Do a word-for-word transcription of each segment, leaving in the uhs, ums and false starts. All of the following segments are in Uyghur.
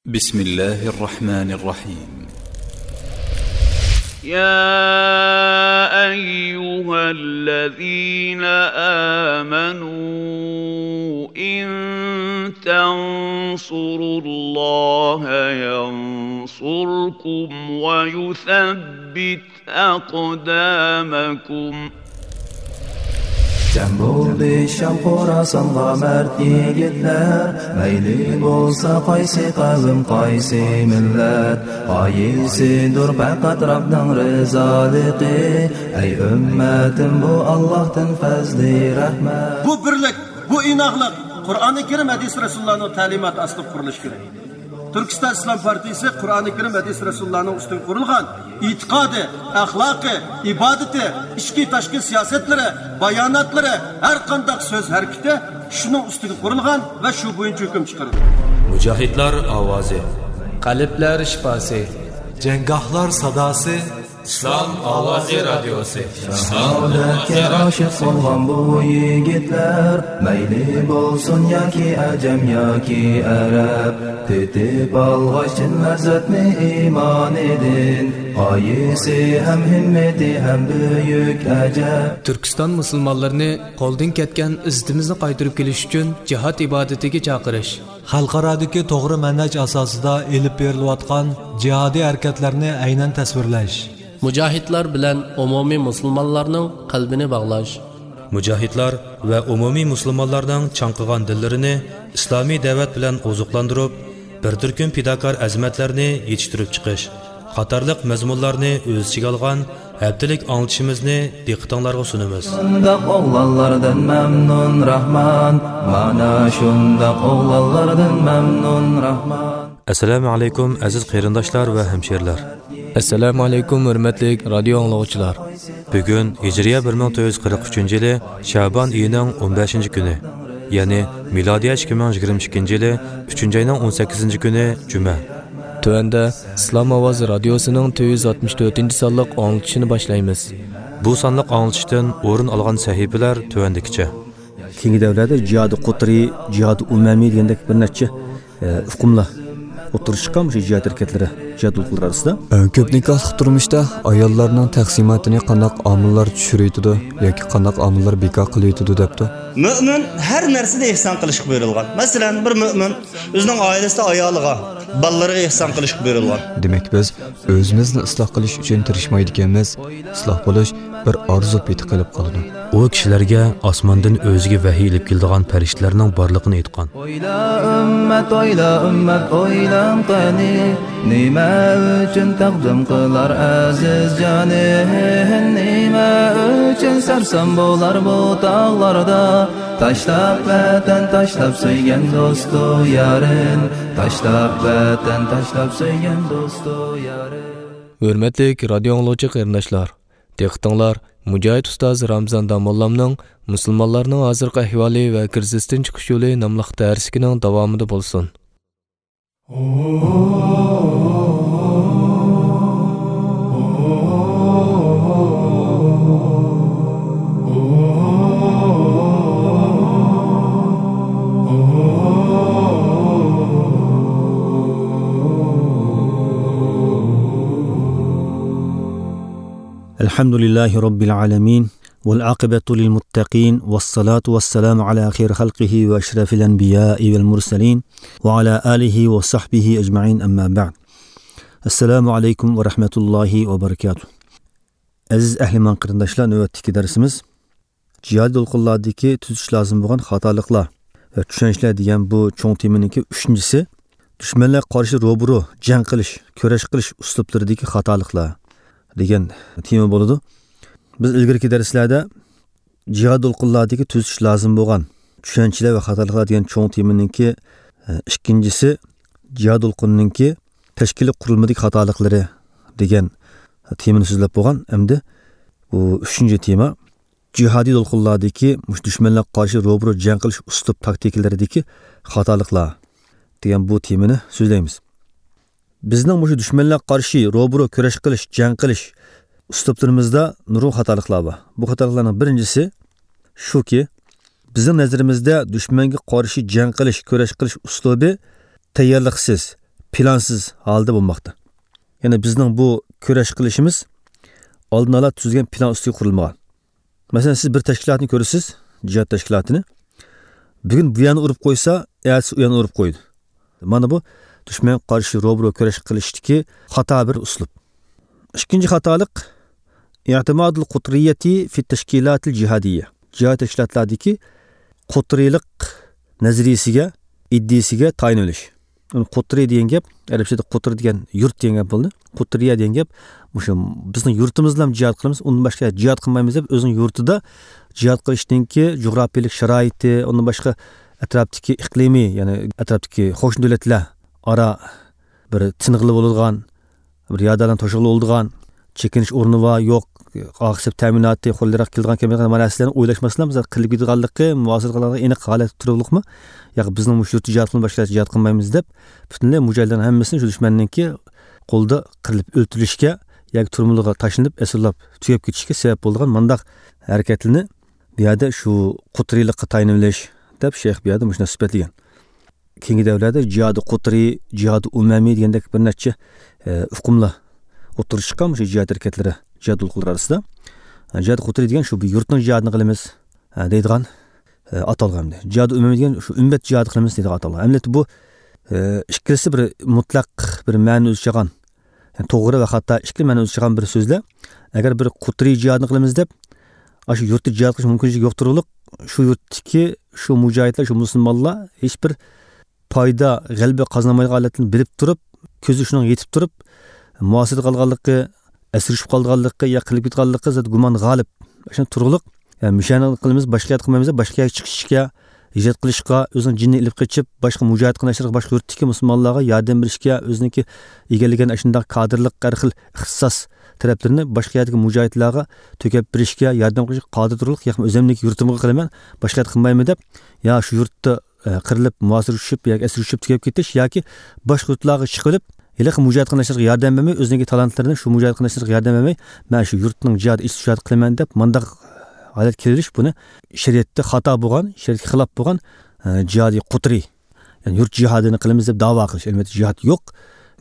بسم الله الرحمن الرحيم. يا أيها الذين آمنوا إن تنصروا الله ينصركم ويثبت أقدامكم. جەم بولدى شام خوراسانغا مەرد يىگىتلەر، مەيلى بولسا قايسى قەۋم، قايسى مىللەت، غايىسىدۇر پەقەت رەبنىڭ رىزالىقى. ئەي ئۈممەتىم، بۇ ئاللاھتىن پەزلى رەھمەت. بۇ بىرلىك، بۇ ئىناقلىق قۇرئانى كەرىم، ھەدىس رەسۇلۇللانىڭ تەلىماتى ئاستىدا قۇرۇلۇشى كېرەك. تۈركىستان ئىسلام پارتىيىسى قۇرئانى كەرىم، ھەدىس رەسۇلۇللانىڭ ئۈستىگە قۇرۇلغان ئېتىقادى، ئەخلاقى، ئىبادىتى، ئىچكى تاشقى سىياسەتلىرى، باياناتلىرى، ھەر قانداق سۆز ھەرىكىتى شۇنىڭ ئۈستىگە قۇرۇلغان ۋە شۇ بويىچە ھۆكۈم چىقىرىدۇ. مۇجاھىدلار ئاۋازى. قەلبلەر شىپاسى. جەڭگاھلار ساداسى. ئىسلام ئاۋازى رادىيوسى. شاھادەتكە ئاشىق بولغان بۇ يىگىتلەر، مەيلى بولسۇن ياكى ئەجەم ياكى ئەرەب، تېتىپ ئالغاچ چىن لەززەتنى ئىمانىدىن، غايىسى ھەم ھىممىتى ھەم بۈيۈك ئەجەب. تۈركىستان مۇسۇلمانلىرىنى قولدىن كەتكەن ئىززىتىمىزنى قايتۇرۇپ كېلىش ئۈچۈن جىھاد ئىبادىتىگە چاقىرىش. خەلقئارادىكى توغرا مەنھەج ئاساسىدا ئېلىپ بېرىلىۋاتقان جىھادىي ھەرىكەتلەرنى ئەينەن تەسۋىرلەش. مۇجاھىدلار بىلەن ئومۇمىي مۇسۇلمانلارنىڭ قەلبىنى باغلاش. مۇجاھىدلار ۋە ئومۇمىي مۇسۇلمانلارنىڭ چاڭقىغان دىللىرىنى ئىسلامىي دەۋەت بىلەن ئوزۇقلاندۇرۇپ، بىر تۈركۈم پىداكار ئەزىمەتلەرنى يېتىشتۈرۈپ چىقىش قاتارلىق مەزمۇنلارنى ئۆز ئىچىگە ئالغان ھەپتىلىك ئاڭلىتىشىمىزنى دىققىتىڭلارغا سۇنىمىز. شۇنداق ئوغلانلاردىن مەمنۇن راھمان، مانا شۇنداق ئوغلانلاردىن مەمنۇن راھمان. ئەسسالامۇ ئەلەيكۇم، ئەزىز قېرىنداشلار ۋە ھەمشېرىلەر. ئەسسالامۇ ئەلەيكۇم، ھۆرمەتلىك رادىيو ئاڭلىغۇچىلار. بۈگۈن ھىجرىيە بىر مىڭ تۆت يۈز قىرىق ئۈچىنچى يىلى شەبان ئېيىنىڭ ئون بەشىنچى كۈنى، يەنى مىلادىيە ئىككى مىڭ يىگىرمە ئىككىنچى يىلى ئۈچىنچى ئاينىڭ ئون سەككىزىنچى كۈنى جۈمە. تۆۋەندە ئىسلام ئاۋازى رادىيوسىنىڭ تۆت يۈز ئاتمىش تۆتىنچى سانلىق ئاڭلىتىشىنى باشلايمىز. بۇ سانلىق ئاڭلىتىشتىن ئورۇن ئالغان سەھىپىلەر تۆۋەندىكىچە. كېيىنكى دەۋرلەردە جىھادى قۇترى، جىھادى ئۇمەمى دېگەندەك بىر نەچچە، ئە، ئۇقۇملار ئوتتۇرىغا چىققان مۇشۇ جىھاد ھەرىكەتلىرى، جىھاد ئۇلۇغلىرى ئارىسىدا. ئە، كۆپ نىكاھلىق تۇرمۇشتا ئاياللارنىڭ تەقسىماتىنى قانداق ئامىللار چۈشۈرۈۋېتىدۇ ياكى قانداق ئامىللار بىكار قىلىۋېتىدۇ دەپتۇ. مۆمىن ھەر نەرسىدە ئېھسان قىلىشقا بۇيرۇلغان. مەسىلەن، بىر مۆمىن ئۆزىنىڭ ئائىلىسىدە ئايالىغا، بالىلىرىغا ئېھسان قىلىشقا بۇيرۇلغان. دېمەك، بىز ئۆزىمىزنى ئىسلاھ قىلىش ئۈچۈن تىرىشمايدىكەنمىز، ئىسلاھ بولۇش بىر ئارزۇ پېتى قېلىپ قالىدۇ. ئۇ كىشىلەرگە ئاسماندىن ئۆزىگە ۋەھىي ئېلىپ كېلىدىغان پەرىشتىلەرنىڭ بارلىقىنى ئېيتقان. ئويلا ئۈممەت، ئويلا ئۈممەت، ئويلاڭ قېنى، نېمە ئۈچۈن تەقدىم قىلار ئەزىز جانى؟ نېمە ئۈچۈن سەرسان بولار بۇ تاغلاردا؟ تاشلاپ ۋەتەن، تاشلاپ سۆيگەن دوستۇ يارىن، تاشلاپ ۋەتەن، تاشلاپ سۆيگەن دوستۇ يارىن. ھۆرمەتلىك رادىيو ئاڭلىغۇچى قېرىنداشلار، دىققىتىڭلار مۇجاھىد ئۇستاز رامزان داموللامنىڭ مۇسۇلمانلارنىڭ ھازىرقى ئەھۋالى ۋە كىرىزىستىن چىقىش يولى ناملىق دەرسلىكىنىڭ داۋامىدا بولسۇن. الحمد لله رب العالمين، والعاقبة للمتقين، والصلاة والسلام على خير خلقه وأشرف الأنبياء والمرسلين، وعلى آله وصحبه أجمعين، أما بعد. السلام عليكم ورحمة الله وبركاته. ئەزىز ئەھلىمان قېرىنداشلار، نۆۋەتتىكى دەرسىمىز جىھادىي دولقۇنلاردىكى تۈزىتىش لازىم بولغان خاتالىقلار ۋە چۈشەنچىلەر دېگەن بۇ چوڭ تېمىنىڭكى ئۈچىنچىسى، دۈشمەنلەرگە قارشى روبىرو جەڭ قىلىش، كۈرەش قىلىش ئۇسلۇبلىرىدىكى خاتالىقلار دېگەن تېما بولىدۇ. بىز ئىلگىرىكى دەرسلەردە جىھاد دولقۇنلاردىكى تۈزىتىش لازىم بولغان چۈشەنچىلەر ۋە خاتالىقلار دېگەن چوڭ تېمىنىڭكى، ئە، ئىككىنچىسى، جىھاد دولقۇنىنىڭكى تەشكىلىي قۇرۇلمىدىكى خاتالىقلىرى دېگەن تېمىنى سۆزلەپ بولغان. ئەمدى بۇ ئۈچىنچى تېما، جىھادىي دولقۇنلاردىكى مۇشۇ دۈشمەنلەرگە قارشى روبىرو جەڭ قىلىش ئۇسلۇب تاكتىكىلىرىدىكى خاتالىقلار دېگەن بۇ تېمىنى سۆزلەيمىز. بىزنىڭ مۇشۇ دۈشمەنلەرگە قارشى روبىرو كۈرەش قىلىش، جەڭ قىلىش ئۇسلۇبلىرىمىزدا نۇرغۇن خاتالىقلار بار. بۇ خاتالىقلارنىڭ بىرىنچىسى شۇكى، بىزنىڭ نەزىرىمىزدە دۈشمەنگە قارشى جەڭ قىلىش، كۈرەش قىلىش ئۇسلۇبى تەييارلىقسىز، پىلانسىز ھالدا بولماقتا. يەنى بىزنىڭ بۇ كۈرەش قىلىشىمىز ئالدىن ئالا تۈزۈلگەن پىلان ئۈستىگە قۇرۇلمىغان. مەسىلەن، سىز بىر تەشكىلاتنى كۆرىسىز، جىھاد تەشكىلاتىنى. بۈگۈن بۇ يەرنى ئۇرۇپ قويسا، ئەتىسى ئۇ يەرنى ئۇرۇپ قويىدۇ. مانا بۇ دۈشمەنگە قارشى روبىرو كۈرەش قىلىشتىكى خاتا بىر ئۇسلۇب. ئىككىنچى خاتالىق، ئېتىمادۇل قۇترىيەتى فىت تەشكىلاتىل جىھادىيە. جىھاد تەشكىلاتلاردىكى قۇترىيلىق نەزەرىيىسىگە، ئىدىيىسىگە تايىنىۋېلىش. ئۇنى قۇترى دېگەن گەپ، ئەرەبچىدە قۇتر دېگەن يۇرت دېگەن گەپ بولدى. قۇترىيە دېگەن گەپ، مۇشۇ بىزنىڭ يۇرتىمىزدا جىھاد قىلىمىز، ئۇندىن باشقا جىھاد قىلمايمىز دەپ، ئۆزىنىڭ يۇرتىدا جىھاد قىلىشنىڭكى جۇغراپىيەلىك شارائىتى، ئۇندىن باشقا ئەتراپتىكى ئىقلىمىي، يەنى ئەتراپتىكى قوشنا دۆلەتلەر ئارا بىر تىنغىلى بولىدىغان، بىر يادالان توشۇغلى بولىدىغان، چېكىنىش ئورنى بار، يوق، ئاقسىپ تەمىناتى، قولىراق كېلىدىغان كەلمەيدىغان مانا نەرسىلەرنى ئويلاشماسلام، بىز قىلىپ كېتىدىغانلىقى، مۇھاسىرە قىلغانلىقى ئېنىق ھالەتتە تۇرۇقلۇقمۇ؟ ياق، بىزنىڭ مۇشۇ يۇرتتا جىھاد قىلماي باشقا يەردە جىھاد قىلمايمىز دەپ، پۈتۈنلەي مۇجاھىدلارنىڭ ھەممىسىنى شۇ دۈشمەننىڭكى قولىدا قىرىلىپ ئۆلتۈرۈلۈشكە ياكى تۈرمىلىرىگە تاشلىنىپ، ئەسىرلەپ تۈگەپ كېتىشكە سەۋەب بولىدىغان مانداق ھەرىكەتلىرىنى بۇ يەردە شۇ قۇترىيلىققا تايىنىۋېلىش دەپ شەيخ بۇ يەردە مۇشۇنداق سۈپەتلىگەن. كېيىنكى دەۋرلەردە جىھادى قۇترى، جىھادى ئۇمەمى دېگەندەك بىر نەچچە، ئە، ئۇقۇملار ئوتتۇرىغا چىققان، مۇشۇ جىھاد ھەرىكەتلىرى، جىھاد ئۇلۇغلىرى ئارىسىدا. ئە، جىھادى قۇترى دېگەن شۇ بىر يۇرتنىڭ جىھادىنى قىلىمىز، ئە، دەيدىغان، ئە، ئاتالغان ئەمدى. جىھادى ئۇمەمى دېگەن شۇ ئۈممەت جىھادى قىلىمىز دەيدىغان ئاتالغان. ئەمەلىيەتتە بۇ، ئە، ئىككىلىسى بىر مۇتلەق بىر مەنىنى ئۆز ئىچىگە ئالغان. يەنى توغرا ۋە خاتا ئىككى مەنە ئۆز ئىچىگە ئالغان بىر سۆزلەر. ئەگەر بىر قۇترى جىھادنى قىلىمىز دەپ، ئاشۇ يۇرتتا جىھاد قىلىش مۇمكىنچىلىكى يوق تۇرۇقلۇق، شۇ يۇرتتىكى شۇ مۇجاھىدلار، شۇ مۇسۇلمانلار ھېچ بىر پايدا، غەلىبە قازانالمايدىغان ھالەتنى بىلىپ تۇرۇپ، كۆزى شۇنىڭغا يېتىپ تۇرۇپ، مۇھاسىرىدە قالغانلىقى، ئەسىر چۈشۈپ قالغانلىقى يا قىلىپ كېتىدىغانلىقى زادى گۇمان غالىب. شۇ تۇرۇقلۇق، يا مۇشۇنى قىلىمىز، باشقا يەردە قىلمايمىز، باشقا يەرگە چىقىشقا، ھىجرەت قىلىشقا، ئۆزىنىڭ جېنىنى ئېلىپ قېچىپ، باشقا مۇجاھىد قېرىنداشلىرىغا، باشقا يۇرتتىكى مۇسۇلمانلارغا ياردەم بېرىشكە، ئۆزىنىڭكى ئىگىلىگەن ئاشۇنداق كادىرلىق ھەر خىل ئىختىساس تەرەپلىرىنى باشقا يەردىكى مۇجاھىدلارغا تۆكەپ بېرىشكە، ياردەم قىلىشقا قادىر تۇرۇقلۇق، ياقمۇ ئۆزۈمنىڭكى يۇرتۇمغا قىلىمەن، باشقا يەردە قىلمايمەن دەپ، يا شۇ يۇرتتا، ئە، قىرىلىپ، مۇھاسىرىگە چۈشۈپ ياكى ئەسىرگە چۈشۈپ تۈگەپ كېتىش ياكى باشقا يۇرتلارغا چىقىۋېلىپ، ھېلىقى مۇجاھىد قېرىنداشلىرىغا ياردەم بەرمەي، ئۆزىنىڭكى تالانتلىرىنى شۇ مۇجاھىد قېرىنداشلىرىغا ياردەم بەرمەي، مەن شۇ يۇرتنىڭ جىھادى ئىچىدە جىھاد قىلىمەن دەپ، مانداق ھالەت كېلىۋېلىش، بۇنى شەرىئەتتە خاتا بولغان، شەرىئەتكە خىلاپ بولغان، ئە، جىھادىي قۇترى. يەنى يۇرت جىھادىنى قىلىمىز دەپ داۋا قىلىش. ئەلۋەتتە، جىھاد يوق،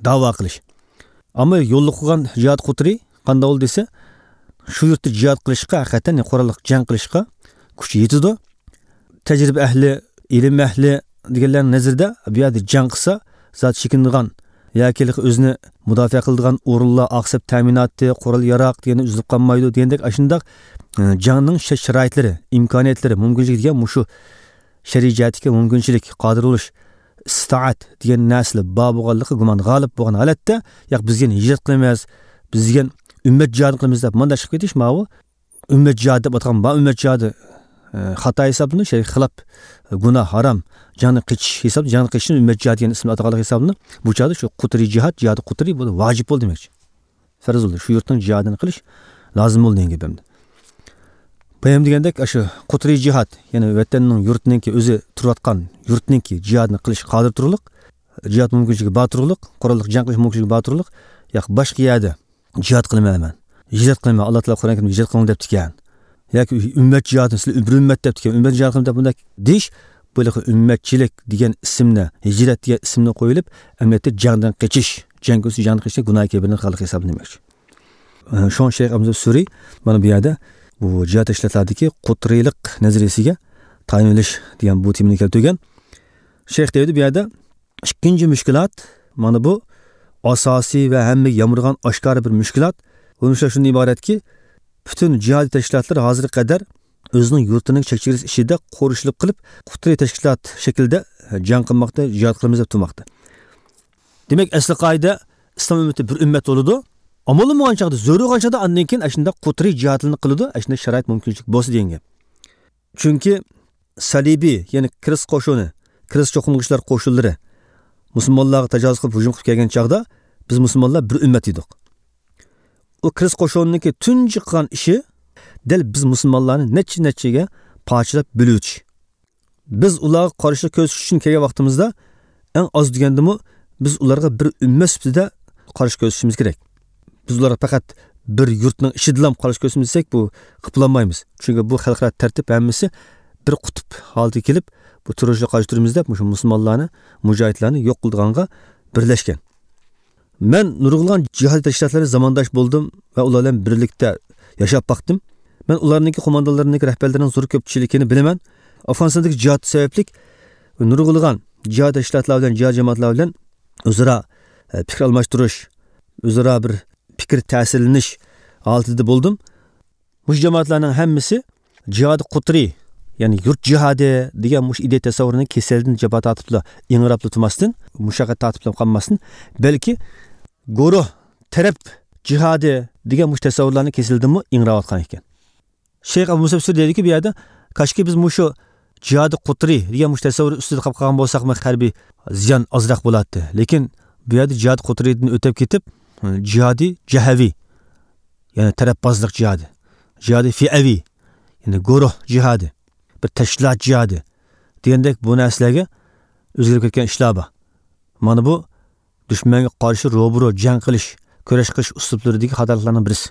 داۋا قىلىش. ئەمما يوللۇق قىلغان جىھاد قۇترى قانداق بولدى دېسە، شۇ يۇرتتا جىھاد قىلىشقا، ھەقىقەتەن قوراللىق جەڭ قىلىشقا كۈچى يېتىدۇ. تەجرىبە ئەھلى، ئىلىم ئەھلى دېگەنلەرنىڭ نەزىرىدە بۇ يەردە جەڭ قىلسا، زادى چېكىنىدىغان ياكى ئۆزىنى مۇداپىئە قىلىدىغان ئورۇنلار، ئاقسىپ تەمىناتى، قورال ياراق دېگەندە ئۈزۈلۈپ قالمايدۇ دېگەندەك ئاشۇنداق، ئە، جەڭنىڭ شەرت-شارائىتلىرى، ئىمكانىيەتلىرى، مۇمكىنچىلىكى دېگەن مۇشۇ شەرئىي جەھەتتىكى مۇمكىنچىلىك، قادىر بولۇش، ئىستائەت دېگەن نەرسىلەر بار بولغانلىقى، گۇمان غالىب بولغان ھالەتتە، ياق، بىز دېگەن ھىجرەت قىلىمىز، بىز دېگەن ئۈممەت جىھادى قىلىمىز دەپ مۇنداق چىقىپ كېتىش، ماۋۇ ئۈممەت جىھادى دەپ ئاتىغان بار ئۈممەت جىھادى، ئە، خاتا ھېسابلىنىدۇ، شەرئىي خىلاپ، گۇناھ، ھارام، جەڭدىن قېچىش ھېسابلىنىدۇ، جەڭدىن قېچىشنى ئۈممەت جىھادى دېگەن ئىسىمنى ئاتىغانلىق ھېسابلىنىدۇ. بۇ چاغدا شۇ قۇترى جىھاد، جىھادى قۇترى بۇ ۋاجىپ بولدى دېمەكچى. پەرز بولدى. شۇ يۇرتنىڭ جىھادىنى قىلىش لازىم بولدى دېگەن گەپ ئەمدى. بايام دېگەندەك، ئاشۇ قۇترى جىھاد، يەنى ۋەتەننىڭ، يۇرتنىڭكى، ئۆزى تۇرۇۋاتقان يۇرتنىڭكى جىھادىنى قىلىشقا قادىر تۇرۇقلۇق، جىھاد مۇمكىنچىلىكى بار تۇرۇقلۇق، قوراللىق جەڭ قىلىش مۇمكىنچىلىكى بار تۇرۇقلۇق، ياق، باشقا يەردە جىھاد قىلىمەن مەن، ھىجرەت قىلىمەن، ئاللا تائالا قۇرئان كەرىمدە ھىجرەت قىلىڭ دەپتىكەن. ياكى ئۈممەت جىھادى، سىلەر بىر ئۈممەت دەپتىكەن، ئۈممەت جىھاد قىلىمەن دەپ بۇنداق دېيىش، بۇ ھېلىقى ئۈممەتچىلىك دېگەن ئىسىمنى، ھىجرەت دېگەن ئىسىمنى قويۇلۇپ، ئەمەلىيەتتە جەڭدىن قېچىش، جەڭ كۆرسە جەڭدىن قېچىش گۇناھ كەبىرىنى قىلغانلىق ھېسابلىنىدۇ دېمەكچى. ئە، شۇڭا شەيخ ئەبۇ سۈرى مانا بۇ يەردە بۇ جىھاد تەشكىلاتلاردىكى قۇترىلىق نەزەرىيىسىگە تايىنىۋېلىش دېگەن بۇ تېمىنى كەلتۈرگەن. شەيخ دەيدۇ بۇ يەردە، ئىككىنچى مۈشكۈلات، مانا بۇ ئاساسىي ۋە ھەممىگە يامرىغان ئاشكارا بىر مۈشكۈلات. بۇ مۈشكۈلات شۇندىن ئىبارەتكى، پۈتۈن جىھادىي تەشكىلاتلار ھازىرغا قەدەر ئۆزىنىڭ يۇرتىنىڭ چەك چېگرىسى ئىچىدە قورۇشلۇق قىلىپ، قۇترى تەشكىلات شەكلىدە جەڭ قىلماقتا، جىھاد قىلىمىز دەپ تۇرماقتا. دېمەك، ئەسلى قائىدە، ئىسلام ئۈممىتى بىر ئۈممەت بولىدۇ. ئامال بولمىغان چاغدا، زۆرۈر بولغان چاغدا، ئاندىن كېيىن ئاشۇنداق قۇترى جىھادلىرىنى قىلىدۇ، ئاشۇنداق شارائىت مۇمكىنچىلىك بولسا دېگەن گەپ. چۈنكى سەلىبىي، يەنى كىرىست قوشۇنى، كىرىست چوقۇنلىغۇچىلار قوشۇنلىرى مۇسۇلمانلارغا تاجاۋۇز قىلىپ ھۇجۇم قىلىپ كەلگەن چاغدا، بىز مۇسۇلمانلار بىر ئۈممەت ئىدۇق. ئۇ كىرىست قوشۇنىنىڭكى تۇنجى قىلغان ئىشى دەل بىز مۇسۇلمانلارنى نەچچە نەچچىگە پارچىلاپ بۆلۈۋېتىش. بىز ئۇلارغا قارشىلىق كۆرسىتىش ئۈچۈن كەلگەن ۋاقتىمىزدا، ئەڭ ئاز دېگەندىمۇ بىز ئۇلارغا بىر ئۈممەت سۈپىتىدە قارشى كۆرسىتىشىمىز كېرەك. بىز ئۇلارغا پەقەت بىر يۇرتنىڭ ئىچىدىلا قارشى كۆرسىتىمىز دېسەك، بۇ قىلالمايمىز. چۈنكى بۇ خەلقئارا تەرتىپ ھەممىسى بىر قۇتۇپ ھالىتىگە كېلىپ، بۇ تېررورچىلارغا قارشى تۇرىمىز دەپ، مۇشۇ مۇسۇلمانلارنى، مۇجاھىدلارنى يوق قىلىدىغانغا بىرلەشكەن. مەن نۇرغۇنلىغان جىھادىي تەشكىلاتلارنى زامانداش بولدۇم ۋە ئۇلار بىلەن بىرلىكتە ياشاپ باقتىم. مەن ئۇلارنىڭكى قوماندانلىرىنىڭكى، رەھبەرلىرىنىڭ زور كۆپچىلىكىنى بىلىمەن. ئافغانىستاندىكى جىھاد سەۋەبلىك نۇرغۇنلىغان جىھاد تەشكىلاتلار بىلەن، جىھاد جامائەتلەر بىلەن ئۆزئارا، ئە، پىكىر ئالماشتۇرۇش، ئۆزئارا بىر پىكىر تەسىرلىنىش ھالىتىدە بولدۇم. مۇشۇ جامائەتلەرنىڭ ھەممىسى جىھادى قۇترى، يەنى يۇرت جىھادى دېگەن مۇشۇ ئىدىيە تەسەۋۋۇرىنىڭ كېسەلدىن جاپا تارتىپلا، ئىڭراپلا تۇرماستىن، مۇشەققەت تارتىپلا قالماستىن، بەلكى گۇرۇھ، تەرەپ جىھادى دېگەن مۇشۇ تەسەۋۋۇرلارنىڭ كېسىلىدىنمۇ ئىڭراۋاتقان ئىكەن. شەيخ ئەبۇ مۇسا بىسرى دەيدۇكى، بۇ يەردە، كاشكى بىز مۇشۇ جىھادى قۇترى دېگەن مۇشۇ تەسەۋۋۇر ئۈستىدە قاپ قالغان بولساقمۇ، ھەربىي زىيان ئازراق بولاتتى. لېكىن بۇ يەردە جىھادى قۇترىدىن ئۆتۈپ كېتىپ، جىھادى جەھەۋى، يەنى تەرەپبازلىق جىھادى، جىھادى فىئەۋى، يەنى گۇرۇھ جىھادى، بىر تەشكىلات جىھادى دېگەندەك بۇ نەرسىلەرگە ئۆزگىرىپ كەتكەن ئىشلار بار. مانا بۇ دۈشمەنگە قارشى روبىرو جەڭ قىلىش، كۈرەش قىلىش ئۇسلۇبلىرىدىكى خاتالىقلارنىڭ بىرسى.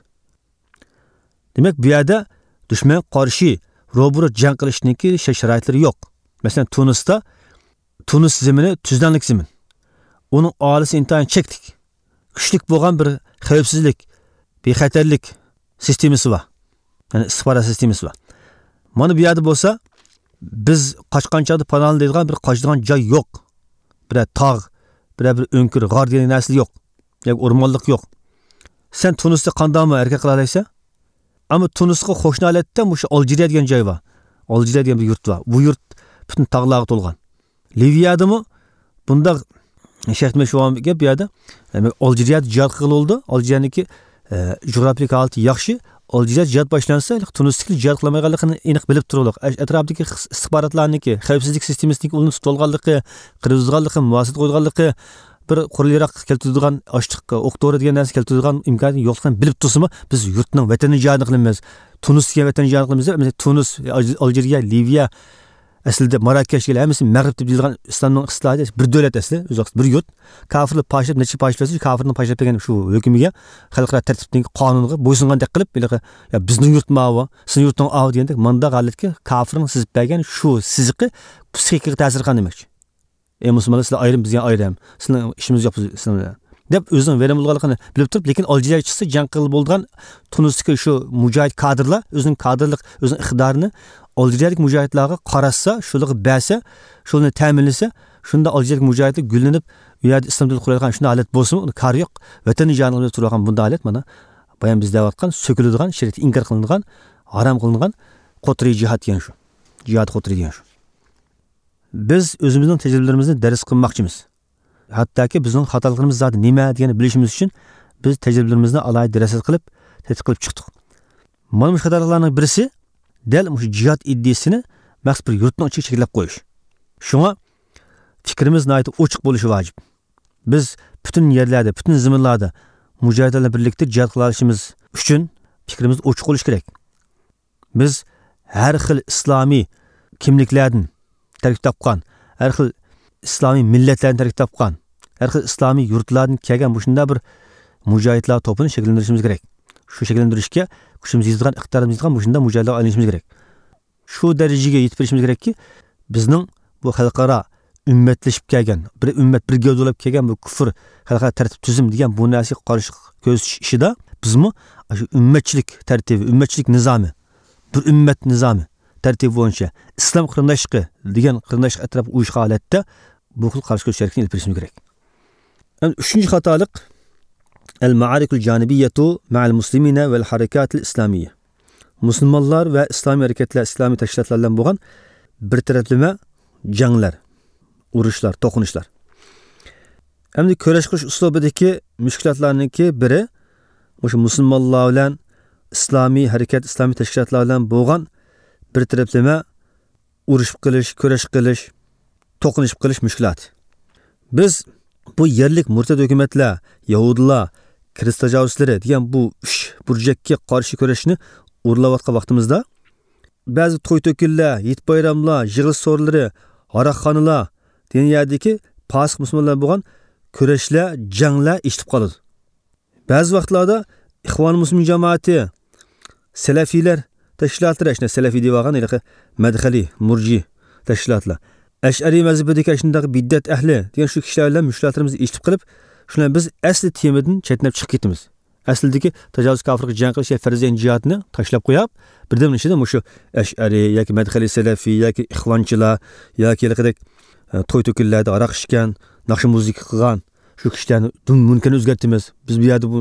دېمەك، بۇ يەردە دۈشمەنگە قارشى روبىرو جەڭ قىلىشنىڭكى شەرت-شارائىتلىرى يوق. مەسىلەن، تۇنىستا، تۇنىس زېمىنى تۈزلەڭلىك زېمىن. ئۇنىڭ ئاھالىسى ئىنتايىن چەكلىك. كۈچلۈك بولغان بىر خەۋپسىزلىك، بىخەتەرلىك سىستېمىسى بار. يەنى ئىستىخبارات سىستېمىسى بار. مانا بۇ يەردە بولسا، بىز قاچقان چاغدا پاناھلىنىدىغان بىر قاچىدىغان جاي يوق. بىرەر تاغ، بىرەر بىر ئۆڭكۈر، غار دېگەن نەرسە يوق. ياكى ئورمانلىق يوق. سەن تۇنىستا قانداقمۇ ھەرىكەت قىلالايسەن؟ ئەمما تۇنىسقا قوشنا ھالەتتە مۇشۇ ئالجىرىيە دېگەن جاي بار. ئالجىرىيە دېگەن بىر يۇرت بار. بۇ يۇرت پۈتۈن تاغلارغا تولغان. لىۋىيەدىمۇ بۇنداق شەرت مەشۇ بولغان گەپ بۇ يەردە. ئەمما ئالجىرىيەدە جىھاد قىلغىلى بولىدۇ. ئالجىرىيەنىڭكى، ئە، جۇغراپىيىلىك ھالىتى ياخشى. ئالجىرىيەدە جىھاد باشلانسا، تۇنىستىكىلەر جىھاد قىلالمايدىغانلىقىنى ئېنىق بىلىپ تۇرۇلۇق. ئەش-، ئەتراپتىكى خىس-، ئىستىخباراتلارنىڭكى، خەۋپسىزلىك سىستېمىسىنىڭكى ئۇلىنى تۇتۇۋالغانلىقى، قىرغىزغانلىقى، مۇھاسىرە قويغانلىقى، بىر قورال-ياراق كەلتۈرىدىغان، ئاشلىق، ئوق-دورا دېگەن نەرسە كەلتۈرىدىغان ئىمكانىيەت يوقلۇقىنى بىلىپ تۇرسىمۇ، بىز يۇرتنىڭ ۋەتەننى جىھادىنى قىلىمىز. تۇنىس دېگەن ۋەتەننى جىھادىنى قىلىمىز دەپ، مەسىلەن، تۇنىس، ئالج-، ئالجىرىيە، لىۋىيە، ئەسلىدە ماراكەش دېگەن ھەممىسى مەغرىب دەپ دېيىلغان ئىسلامنىڭ ئىستىلاھىدا بىر دۆلەت ئەسلى، ئۆزى بىر يۇرت. كافىرلار پارچىلاپ، نەچچە پارچە بەرسە، كافىرنىڭ پارچىلاپ بەرگەن شۇ ھۆكمىگە، خەلقئارا تەرتىپنىڭ قانۇنىغا بويسۇنغاندەك قىلىپ، ھېلىقى، يا بىزنىڭ يۇرتمۇ ئاۋۇ، سېنىڭ يۇرتۇڭ ئاۋۇ دېگەندەك، مانداق ھالەتكە كافىرنىڭ سىزىپ بەرگەن شۇ سىزىقى پسىخىكىغا تەسىر قىلغان دېمەكچى. ئەي مۇسۇلمانلار، سىلەر ئايرىم، بىز يەنە ئايرىم. سىلەرنىڭ ئىشىمىز يوق بىز سىلەر بىلەن، دەپ ئۆزىنىڭ ۋەيران بولغانلىقىنى بىلىپ تۇرۇپ، لېكىن ئالجىرىيەگە چىقسا جەڭ قىلغىلى بولىدىغان تۇنىستىكى شۇ مۇجاھىد كادىرلار ئۆزىنىڭ كادىرلىق، ئۆزىنىڭ ئىقتىدارىنى ئالجىرىيەدىكى مۇجاھىدلارغا قاراتسا، شۇلارغا بەرسە، شۇلارنى تەمىنلىسە، شۇنداق ئالجىرىيەدىكى مۇجاھىدلار گۈللىنىپ، ئۇ يەردە ئىسلام دۆلىتى قۇرۇلىدىغان شۇنداق ھالەت بولسىمۇ، ئۇنىڭ كارى يوق. ۋەتەننى جانىغا تۇرغان بۇنداق ھالەت، مانا، بايام بىز دەۋاتقان، سۆكۈلىدىغان، شەرىئەتتە ئىنكار قىلىنغان، ھارام قىلىنغان قوترى جىھاد دېگەن شۇ. جىھاد قوترى دېگەن شۇ. بىز ئۆزىمىزنىڭ تەجرىبىلىرىمىزنى دەرس قىلماقچىمىز. ھەتتاكى بىزنىڭ خاتالىقلىرىمىز زادى نېمە دېگەننى بىلىشىمىز ئۈچۈن بىز تەجرىبىلىرىمىزنى ئالاھىدە دەرس قىلىپ، تەتقىق قىلىپ چىقتۇق. مانا مۇشۇ خاتالىقلارنىڭ بىرسى دەل مۇشۇ جىھاد ئىدىيىسىنى مەخسۇس بىر يۇرتنىڭ ئىچىگە چەكلەپ قويۇش. شۇڭا پىكرىمىز ناھايىتى ئوچۇق بولۇشى ۋاجىپ. بىز پۈتۈن يەرلەردە، پۈتۈن زېمىنلاردا مۇجاھىدلار بىلەن بىرلىكتە جىھاد قىلالىشىمىز ئۈچۈن پىكرىمىز ئوچۇق بولۇشى كېرەك. بىز ھەر خىل ئىسلامىي كىملىكلەردىن تەركىب تاپقان، ھەر خىل ئىسلامىي مىللەتلەردىن تەركىب تاپقان، ھەر خىل ئىسلامىي يۇرتلاردىن كەلگەن مۇشۇنداق بىر مۇجاھىدلار توپىنى شەكىللەندۈرۈشىمىز كېرەك. شۇ شەكىللەندۈرۈشكە كۈچىمىز يېتىدىغان، ئىقتىدارىمىز يېتىدىغان مۇشۇنداق مۇجاھىدلارغا ئايلىنىشىمىز كېرەك. شۇ دەرىجىگە يېتىپ بېرىشىمىز كېرەككى، بىزنىڭ بۇ خەلقئارا ئۈممەتلىشىپ كەلگەن، بىر ئۈممەت، بىر گەۋدە بولۇپ كەلگەن بۇ كۇفر، خەلقئارا تەرتىپ تۈزۈم دېگەن بۇ نەرسىگە قارشى كۆرسىتىش ئىشىدا بىزمۇ شۇ ئۈممەتچىلىك تەرتىپى، ئۈممەتچىلىك نىزامى، بىر ئۈممەت نىزامى تەرتىپى بويىچە ئىسلام قېرىنداشلىقى دېگەن قېرىنداشلىق ئەتراپىغا ئۇيۇشقان ھالەتتە بۇ خىل قارشى كۆرۈش ھەرىكىتىنى ئېلىپ بېرىشىمىز كېرەك. ئەمدى ئۈچىنچى خاتالىق، ئەل مائارىكۇل جانىبىيەتۇ مەئەل مۇسلىمىنە ۋەل ھەرىكاتىل ئىسلامىيە. مۇسۇلمانلار ۋە ئىسلامىي ھەرىكەتلەر، ئىسلامىي تەشكىلاتلار بىلەن بولغان بىر تەرەپلىمە جەڭلەر، ئۇرۇشلار، توقۇنۇشلار. ئەمدى كۈرەش قىلىش ئۇسلۇبىدىكى مۈشكۈلاتلارنىڭكى بىرى، مۇشۇ مۇسۇلمانلار بىلەن، ئىسلامىي ھەرىكەت، ئىسلامىي تەشكىلاتلار بىلەن بولغان بىر تەرەپلىمە ئۇرۇشۇپ قېلىش، كۈرەش قىلىش، توقۇنۇشۇپ قېلىش مۈشكۈلاتى. بىز بۇ يەرلىك مۇرتەت ھۆكۈمەتلەر، يەھۇدىيلار، كىرىستىيان تاجاۋۇزچىلىرى دېگەن بۇ ئۈچ بۇرجەككە قارشى كۈرەشنى ئورۇنلاۋاتقان ۋاقتىمىزدا، بەزى توي تۆكۈنلەر، ھېيت بايراملار، يىغىلىش سورۇنلىرى، ھاراقخانىلار دېگەن يەردىكى پاسىق مۇسۇلمانلار بولغان كۈرەشلەر، جەڭلەر ئېچىلىپ قالىدۇ. بەزى ۋاقىتلاردا ئىخۋان مۇسلىمىن جامائىتى، سەلەفىيلەر تەشكىلاتلىرى، ئەشۇنداق سەلەفىي دەۋالغان ھېلىقى مەدخەلىي، مۇرجى تەشكىلاتلار، ئەشئەرىي مەزھىپىدىكى ئاشۇنداق بىدئەت ئەھلى دېگەن شۇ كىشىلەر بىلەن مۇشكىلاتلىرىمىزنى ئېچىلىپ قېلىپ، شۇلار بىز ئەسلى تېمىدىن چەتنەپ چىقىپ كېتىمىز. ئەسلىدىكى تاجاۋۇز كاپىرغا جەڭ قىلىش يا پەرزەينى جىھادنى تاشلاپ قويۇپ، بىردەمنىڭ ئىچىدە مۇشۇ ئەشئەرىي ياكى مەدخەلىي سەلەفىي ياكى ئىخۋانچىلار ياكى ھېلىقىدەك، ئە، توي تۆكۈنلەردە ھاراق ئىچكەن، ناخشا مۇزىكا قىلغان شۇ كىشىلەرنى دۇم مۇنكەرنى ئۆزگەرتىمىز. بىز بۇ يەردە بۇ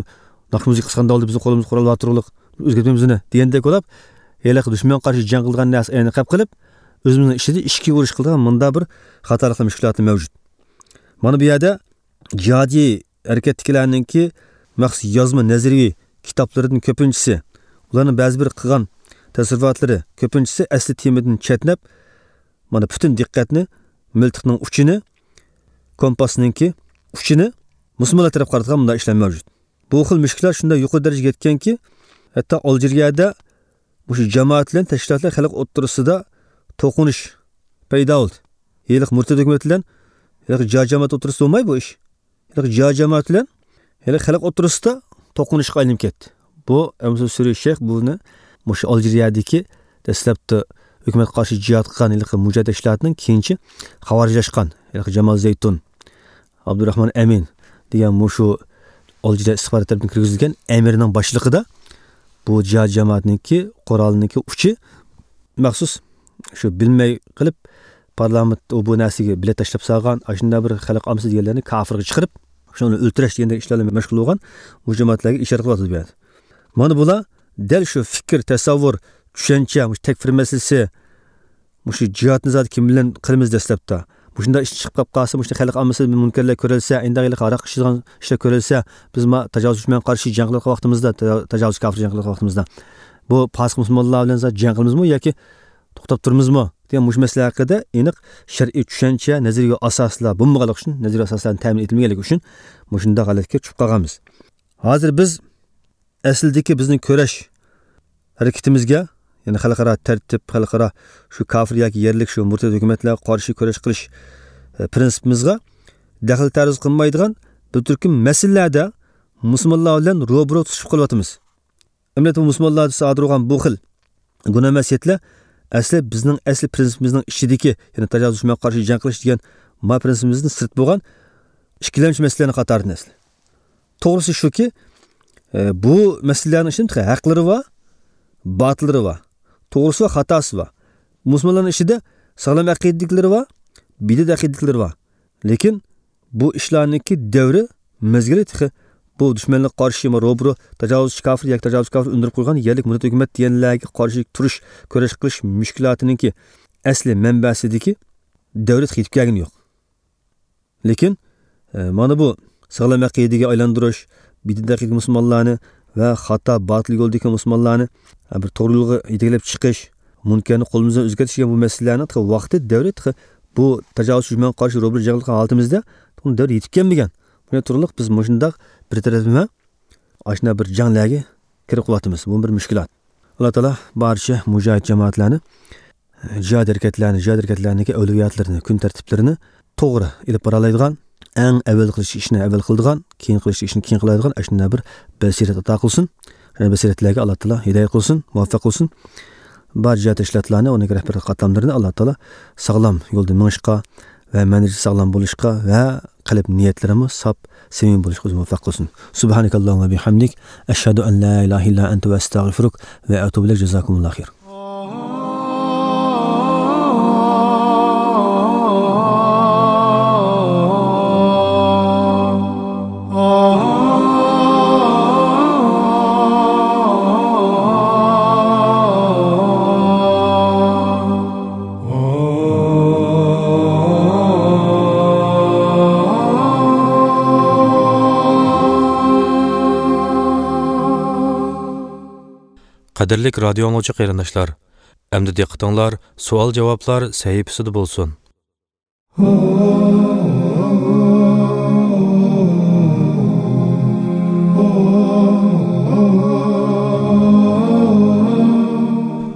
ناخشا مۇزىكا قىلساقنى ئالدى بىزنىڭ قولىمىزدا قورال بار تۇرۇقلۇق، ئۆزگەرتمەيمىز ئۇنى دېگەندەك بولۇپ، ھېلىقى دۈشمەنگە قارشى جەڭ قىلىدىغان نەرسە ئەينەن قېلىپ قېلىپ، ئۆزىمىزنىڭ ئىچىدە ئىچكى ئۇرۇش قىلىدىغان مۇنداق بىر خاتالىقلار، مۈشكۈلاتلار مەۋجۇت. مانا بۇ يەردە جىھادىي ھەرىكەتتىكىلەرنىڭكى مەخسۇس يازما نەزەرىي كىتابلىرىدىن كۆپىنچىسى، ئۇلارنىڭ بەزى بىر قىلغان تەسەۋۋۇراتلىرى كۆپىنچىسى ئەسلى تېمىدىن چەتنەپ، مانا پۈتۈن دىققەتنى مىلتىقنىڭ ئۇچىنى، كومپاسنىڭكى ئۇچىنى مۇسۇلمانلار تەرەپ قارىتىدىغان مۇنداق ئىشلار مەۋجۇت. بۇ خىل مۈشكۈلات شۇنداق يۇقىرى دەرىجىگە يەتكەنكى، ھەتتا ئالجىرىيەدە مۇشۇ جامائەت بىلەن تەشكىلاتلار خەلق ئوتتۇرىسىدا توقۇنۇش پەيدا بولدى. ھېلىقى مۇرتەت ھۆكۈمەت بىلەن ھېلىقى جىھاد جامائەت ئوتتۇرىسىدا بولماي بۇ ئىش. ھېلىقى جىھاد جامائەت بىلەن ھېلىقى خەلق ئوتتۇرىسىدا توقۇنۇشقا ئايلىنىپ كەتتى. بۇ ئەمىسە سۈرى شەيخ بۇنى مۇشۇ ئالجىرىيەدىكى دەسلەپتە ھۆكۈمەتكە قارشى جىھاد قىلغان ھېلىقى مۇجاھىد تەشكىلاتىنىڭ كېيىنچە خاۋارىجلاشقان ھېلىقى جامال زەيتۇن، ئابدۇراخمان ئەمىن دېگەن مۇشۇ ئالجىرىيە ئىستىخبارات تەرىپىدىن كىرگۈزۈلگەن ئەمىرنىڭ باشلىقىدا بۇ جىھاد جامائەتنىڭكى قورالىنىڭكى ئۇچى مەخسۇس شۇ بىلمەي قېلىپ پارلامېنت ئۇ بۇ نەرسىگە بېلەت تاشلاپ سالغان، ئاشۇنداق بىر خەلق ئاممىسى دېگەنلەرنى كافىرغا چىقىرىپ، شۇنى ئۆلتۈرۈش دېگەندەك ئىشلار بىلەن مەشغۇل بولغان مۇشۇ جامائەتلەرگە ئىشارە قىلىۋاتىدۇ بۇ يەردە. مانا بۇلار دەل شۇ پىكىر، تەسەۋۋۇر، چۈشەنچە، مۇشۇ تەكفىر مەسىلىسى، مۇشۇ جىھادنى زادى كىم بىلەن قىلىمىز دەسلەپتە. مۇشۇنداق ئىش چىقىپ قاپ قالسا، مۇشۇنداق خەلق ئاممىسى مۇنكەرلەر كۆرەلسە، ئىنداق ھېلىقى ھاراق ئىچىدىغان ئىشلار كۆرەلسە، بىز ما تاجاۋۇز دۈشمەنگە قارشى جەڭ قىلىۋاتقان ۋاقتىمىزدا، تا-، تاجاۋۇز كافىر جەڭ قىلىۋاتقان ۋاقتىمىزدا، بۇ پاسىق مۇسۇلمانلار بىلەن زادى جەڭ قىلىمىزمۇ ياكى توختاپ تۇرىمىزمۇ دېگەن مۇشۇ مەسىلە ھەققىدە ئېنىق شەرئىي چۈشەنچە، نەزەرىيە ئاساسلار بولمىغانلىقى ئۈچۈن، نەزەرىيە ئاساسلارنى تەمىن ئېتىلمىگەنلىكى ئۈچۈن مۇشۇنداق ھالەتكە چۈشۈپ قالغانمىز. ھازىر بىز ئەسلىدىكى بىزنىڭ كۈرەش ھەرىكىتىمىزگە، يەنى خەلقئارا تەرتىپ، خەلقئارا شۇ كافىر ياكى يەرلىك شۇ مۇرتەت ھۆكۈمەتلەرگە قارشى كۈرەش قىلىش، ئە، پىرىنسىپىمىزغا دەخلى تەرۇز قىلمايدىغان بىر تۈركۈم مەسىلىلەردە مۇسۇلمانلار بىلەن روبىرو تۇتۇشۇپ قېلىۋاتىمىز. ئەمەلىيەتتە مۇسۇلمانلاردا سادىر بولغان بۇ خىل گۇناھ مەسىيەتلەر ئەسلى بىزنىڭ ئەسلى پىرىنسىپىمىزنىڭ ئىچىدىكى، يەنى تاجاۋۇز دۈشمەنگە قارشى جەڭ قىلىش دېگەن ما پىرىنسىپىمىزدىن سىرت بولغان ئىككىلەمچى مەسىلىلەرنىڭ قاتارىدىن ئەسلى. توغرىسى شۇكى، ئە، بۇ مەسىلىلەرنىڭ ئىچىدە تېخى ھەقلىرى بار، باتىللىرى بار. توغرىسى بار، خاتاسى بار. مۇسۇلمانلارنىڭ ئىچىدە ساغلام ئەقىدىلىكلىرى بار، بىدئەت ئەقىدىلىكلىرى بار. لېكىن بۇ ئىشلارنىڭكى دەۋرى، مەزگىلى تېخى بۇ دۈشمەنلىككە قارشى روبىرو تاجاۋۇزچى كافىر ياكى تاجاۋۇزچى كافىر ئۈندۈرۈپ قويغان يەرلىك مۇرتەت ھۆكۈمەت دېگەنلەرگە قارشى تۇرۇش، كۈرەش قىلىش مۈشكۈلاتىنىڭكى ئەسلى مەنبەسىدىكى دەۋرى تېخى يېتىپ كەلگىنى يوق. لېكىن، ئە، مانا بۇ ساغلام ئەقىدىگە ئايلاندۇرۇش، بىدئەت ئەقىدىدىكى مۇسۇلمانلارنى ۋە خاتا، باتىل يولدىكى مۇسۇلمانلارنى، ئە، بىر توغرا يولغا يېتەكلەپ چىقىش، مۇنكەرنى قولىمىزدىن ئۆزگەرتىش دېگەن بۇ مەسىلىلەرنىڭ تېخى ۋاقتى، دەۋرى تېخى بۇ تاجاۋۇز دۈشمەنگە قارشى روبىرو جەڭ قىلغان ھالىتىمىزدە بۇ دەۋر يېتىپ كەلمىگەن. بۇنى تۇرۇقلۇق بىز مۇشۇنداق بىر تەرەپلىمە ئاشۇنداق بىر جەڭلەرگە كىرىپ قېلىۋاتىمىز. بۇ بىر مۈشكۈلات. ئاللا تائالا بارچە مۇجاھىد جامائەتلەرنى، جىھاد ھەرىكەتلەرنى، جىھاد ھەرىكەتلەرنىڭكى ئەۋلىياتلىرىنى، كۈن تەرتىپلىرىنى توغرا ئېلىپ بارالايدىغان، ئەڭ ئەۋۋەل قىلىش ئىشنى ئەۋۋەل قىلىدىغان، كېيىن قىلىش ئىشنى كېيىن قىلالايدىغان ئاشۇنداق بىر بەسىرەت ئاتا قىلسۇن. شۇنداق بەسىرەتلەرگە ئاللا تائالا ھىدايەت قىلسۇن، مۇۋەپپەق قىلسۇن. بار جىھاد تەشكىلاتلارنى، ئۇنىڭ رەھبەرلىك قاتلاملىرىنى ئاللا تائالا ساغلام يولدا مېڭىشقا ۋە مەنھەجى ساغلام بولۇشقا ۋە قەلب نىيەتلىرىمۇ ساپ، سەمىمىي بولۇشقا ئۆزى مۇۋەپپەق قىلسۇن. سۇبھانەكاللاھۇممە بىھەمدىك، ئەشھەدۇ ئەن لا ئىلاھە ئىللا ئەنتە ۋە ئەستەغفىرۇك ۋە ئەتۇبۇ ئىلەيك. جازاكۇمۇللاھۇ خەير. قەدىرلىك رادىيو ئاڭلىغۇچى قېرىنداشلار، ئەمدى دىققىتىڭلار سوئال-جاۋابلار سەھىپىسىدە بولسۇن.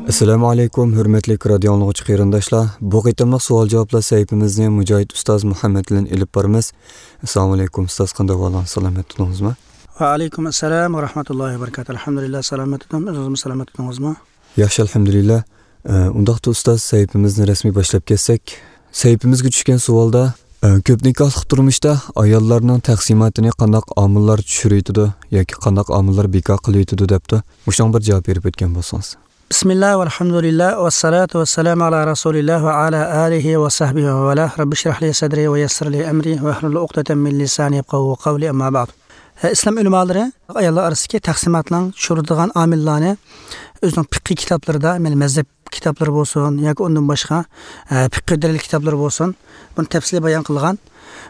ئەسسالامۇ ئەلەيكۇم، ھۆرمەتلىك رادىيو ئاڭلىغۇچى قېرىنداشلار. بۇ قېتىملىق سوئال-جاۋابلار سەھىپىمىزنى مۇجاھىد ئۇستاز مۇھەممەد بىلەن ئېلىپ بارىمىز. ئەسسالامۇ ئەلەيكۇم ئۇستاز، قانداق ئەھۋالىڭىز، سالامەت تۇردىڭىزمۇ؟ ۋەئەلەيكۇم ئەسسالام ۋە رەھمەتۇللاھى ۋە بەرىكاتۇھ. ئەلھەمدۇلىللا، سالامەت تۇردۇم. ئۆزىڭىزمۇ سالامەت تۇردىڭىزمۇ؟ ياخشى، ئەلھەمدۇلىللا. ئە، ئۇنداقتا ئۇستاز، سەھىپىمىزنى رەسمىي باشلاپ كەتسەك. سەھىپىمىزگە چۈشكەن سوئالدا، ئە، كۆپ نىكاھلىق تۇرمۇشتا ئاياللارنىڭ تەقسىماتىنى قانداق ئامىللار چۈشۈرۈۋېتىدۇ ياكى قانداق ئامىللار بىكار قىلىۋېتىدۇ دەپتۇ. مۇشۇنىڭغا بىر جاۋاب بېرىپ ئۆتكەن بولسىڭىز. بىسمىللا ۋەلھەمدۇلىللا ۋەسسالاتۇ ۋەسسالامۇ ئالا رەسۇلىللا ۋە ئالا ئالىھى ۋە سەھبىھى ۋە ۋەلا. رەببىشرەھلى سەدرى ۋە يەسسىرلى ئەمرى ۋەھلۇل ئۇقدەتەم مىن لىسانى يەپقەھۇ قەۋلى، ئەمما بەئد. ئە، ئىسلام ئۆلىمالىرى ئاياللار ئارىسىدىكى تەقسىماتنىڭ چۈشۈرىدىغان ئامىللارنى ئۆزىنىڭ پىقھىي كىتابلىرىدا، مەيلى مەزھەپ كىتابلىرى بولسۇن ياكى ئۇندىن باشقا، ئە، پىقھىي دەلىل كىتابلىرى بولسۇن، بۇنى تەپسىلىي بايان قىلغان.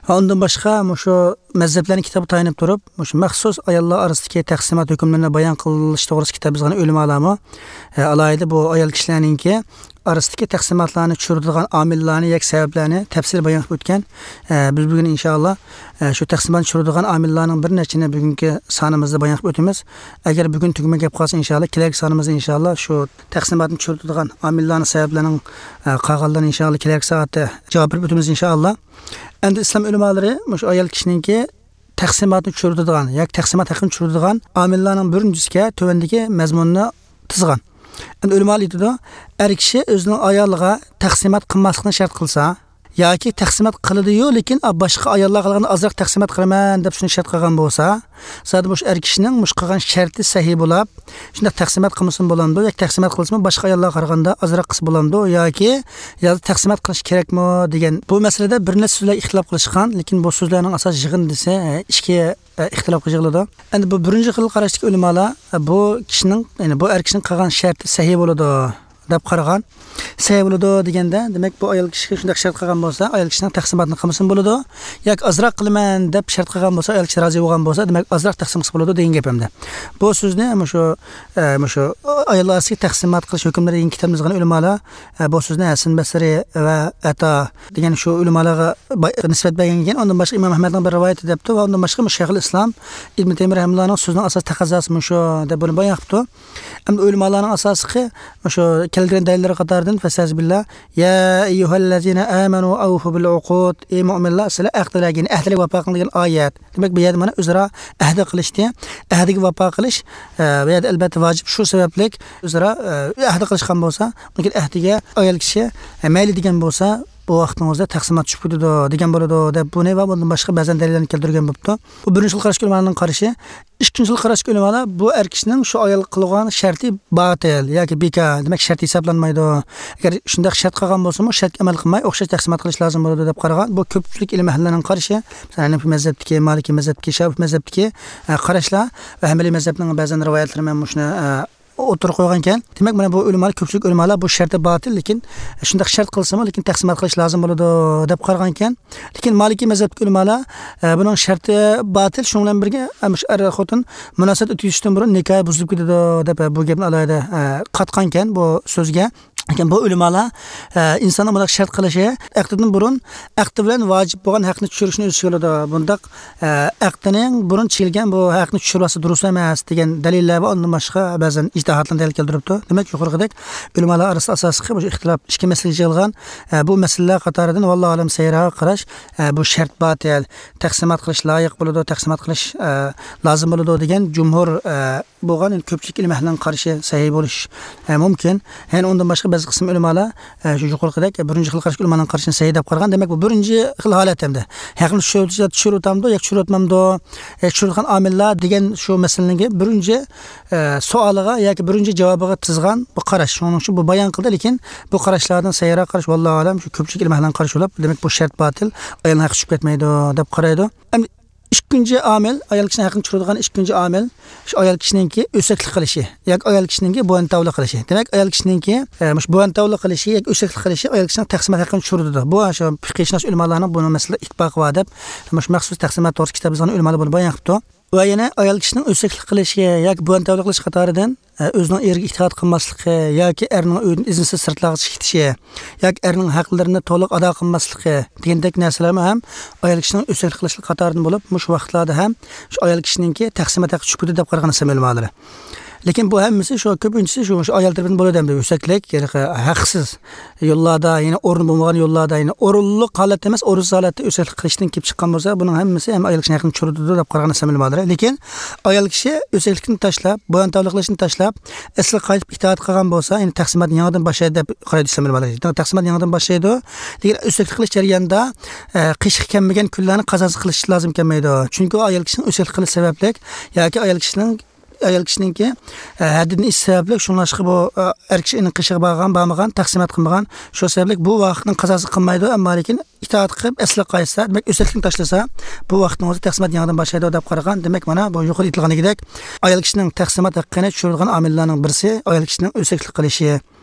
ۋە ئۇندىن باشقا مۇشۇ مەزھەپلەرنىڭ كىتابىغا تايىنىپ تۇرۇپ، مۇشۇ مەخسۇس ئاياللار ئارىسىدىكى تەقسىمات ھۆكۈملىرىنى بايان قىلىش توغرىسىدا كىتاب يازغان ئۆلىمالارمۇ، ئە، ئالاھىدە بۇ ئايال كىشىلەرنىڭكى ئارىسىدىكى تەقسىماتلارنى چۈشۈرىدىغان ئامىللارنى ياكى سەۋەبلەرنى تەپسىلىي بايان قىلىپ ئۆتكەن. ئە، بىز بۈگۈن ئىنشائاللا، ئە، شۇ تەقسىماتنى چۈشۈرىدىغان ئامىللارنىڭ بىر نەچچىنى بۈگۈنكى سانىمىزدا بايان قىلىپ ئۆتىمىز. ئەگەر بۈگۈن تۈگىمەي كەپ قالسا، ئىنشائاللا كېلەركى سانىمىزدا ئىنشائاللا شۇ تەقسىماتنى چۈشۈرىدىغان ئامىللارنىڭ سەۋەبلىرىنىڭ، ئە، قالغانلىرىنى ئىنشائاللا كېلەركى سائەتتە جاۋاب بېرىپ ئۆتىمىز ئىنشائاللا. ئەمدى ئىسلام ئۆلىمالىرى مۇشۇ ئايال كىشىنىڭكى تەقسىماتنى چۈشۈرىدىغان ياكى تەقسىمات ھەققىنى چۈشۈرىدىغان ئامىللارنىڭ بىرىنچىسىگە تۆۋەندىكى مەزمۇننى تىزغان. ئەمدى ئۆلىمالار ئېيتىدۇ، ئەر كىشى ئۆزىنىڭ ئايالىغا تەقسىمات قىلماسلىقنى شەرت قىلسا، ياكى تەقسىمات قىلىدۇ-يۇ، لېكىن، ئا، باشقا ئاياللارغا قارىغاندا ئازراق تەقسىمات قىلىمەن دەپ شۇنى شەرت قىلغان بولسا، زادى مۇشۇ ئەر كىشىنىڭ مۇشۇ قىلغان شەرتى سەھىھ بولاپ، شۇنداق تەقسىمات قىلمىسىمۇ بولامدۇ ياكى تەقسىمات قىلسىمۇ باشقا ئاياللارغا قارىغاندا ئازراق قىلسا بولامدۇ ياكى يا تەقسىمات قىلىش كېرەكمۇ دېگەن بۇ مەسىلىدە بىر نەچچە سۆزلەر ئىختىلاپ قىلىشقان، لېكىن بۇ سۆزلەرنىڭ ئاساسىي يىغىندىسى، ئە، ئىككى، ئە، ئىختىلاپقا يىغىلىدۇ. ئەمدى بۇ بىرىنچى خىل قاراشتىكى ئۆلىمالار، ئە، بۇ كىشىنىڭ، يەنى بۇ ئەر كىشىنىڭ قىلغان شەرتى سەھىھ بولىدۇ دەپ قارىغان. سەھىھ بولىدۇ دېگەندە، دېمەك، بۇ ئايال كىشىگە شۇنداق شەرت قىلغان بولسا، ئايال كىشىنىڭ تەقسىماتىنى قىلمىسىمۇ بولىدۇ. ياكى ئازراق قىلىمەن دەپ شەرت قىلغان بولسا، ئايال كىشى رازى بولغان بولسا، دېمەك، ئازراق تەقسىم قىلسا بولىدۇ دېگەن گەپ ئەمدى. بۇ سۆزنى مۇشۇ، ئە، مۇشۇ ئاياللار ئارىسىدىكى تەقسىمات قىلىش ھۆكۈملىرى دېگەن كىتابنى يازغان ئۆلىمالار، ئە، بۇ سۆزنى ھەسەن بەسرى ۋە ئەتا دېگەن شۇ ئۆلىمالارغا باي-، نىسبەت بەرگەن ئىكەن. ئۇندىن باشقا ئىمام ئەھمەدنىڭ بىر رىۋايىتى دەپتۇ ۋە ئۇندىن باشقا مۇشۇ شەيخۇل ئىسلام ئىبن تەيمىيە رەھىمەھۇللانىڭ سۆزىنىڭ ئاساسىي تەقەززاسى مۇشۇ دەپ بۇنى بايان قىپتۇ. ئەمدى ئۆلىمالارنىڭ ئاساسلىقى مۇشۇ كەلگەن دەلىللەر قاتارىدىن، فەستەئىزبىللا، يا ئەييۇھەللەزىنە ئامەنۇ ئەۋفۇ بىل ئۇقۇد، ئى مۆمىنلەر، سىلەر ئەھدىلەرگە، يەنى ئەھدىلەرگە ۋاپا قىلىڭ دېگەن ئايەت. دېمەك، بۇ يەردە مانا ئۆزئارا ئەھدە قىلىشتى. ئەھدىگە ۋاپا قىلىش، ئە، بۇ يەردە ئەلبەتتە ۋاجىپ. شۇ سەۋەبلىك ئۆزئارا، ئە، ئەھدە قىلىشقان بولسا، ئۇنىڭ كېيىن ئەھدىگە ئايال كىشى، ئە، مەيلى دېگەن بولسا، بۇ ۋاقتىڭىزدا تەقسىمات چۈشۈپ كېتىدۇ دېگەن بولىدۇ دەپ، بۇنى ۋە بۇندىن باشقا بەزەن دەلىللەرنى كەلتۈرگەن بوپتۇ. بۇ بىرىنچى خىل قاراشتىكى ئۆلىمالارنىڭ قارىشى. ئىككىنچى خىل قاراشتىكى ئۆلىمالار، بۇ ئەر كىشىنىڭ شۇ ئايالغا قىلغان شەرتى باتىل ياكى بىكار، دېمەك، شەرت ھېسابلانمايدۇ. ئەگەر شۇنداق شەرت قىلغان بولسىمۇ، شەرتكە ئەمەل قىلماي، ئوخشاش تەقسىمات قىلىش لازىم بولىدۇ دەپ قارىغان. بۇ كۆپچىلىك ئىلىم ئەھلىلىرىنىڭ قارىشى. مەسىلەن، ھەنەفىي مەزھەپتىكى، مالىكىي مەزھەپتىكى، شافىئىي مەزھەپتىكى، ئە، قاراشلار ۋە ھەنبەلىي مەزھەپنىڭ بەزەن رىۋايەتلىرى مەن مۇشۇنى، ئە، ئوتتۇرىغا قويغانكەن. دېمەك، مانا بۇ ئۆلىمالار، كۆپچىلىك ئۆلىمالار بۇ شەرتى باتىل، لېكىن شۇنداق شەرت قىلسىمۇ، لېكىن تەقسىمات قىلىش لازىم بولىدۇ دەپ قارىغانكەن. لېكىن مالىكىي مەزھەپتىكى ئۆلىمالار، ئە، بۇنىڭ شەرتى باتىل، شۇنىڭ بىلەن بىرگە، ئە، مۇشۇ ئەر خوتۇن مۇناسىۋەت ئۆتكۈزۈشتىن بۇرۇن نىكاھى بۇزۇلۇپ كېتىدۇ دەپ، ئە، بۇ گەپنى ئالاھىدە، ئە، قاتقانكەن بۇ سۆزگە. لېكىن بۇ ئۆلىمالار، ئە، ئىنساننىڭ بۇنداق شەرت قىلىشى ئەقدىدىن بۇرۇن ئەقدى بىلەن ۋاجىپ بولغان ھەقنى چۈشۈرۈشنى ئۆز ئىچىگە ئالىدۇ. بۇنداق، ئە، ئەقدىنىڭ بۇرۇن چېكىلگەن بۇ ھەقنى چۈشۈرۈۋالسا دۇرۇس ئەمەس دېگەن دەلىللەر ۋە ئۇندىن باشقا بەزەن ئىجتىھاتلارنى دەلىل كەلتۈرۈپتۇ. دېمەك، يۇقىرىقىدەك ئۆلىمالار ئارىسىدا ئاساسلىقى بۇ ئىختىلاپ ئىككى مەسىلىگە يىغىلغان. ئە، بۇ مەسىلىلەر قاتارىدىن، ۋاللاھۇ ئەلەم، سەھىھراق قاراش، ئە، بۇ شەرت باتىل، تەقسىمات قىلىش لايىق بولىدۇ، تەقسىمات قىلىش، ئە، لازىم بولىدۇ دېگەن جۇمھۇر، ئە، بولغان، يەنى كۆپچىلىك ئىلىم ئەھلىنىڭ قارىشى سەھىھ بولۇش، ئە، مۇمكىن. يەنە ئۇندىن باشقا بەزى قىسىم ئۆلىمالار، ئە، شۇ يۇقىرىقىدەك بىرىنچى خىل قاراشتىكى ئۆلىمالارنىڭ قارىشىنى سەھىھ دەپ قارىغان. دېمەك، بۇ بىرىنچى خىل ھالەت ئەمدى. ھەقنى چۈشۈرۈۋېتىشتە چۈشۈرۈۋېتەمدۇ ياكى چۈشۈرۈۋەتمەمدۇ؟ ياكى چۈشۈرۈۋېتىدىغان ئامىللار دېگەن شۇ مەسىلىنىڭكى بىرىنچى، ئە، سوئالىغا ياكى بىرىنچى جاۋابىغا تىزغان بۇ قاراش. شۇنىڭ ئۈچۈن بۇ بايان قىلدى، لېكىن بۇ قاراشلاردىن سەھىھراق قاراش، ۋاللاھۇ ئەلەم، شۇ كۆپچىلىك ئىلىم ئەھلىنىڭ قارىشى بولۇپ، دېمەك، بۇ شەرت باتىل، ئايالنىڭ ھەققى چۈشۈپ كەتمەيدۇ دەپ قارايدۇ. ئەمدى ئىككىنچى ئامىل، ئايال كىشىنىڭ ھەققىنى چۈشۈرىدىغان ئىككىنچى ئامىل، شۇ ئايال كىشىنىڭكى ئۆسەكلىك قىلىشى ياكى ئايال كىشىنىڭكى بويۇنتاۋلىق قىلىشى. دېمەك، ئايال كىشىنىڭكى، ئە، مۇشۇ بويۇنتاۋلىق قىلىشى ياكى ئۆسەكلىك قىلىشى ئايال كىشىنىڭ تەقسىمات ھەققىنى چۈشۈرىدۇ. بۇ شۇ پىقھىيشۇناس ئۆلىمالارنىڭ بۇنىڭ مەسىلىدە ئىتتىپاقى بار دەپ، مۇشۇ مەخسۇس تەقسىمات توغرىسىدا كىتاب يازغان ئۆلىمالار بۇنى بايان قىپتۇ. ۋە يەنە ئايال كىشىنىڭ ئۆسەكلىك قىلىشى ياكى بويۇنتاۋلىق قىلىش قاتارىدىن، ئە، ئۆزىنىڭ ئېرىگە ئىتائەت قىلماسلىقى ياكى ئەرنىڭ ئۆيىدىن ئىزىنسىز سىرتلارغا چىقىپ كېتىشى ياكى ئەرنىڭ ھەقلىرىنى تولۇق ئادا قىلماسلىقى دېگەندەك نەرسىلەرمۇ ھەم ئايال كىشىنىڭ ئۆسەكلىك قىلىشلىق قاتارىدىن بولۇپ، مۇشۇ ۋاقىتلاردا ھەم شۇ ئايال كىشىنىڭكى تەقسىمات ھەققى چۈشۈپ كېتىدۇ دەپ قارىغان ئىسلام ئۆلىمالىرى. لېكىن بۇ ھەممىسى شۇ، كۆپىنچىسى شۇ، شۇ ئايال تەرىپىدىن بولىدۇ ئەمدى. ئۆسەكلىك، يەنى ھەقسىز يوللاردا، يەنى ئورنى بولمىغان يوللاردا، يەنى ئورۇنلۇق ھالەتتە ئەمەس، ئورۇنسىز ھالەتتە ئۆسەكلىك قىلىشتىن كېلىپ چىققان بولسا، بۇنىڭ ھەممىسى ھەم ئايال كىشىنىڭ ھەققىنى چۈشۈرىدۇ دەپ قارىغان ئىسلام ئۆلىمالىرى. لېكىن ئايال كىشى ئۆسەكلىكنى تاشلاپ، بويۇنتاۋلىق قىلىشنى تاشلاپ، ئەسلىگە قايتىپ ئىتائەت قىلغان بولسا، يەنى تەقسىماتنى يېڭىدىن باشلايدۇ دەپ قارايدۇ ئىسلام ئۆلىمالىرى. تەقسىماتنى يېڭىدىن باشلايدۇ. لېكىن ئۆسەكلىك قىلىش جەريانىدا، ئە، قېشىغا كەلمىگەن كۈنلەرنى قازاسى قىلىش لازىم كەلمەيدۇ. چۈنكى ئۇ ئايال كىشىنىڭ ئۆسەكلىك قىلىش سەۋەبلىك ياكى ئايال كىشىنىڭ ئايال كىشىنىڭكى، ئە، ھەددىدىن ئېشىش سەۋەبلىك، شۇڭلاشقا بۇ، ئە، ئەر كىشى ئۇنىڭ قېشىغا بارغان، بارمىغان، تەقسىمات قىلمىغان، شۇ سەۋەبلىك بۇ ۋاقىتنىڭ قازاسى قىلمايدۇ، ئەمما لېكىن ئىتائەت قىلىپ ئەسلىگە قايتسا، دېمەك، ئۆسەكلىكنى تاشلىسا، بۇ ۋاقىتنىڭ ئۆزى تەقسىمات يېڭىدىن باشلايدۇ دەپ قارىغان. دېمەك، مانا بۇ يۇقىرىدا ئېيتىلغان دېگۈدەك، ئايال كىشىنىڭ تەقسىمات ھەققىنى چۈشۈرىدىغان ئامىللارنىڭ بىرسى ئايال كىشىنىڭ ئۆسەكلىك قىلىشى.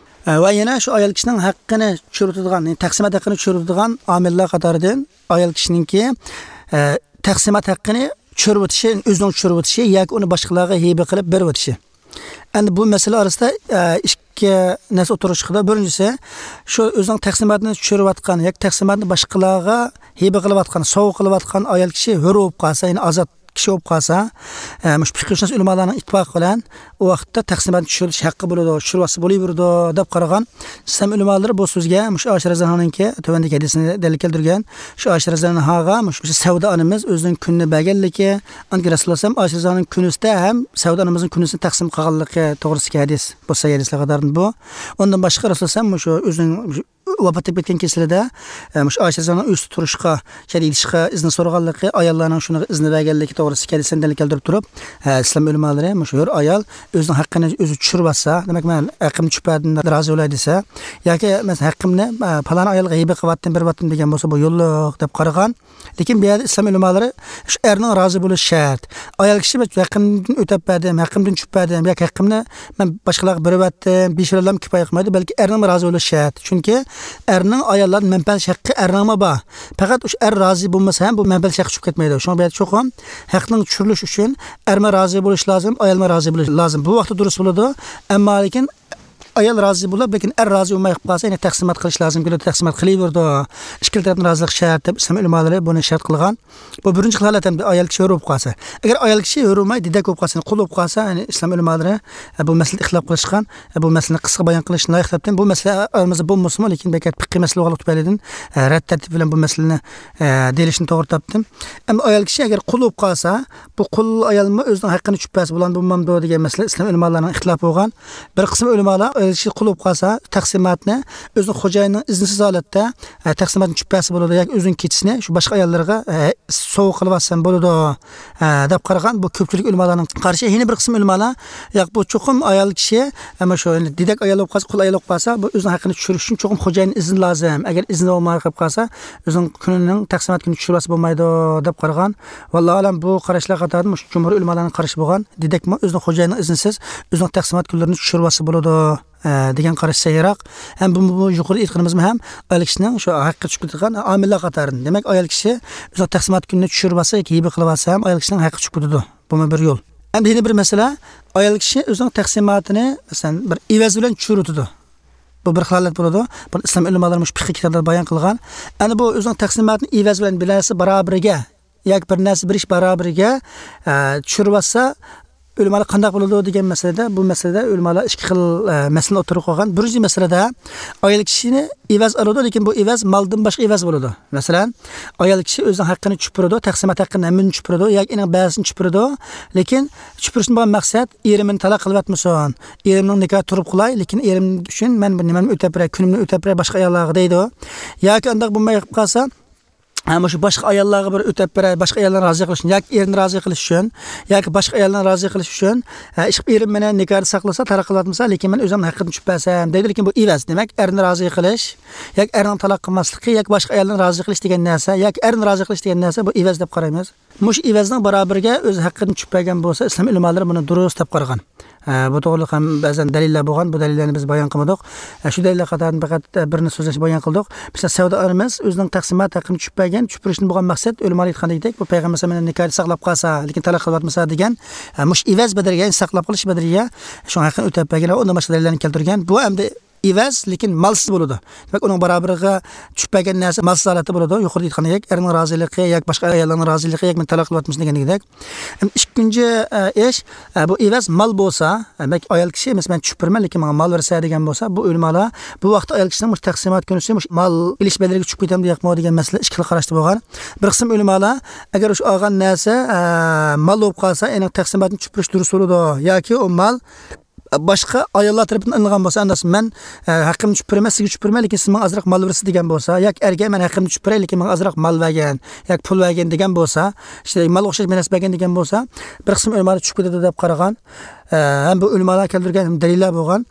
ئە، ۋە يەنە شۇ ئايال كىشىنىڭ ھەققىنى چۈشۈرۈۋېتىدىغان، يەنى تەقسىمات ھەققىنى چۈشۈرۈۋېتىدىغان ئامىللار قاتارىدىن ئايال كىشىنىڭكى، ئە، تەقسىمات ھەققىنى چۈشۈرۈۋېتىشى، ئۆزىنىڭ چۈشۈرۈۋېتىشى ياكى ئۇنى باشقىلارغا ھەيۋە قىلىپ بېرىۋېتىشى. ئەمدى بۇ مەسىلە ئارىسىدا، ئە، ئىككى نەرسە ئوتتۇرىغا چىقىدۇ. بىرىنچىسى، شۇ ئۆزىنىڭ تەقسىماتىنى چۈشۈرۈۋاتقان ياكى تەقسىماتنى باشقىلارغا ھەيۋە قىلىۋاتقان، سوۋغا قىلىۋاتقان ئايال كىشى ھۆر بولۇپ قالسا، يەنى ئازاد كىشى بولۇپ قالسا، ئە، مۇشۇ پىقىھشۇناس ئۆلىمالارنىڭ ئىتتىپاقى بىلەن ئۇ ۋاقىتتا تەقسىماتنى چۈشۈرۈش ھەققى بولىدۇ، چۈشۈرۈۋاتسا بولۇۋېرىدۇ دەپ قارىغان ئىسلام ئۆلىمالىرى بۇ سۆزگە مۇشۇ ئائىشە رەزىياللاھۇ ئەنھانىڭكى تۆۋەندىكى ھەدىسىنى دەلىل كەلتۈرگەن. شۇ ئائىشە رەزىياللاھۇ ئەنھاغا مۇشۇ سەۋدە ئانىمىز ئۆزىنىڭ كۈنىنى بەرگەنلىكى، ئاندىن كېيىن رەسۇلۇللاھ ئەلەيھىسسالام ئائىشە رەزىياللاھۇ ئەنھانىڭ كۈنىسىدە ھەم سەۋدە ئانىمىزنىڭ كۈنىسىنى تەقسىم قىلغانلىقى توغرىسىدىكى ھەدىس، بۇ سەھىھ ھەدىسلەر قاتارىدىن بۇ. ئۇندىن باشقا رەسۇلۇللاھ ئەلەيھىسسالام مۇشۇ ئۆزىنىڭ ۋاپات تېپىپ كەتكەن كېسىلىدە، ئە، مۇشۇ ئائىشە رەزىياللاھۇ ئەنھانىڭ ئۆيىدە تۇرۇشقا، شەيدە يېتىشقا ئىزنى سورىغانلىقى، ئاياللارنىڭ شۇنىڭغا ئىزنى بەرگەنلىكى توغرىسىدىكى ھەدىسلەرنى دەلىل كەلتۈرۈپ تۇرۇپ، ئە، ئىسلام ئۆلىمالىرى مۇشۇ ھۆر ئايال ئۆزىنىڭ ھەققىنى ئۆزى چۈشۈرۈۋاتسا، دېمەك، مەن ھەققىمنى چۈشۈرۈپ بەردىم، رازى بولاي دېسە، ياكى، مەسىلەن، ھەققىمنى، ئە، پالان ئايالغا ھەيۋە قىلىۋاتتىم، بېرىۋاتتىم دېگەن بولسا، بۇ يوللۇق دەپ قارىغان. لېكىن بۇ يەردە ئىسلام ئۆلىمالىرى شۇ ئەرنىڭ رازى بولۇشى شەرت. ئايال كىشى ھەققىمدىن ئۆتەپ بەردىم، ھەققىمدىن چۈشۈرۈپ بەردىم ياكى ھەققىمنى مەن باشقىلارغا بېرىۋەتتىم، بېرىشىۋالام كۇپايە قىلمايدۇ، بەلكى ئەرنىڭمۇ رازى بولۇشى شەرت. چۈنكى ئەرنىڭ ئاياللاردىن مەنپەئەت ھەققى ئەرنىڭمۇ بار. پەقەت ئۇ ئەر رازى بولمىسا ھەم بۇ مەنپەئەت ھەققى چۈشۈپ كەتمەيدۇ. شۇڭا بۇ يەردە چوقۇم ھەقنىڭ چۈشۈرۈلۈشى ئۈچۈن ئەرمۇ رازى بولۇشى لازىم، ئايالمۇ رازى بولۇشى لازىم. بۇ ۋاقىتتا دۇرۇس بولىدۇ. ئەمما لېكىن ئايال رازى بولۇپ، لېكىن ئەر رازى بولماي قالسا، يەنە تەقسىمات قىلىش لازىم كېلىدۇ، تەقسىمات قىلىۋېرىدۇ. ئىككىلا تەرەپنىڭ رازىلىقى شەرت دەپ ئىسلام ئۆلىمالىرى بۇنى شەرت قىلغان. بۇ بىرىنچى خىل ھالەت ئەمدى ئايال كىشى ھۆر بولۇپ قالسا. ئەگەر ئايال كىشى ھۆر بولماي، دېدەك بولۇپ قالسا، يەنى قۇل بولۇپ قالسا، يەنى ئىسلام ئۆلىمالىرى، ئە، بۇ مەسىلىدە ئىختىلاپ قىلىشقان، ئە، بۇ مەسىلىنى قىسقا بايان قىلىشنى لايىق تاپتىم. بۇ مەسىلە ئارىمىزدا بولمىسىمۇ، لېكىن بەك پىققىي مەسىلە بولغانلىقى تۈپەيلىدىن، ئە، رەت تەرتىپى بىلەن بۇ مەسىلىنى، ئە، دېيىلىشنى توغرا تاپتىم. ئەمما ئايال كىشى ئەگەر قۇل بولۇپ قالسا، بۇ قۇل ئايالمۇ ئۆزىنىڭ ھەققىنى چۈشۈرۈپ بەرسە بولامدۇ، بولمامدۇ دېگەن مەسىلە ئىسلام ئۆلىمالارنىڭ ئىختىلاپى بولغان. بىر قىسىم ئۆلىمالار ئايال كىشى قۇل بولۇپ قالسا، تەقسىماتنى ئۆزىنىڭ خوجايىنىنىڭ ئىزنىسىز ھالەتتە، ئە، تەقسىماتنى چۈشۈرۈپ بەرسە بولىدۇ ياكى ئۆزىنىڭ كېچىسىنى شۇ باشقا ئاياللارغا، ئە، سوۋغا قىلىۋەتسەم بولىدۇ، ئە، دەپ قارىغان. بۇ كۆپچىلىك ئۆلىمالارنىڭ قارىشى. يەنە بىر قىسىم ئۆلىمالار، ياق، بۇ چوقۇم ئايال كىشى، ئەمما شۇ، يەنى دېدەك ئايال بولۇپ قالسا، قۇل ئايال بولۇپ قالسا، بۇ ئۆزىنىڭ ھەققىنى چۈشۈرۈش ئۈچۈن چوقۇم خوجايىننىڭ ئىزنى لازىم. ئەگەر ئىزنى بولماي قېلىپ قالسا، ئۆزىنىڭ كۈنىنىڭ تەقسىمات كۈنى چۈشۈرۈۋەتسە بولمايدۇ، دەپ قارىغان. ۋاللاھۇ ئەلەم، بۇ قاراشلار قاتارىدا مۇشۇ جۇمھۇر ئۆلىمالارنىڭ قارىشى بولغان. دېدەكمۇ ئۆزىنىڭ خوجايىنىنىڭ ئىزنىسىز ئۆزىنىڭ تەقسىمات كۈنلىرىنى چۈشۈرۈۋەتسە بولىدۇ، ئە، دېگەن قاراش سەھىھراق. ھەم بۇ، بۇ يۇقىرىدا ئېيتقىنىمىزمۇ ھەم ئايال كىشىنىڭ شۇ ھەققى چۈشۈپ كېتىدىغان ئامىللار قاتارىدىن. دېمەك، ئايال كىشى ئۆزىنىڭ تەقسىمات كۈنىنى چۈشۈرۈۋەتسە ياكى ھەيۋە قىلىۋەتسە ھەم ئايال كىشىنىڭ ھەققى چۈشۈپ كېتىدۇ. بۇمۇ بىر يول. ئەمدى يەنە بىر مەسىلە، ئايال كىشى ئۆزىنىڭ تەقسىماتىنى، مەسىلەن، بىر ئېۋەز بىلەن چۈشۈرۈۋېتىدۇ. بۇ بىر خىل ھالەت بولىدۇ. بۇنى ئىسلام ئۆلىمالىرى مۇشۇ پىقىي كىتابلاردا بايان قىلغان. ئەنە بۇ ئۆزىنىڭ تەقسىماتىنى ئېۋەز بىلەن بىر نەرسە بارابىرىگە ياكى بىر نەرسە بېرىش بارابىرىگە، ئە، چۈشۈرۈۋەتسە، ئۆلىمالار قانداق بولىدۇ دېگەن مەسىلىدە، بۇ مەسىلىدە ئۆلىمالار ئىككى خىل، ئە، مەسىلىنى ئوتتۇرىغا قويغان. بىرىنچى مەسىلىدە ئايال كىشىنى ئېۋەز ئالىدۇ، لېكىن بۇ ئېۋەز مالدىن باشقا ئېۋەز بولىدۇ. مەسىلەن، ئايال كىشى ئۆزىنىڭ ھەققىنى چۈشۈرۈپ بېرىدۇ، تەقسىمات ھەققىنى ھەممىنى چۈشۈرۈپ بېرىدۇ ياكى ئېنىڭ بەزىسىنى چۈشۈرۈپ بېرىدۇ، لېكىن چۈشۈرۈپ بېرىشتىن بولغان مەقسەت ئېرىم مېنى تالاق قىلىۋەتمىسۇن، ئېرىمنىڭ نىكاھى تۇرۇپ قالاي، لېكىن ئېرىم ئۈچۈن مەن بىر نېمەمنى ئۆتەپ بېرەي، كۈنۈمنى ئۆتەپ بېرەي باشقا ئاياللارغا دەيدۇ. ياكى ئانداق بولماي قېلىپ قالسا، ھە، مۇشۇ باشقا ئاياللارغا بىر ئۆتەپ بېرەي، باشقا ئاياللارنى رازى قىلىش ئۈچۈن، ياكى ئېرىنى رازى قىلىش ئۈچۈن، ياكى باشقا ئاياللارنى رازى قىلىش ئۈچۈن، ھە، ئىشقىلىپ ئېرىم مېنى نىكاھدا ساقلىسا، تالاق قىلىۋەتمىسە، لېكىن مەن ئۆزۈمنىڭ ھەققىنى چۈشۈرۈپ بەرسەم دەيدۇ. لېكىن بۇ ئېۋەز، دېمەك، ئەرنى رازى قىلىش ياكى ئەرنىڭ تالاق قىلماسلىقى ياكى باشقا ئايالنى رازى قىلىش دېگەن نەرسە ياكى ئەرنى رازى قىلىش دېگەن نەرسە، بۇ ئېۋەز دەپ قارايمىز. مۇشۇ ئېۋەزنىڭ بارابىرىگە ئۆز ھەققىدىن چۈشۈرۈپ بەرگەن بولسا، ئىسلام ئۆلىمالىرى بۇنى دۇرۇس دەپ قارىغان. ئە، بۇ توغرىلىق ھەم بەزەن دەلىللەر بولغان، بۇ دەلىللەرنى بىز بايان قىلمىدۇق. ئە، شۇ دەلىللەر قاتارىدىن پەقەت، ئە، بىرنى سۆزلەشنى بايان قىلدۇق. مىسال، سەۋدە ئانىمىز ئۆزىنىڭ تەقسىمات ھەققىنى چۈشۈرۈپ بەرگەن، چۈشۈرۈپ بېرىشتىن بولغان مەقسەت، ئۆلىمالار ئېيتقاندەك، بۇ پەيغەمبەر ئەلەيھىسسالام مېنى نىكاھدا ساقلاپ قالسا، لېكىن تالاق قىلىۋەتمىسە دېگەن، ئە، مۇشۇ ئېۋەز بەدەلگە، يەنى ساقلاپ قېلىش بەدىلىگە شۇ ھەققىنى ئۆتەپ بەرگەن ۋە ئۇندىن باشقا دەلىللەرنى كەلتۈرگەن. بۇ ئەمدى ئېۋەز، لېكىن مالسىز بولىدۇ. دېمەك، ئۇنىڭ بارابىرىغا چۈشۈپ بەرگەن نەرسە مالسىز ھالەتتە بولىدۇ. يۇقىرىدا ئېيتقاندەك، ئەرنىڭ رازىلىقى ياكى باشقا ئاياللارنىڭ رازىلىقى ياكى مېنى تالاق قىلىۋاتمىسۇن دېگەندەك. ئەمدى ئىككىنچى، ئە، ئىش، ئە، بۇ ئېۋەز مال بولسا، ئە، دېمەك، ئايال كىشى، مەسىلەن، مەن چۈشۈپ بېرىمەن، لېكىن ماڭا مال بەرسە دېگەن بولسا، بۇ ئۆلىمالار بۇ ۋاقىتتا ئايال كىشىنىڭ مۇشۇ تەقسىمات كۈنىسى مۇشۇ مال ئېلىش بەدىلىگە چۈشۈپ كېتەمدۇ ياقمۇ دېگەن مەسىلە ئىككى خىل قاراشتا بولغان. بىر قىسىم ئۆلىمالار، ئەگەر شۇ ئالغان نەرسە، ئە، مال بولۇپ قالسا، ئېنىڭ تەقسىماتنى چۈشۈپ بېرىش دۇرۇس بولىدۇ ياكى ئۇ مال باشقا ئاياللار تەرىپىدىن ئېلىنغان بولسا، ئەمەس، مەن، ئە، ھەققىمنى چۈشۈپ بېرىمەن، سىزگە چۈشۈپ بېرىمەن، لېكىن سىز ماڭا ئازراق مال بېرىسىز دېگەن بولسا، ياكى ئەرگە مەن ھەققىمنى چۈشۈپ بېرەي، لېكىن ماڭا ئازراق مال بەرگىن ياكى پۇل بەرگىن دېگەن بولسا، ئىشتە مالغا ئوخشاش بىر نەرسە بەرگىن دېگەن بولسا، بىر قىسىم ئۆلىمالار چۈشۈپ كېتىدۇ دەپ قارىغان. ئە، ھەم بۇ ئۆلىمالار كەلتۈرگەن دەلىللەر بولغان.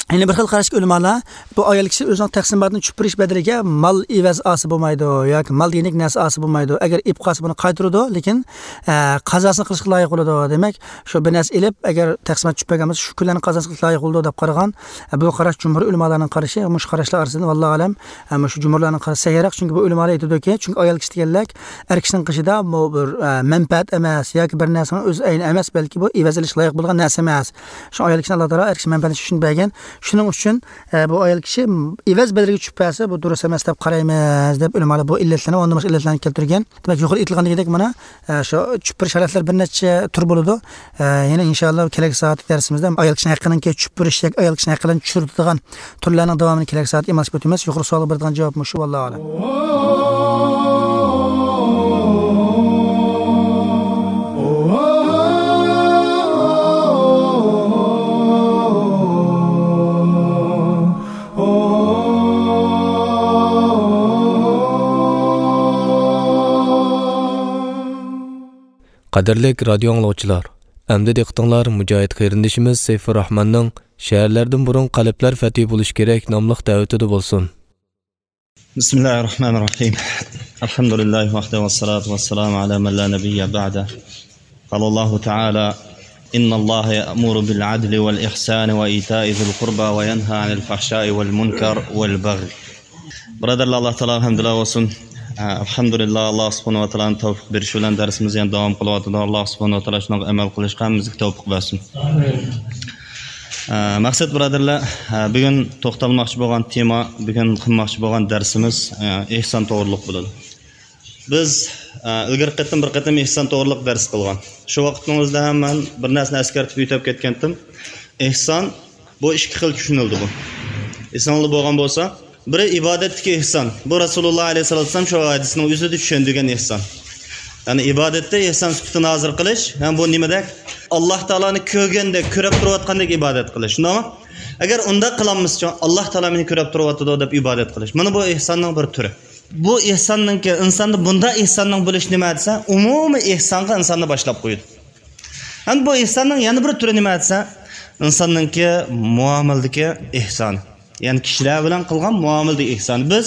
يەنە بىر خىل قاراشتىكى ئۆلىمالار، بۇ ئايال كىشى ئۆزىنىڭ تەقسىماتىنى چۈشۈپ بېرىش بەدىلىگە مال ئېۋەز ئالسا بولمايدۇ ياكى مال دېگەندەك نەرسە ئالسا بولمايدۇ. ئەگەر ئېلىپ قالسا، بۇنى قايتۇرىدۇ، لېكىن، ئە، قازاسىنى قىلىشقا لايىق بولىدۇ. دېمەك، شۇ بىر نەرسە ئېلىپ، ئەگەر تەقسىمات چۈشۈپ بەرگەن بولسا، شۇ كۈنلەرنى قازاسىنى قىلىشقا لايىق بولىدۇ دەپ قارىغان. ئە، بۇ قاراش جۇمھۇر ئۆلىمالارنىڭ قارىشى، مۇشۇ قاراشلار ئارىسىدىن، ۋاللاھۇ ئەلەم، ئە، مۇشۇ جۇمھۇرلارنىڭ قارىشى سەھىھراق، چۈنكى بۇ ئۆلىمالار ئېيتىدۇكى، چۈنكى ئايال كىشى دېگەنلەر ئەر كىشىنىڭ قېشىدا بۇ بىر، ئە، مەنپەئەت ئەمەس ياكى بىر نەرسىنىڭ ئۆز ئەينى ئەمەس، بەلكى بۇ ئېۋەز ئېلىشقا لايىق بولغان نەرسە ئەمەس. شۇ ئايال كىشىنى ئاللا تائالا ئەر كىشى مەنپەئەتلىنىش ئۈچۈن بەرگەن. شۇنىڭ ئۈچۈن، ئە، بۇ ئايال كىشى ئېۋەز بەدىلىگە چۈشۈپ بەرسە، بۇ دۇرۇس ئەمەس دەپ قارايمىز، دەپ ئۆلىمالار بۇ ئىللەتلەرنى ۋە ئۇندىن باشقا ئىللەتلەرنى كەلتۈرگەن. دېمەك، يۇقىرىدا ئېيتىلغان دېگەندەك، مانا، ئە، شۇ چۈشۈپ بېرىش ھالەتلىرى بىر نەچچە تۈر بولىدۇ. ئە، يەنە ئىنشاللا كېلەكسى سائەتتىكى دەرسىمىزدە ئايال كىشىنىڭ ھەققىنىڭكى چۈشۈپ بېرىش ياكى ئايال كىشىنىڭ ھەققىلەرنى چۈشۈرىدىغان تۈرلەرنىڭ داۋامىنى كېلەكسى سائەتتە ئىمالىشىپ ئۆتىمىز. يۇقىرى سوئالغا بېرىدىغان جاۋاب مۇشۇ، ۋاللاھۇ ئەلەم. قەدىرلىك رادىيو ئاڭلىغۇچىلار، ئەمدى دىققىتىڭلار مۇجاھىد قېرىندىشىمىز سەيپۇرراھماننىڭ «شەھەرلەردىن بۇرۇن قەلبلەر فەتھى بولۇشى كېرەك» ناملىق دەۋىتىدە بولسۇن. بسم الله الرحمن الرحيم. الحمد لله وحده والصلاة والسلام على من لا نبي بعده. قال الله تعالى: إن الله يأمر بالعدل والإحسان وإيتاء ذي القربى وينهى عن الفحشاء والمنكر والبغي. بۇرادەرلەر، ئاللا تائالاغا ھەمدۇللا بولسۇن. ئە، ئەلھەمدۇلىللا، ئاللا سۇبھانەھۇ ۋە تائالانىڭ تەۋپىق بېرىشى بىلەن دەرسىمىز يەنە داۋام قىلىۋاتىدۇ. ئاللا سۇبھانەھۇ ۋە تائالا شۇنىڭغا ئەمەل قىلىشقا ھەممىمىزگە تەۋپىق بەرسۇن. ئە، مەقسەت بۇرادەرلەر، ئە، بۈگۈن توختالماقچى بولغان تېما، بۈگۈن قىلماقچى بولغان دەرسىمىز، ئە، ئېھسان توغرۇلۇق بولىدۇ. بىز، ئە، ئىلگىرىكى قېتىم بىر قېتىم ئېھسان توغرۇلۇق دەرس قىلغان. شۇ ۋاقىتنىڭ ئۆزىدە ھەم مەن بىر نەرسىنى ئەسكەرتىپ ئۆتۈپ كەتكەنتىم. ئېھسان بۇ ئىككى خىل چۈشىنىلىدۇ بۇ. ئېسىڭىزدە بولغان بولسا، بىرى ئىبادەتتىكى ئېھسان. بۇ رەسۇلۇللا ئەلەيھىسسالاتۇ ۋەسسالام شۇ ھەدىسنىڭ ئۆزىدە چۈشەندۈرگەن ئېھسان. يەنى ئىبادەتتە ئېھسان سۈپىتىنى ھازىر قىلىش، ھەم بۇ نېمىدەك؟ ئاللا تائالانى كۆرگەندەك، كۆرۈپ تۇرۇۋاتقاندەك ئىبادەت قىلىش. شۇنداقمۇ؟ ئەگەر ئۇنداق قىلالمىسىچۇ، ئاللا تائالا مېنى كۆرۈپ تۇرۇۋاتىدۇ دەپ ئىبادەت قىلىش. مانا بۇ ئېھساننىڭ بىر تۈرى. بۇ ئېھساننىڭكى، ئىنساندا بۇنداق ئېھساننىڭ بولۇشى نېمە دېسە، ئومۇمىي ئېھسانغا ئىنساننى باشلاپ قويىدۇ. ھەم بۇ ئېھساننىڭ يەنە بىر تۈرى نېمە دېسە، ئىنساننىڭكى مۇئامىلىدىكى ئېھسانى. يەنى كىشىلەر بىلەن قىلغان مۇئامىلىدىكى ئېھسانى. بىز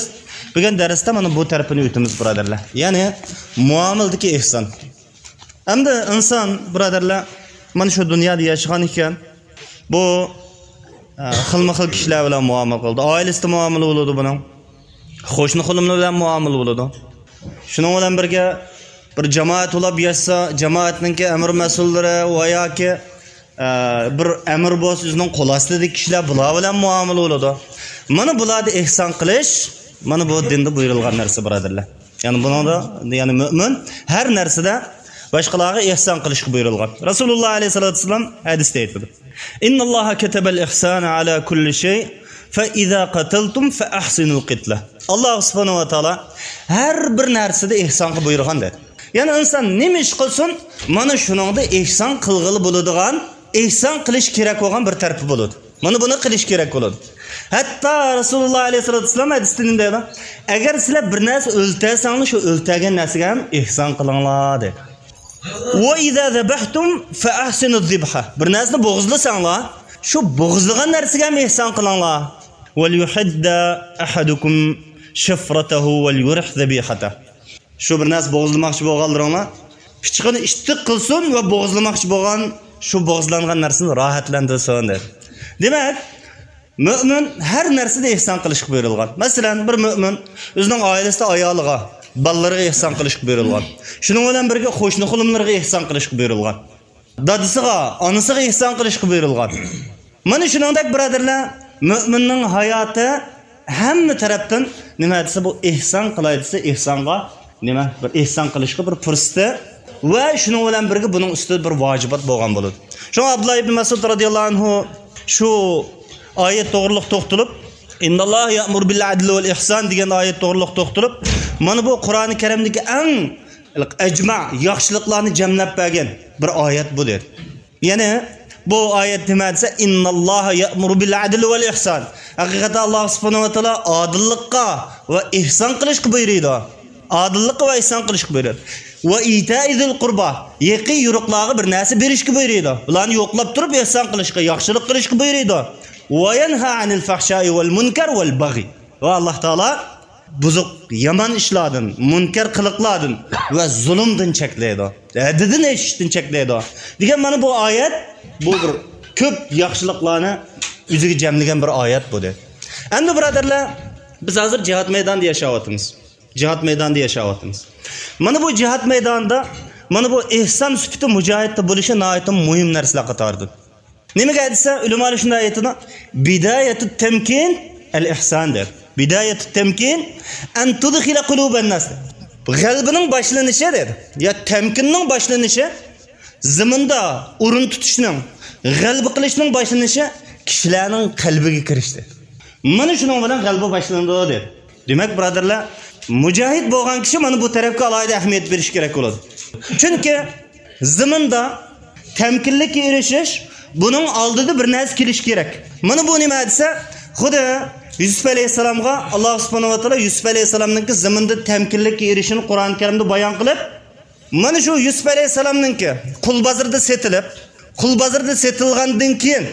بۈگۈن دەرستە مانا بۇ تەرىپىنى ئۆتىمىز، بۇرادەرلەر. يەنى مۇئامىلىدىكى ئېھسان. ئەمدى ئىنسان، بۇرادەرلەر، مانا شۇ دۇنيادا ياشىغان ئىكەن، بۇ، ئە، خىلمۇ خىل كىشىلەر بىلەن مۇئامىلە قىلىدۇ. ئائىلىسىدە مۇئامىلە بولىدۇ بۇنىڭ. قوشنا قولۇملار بىلەن مۇئامىلە بولىدۇ. شۇنىڭ بىلەن بىرگە، بىر جامائەت بولۇپ ياشىسا، جامائەتنىڭكى ئەمىر مەسئۇللىرى ۋە ياكى، ئە، بىر ئەمىر بولسا، ئۆزىنىڭ قول ئاستىدىكى كىشىلەر، بۇلار بىلەن مۇئامىلە بولىدۇ. مانا بۇلاردا ئېھسان قىلىش، مانا بۇ دىندا بۇيرۇلغان نەرسە، بۇرادەرلەر. يەنى بۇنىڭدا، يەنى مۆمىن ھەر نەرسىدە باشقىلارغا ئېھسان قىلىشقا بۇيرۇلغان. رەسۇلۇللا ئەلەيھىسسالاتۇ ۋەسسالام ھەدىستە ئېيتىدۇ: إن الله كتب الإحسان على كل شيء، فإذا قتلتم فأحسنوا القتلة. ئاللا سۇبھانەھۇ ۋە تائالا ھەر بىر نەرسىدە ئېھسانغا بۇيرۇغان دېدى. يەنى ئىنسان نېمە ئىش قىلسۇن، مانا شۇنىڭدا ئېھسان قىلغىلى بولىدىغان، ئېھسان قىلىش كېرەك بولغان بىر تەرىپى بولىدۇ. مانا بۇنى قىلىش كېرەك بولىدۇ. ھەتتا رەسۇلۇللا ئەلەيھىسسالاتۇ ۋەسسالام ھەدىستە نېمە دەيدۇ؟ ئەگەر سىلەر بىر نەرسە ئۆلتۈرسەڭلار، شۇ ئۆلتۈرگەن نەرسىگە ھەم ئېھسان قىلىڭلار، دېدى. وإذا ذبحتم فأحسنوا الذبحة. بىر نەرسىنى بوغۇزلىساڭلار، شۇ بوغۇزلىغان نەرسىگە ھەم ئېھسان قىلىڭلار. وليحد أحدكم شفرته وليرح ذبيحته. شۇ بىر نەرسە بوغۇزلىماقچى بولغانلىرىڭلار پىچىقىنى ئىتتىك قىلسۇن ۋە بوغۇزلىماقچى بولغان شۇ بوغۇزلانغان نەرسىنى راھەتلەندۈرسۇن، دېدى. دېمەك، مۆمىن ھەر نەرسىدە ئېھسان قىلىشقا بۇيرۇلغان. مەسىلەن، بىر مۆمىن ئۆزىنىڭ ئائىلىسىدە ئايالىغا، بالىلىرىغا ئېھسان قىلىشقا بۇيرۇلغان. شۇنىڭ بىلەن بىرگە قوشنا قولۇملىرىغا ئېھسان قىلىشقا بۇيرۇلغان. دادىسىغا، ئانىسىغا ئېھسان قىلىشقا بۇيرۇلغان. مانا شۇنىڭدەك، بۇرادەرلەر، مۆمىننىڭ ھاياتى ھەممە تەرەپتىن نېمە دېسە، بۇ ئېھسان قىلاي دېسە، ئېھسانغا نېمە، بىر ئېھسان قىلىشقا بىر پۇرسىتى ۋە شۇنىڭ بىلەن بىرگە بۇنىڭ ئۈستىدە بىر ۋاجىبات بولغان بولىدۇ. شۇڭا ئابدۇللا ئىبن مەسئۇد رازىياللاھۇ ئەنھۇ شۇ ئايەت توغرۇلۇق توختىلىپ، «ئىنناللاھە يەئمۇرۇ بىل ئەدلى ۋەل ئىھسان» دېگەن ئايەت توغرۇلۇق توختىلىپ، مانا بۇ قۇرئانى كەرىمدىكى ئەڭ ئەجمە، ياخشىلىقلارنى جەملەپ بەرگەن بىر ئايەت بۇ، دېدى. يەنى بۇ ئايەت نېمە دېسە، «ئىنناللاھە يەئمۇرۇ بىل ئەدلى ۋەل ئىھسان». ھەقىقەتەن ئاللاھ سۇبھانەھۇ ۋە تائالا ئادىللىققا ۋە ئېھسان قىلىشقا بۇيرۇيدۇ. ئادىللىققا ۋە ئېھسان قىلىشقا بۇيرۇيدۇ. «ۋە ئىتائى زىل قۇربا»، يېقىن يورۇقلارغا بىر نەرسە بېرىشكە بۇيرۇيدۇ. بۇلارنى يوقلاپ تۇرۇپ ئېھسان قىلىشقا، ياخشىلىق قىلىشقا بۇيرۇيدۇ. «ۋە يەنھا ئەنىل فەھشائى ۋەل مۇنكەر ۋەل بەغي». ۋە ئاللاھ تائالا بۇزۇق، يامان ئىشلاردىن، مۇنكەر قىلىقلاردىن ۋە زۇلۇمدىن چەكلەيدۇ، ھەددىدىن ئېشىشتىن چەكلەيدۇ دېگەن مانا بۇ ئايەت، بۇ بىر كۆپ ياخشىلىقلارنى ئۆزىگە جەملىگەن بىر ئايەت بۇ، دېدى. ئەمدى بۇرادەرلەر، بىز ھازىر جىھاد مەيدانىدا ياشاۋاتىمىز. جىھاد مەيدانىدا ياشاۋاتىمىز. مانا بۇ جىھاد مەيدانىدا، مانا بۇ ئېھسان سۈپىتى مۇجاھىدتا بولۇشى ناھايىتى مۇھىم نەرسىلەر قاتارىدىن. نېمىگە دېسە، ئۆلىمالار شۇنداق ئېيتىدۇ، «بداية التمكين الإحسان» دەپ. «بداية التمكين أن تدخل قلوب الناس» دەپ. غەلىبىنىڭ باشلىنىشى دەيدۇ. يا تەمكىننىڭ باشلىنىشى، زېمىندا ئورۇن تۇتۇشنىڭ، غەلىبە قىلىشنىڭ باشلىنىشى كىشىلەرنىڭ قەلبىگە كىرىشى. مانا شۇنىڭ بىلەن غەلىبە باشلىنىدۇ، دەيدۇ. دېمەك، بۇرادەرلەر، مۇجاھىد بولغان كىشى مانا بۇ تەرەپكە ئالاھىدە ئەھمىيەت بېرىشى كېرەك بولىدۇ. چۈنكى زېمىندا تەمكىنلىككە ئېرىشىش، بۇنىڭ ئالدىدا بىر نەرسە كېلىشى كېرەك. مانا بۇ نېمە دېسە، خۇددى يۈسۈپ ئەلەيھىسسالامغا ئاللاھ سۇبھانەھۇ ۋە تائالا يۈسۈپ ئەلەيھىسسالامنىڭكى زېمىندا تەمكىنلىككە ئېرىشىشىنى قۇرئان كەرىمدە بايان قىلىپ، مانا شۇ يۈسۈپ ئەلەيھىسسالامنىڭكى قۇل بازىرىدا سېتىلىپ، قۇل بازىرىدا سېتىلغاندىن كېيىن،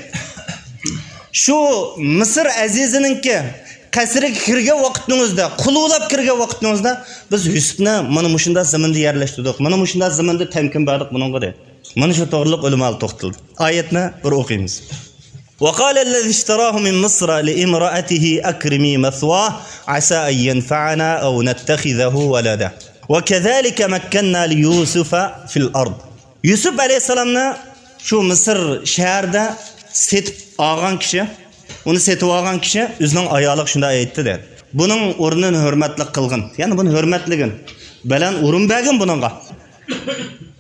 شۇ مىسىر ئەزىزىنىڭكى قەسرىگە كىرگەن ۋاقتىڭىزدا، قۇل بولاپ كىرگەن ۋاقتىڭىزدا، بىز يۈسۈپنى مانا مۇشۇنداق زېمىندا يەرلەشتۈردۇق، مانا مۇشۇنداق زېمىندا تەمكىن بەردۇق بۇنىڭغا، دەيدۇ. مانا شۇ توغرىلىق ئۆلىمالار توختىلىدۇ. ئايەتنى بىر ئوقۇيمىز. وقال الذي اشتراه من مصر لامرأته أكرمي مثواه عسى أن ينفعنا أو نتخذه ولدا وكذلك مكنا ليوسف في الأرض. يۈسۈپ ئەلەيھىسسالامنى شۇ مىسىر شەھىرىدە سېتىپ ئالغان كىشى، ئۇنى سېتىپ ئالغان كىشى ئۆزىنىڭ ئايالىغا شۇنداق ئېيتتى، دەيدۇ. بۇنىڭ ئورنىنى ھۆرمەتلىك قىلغىن. يەنى بۇنى ھۆرمەتلىگىن. بەلەن ئورۇن بەرگىن بۇنىڭغا.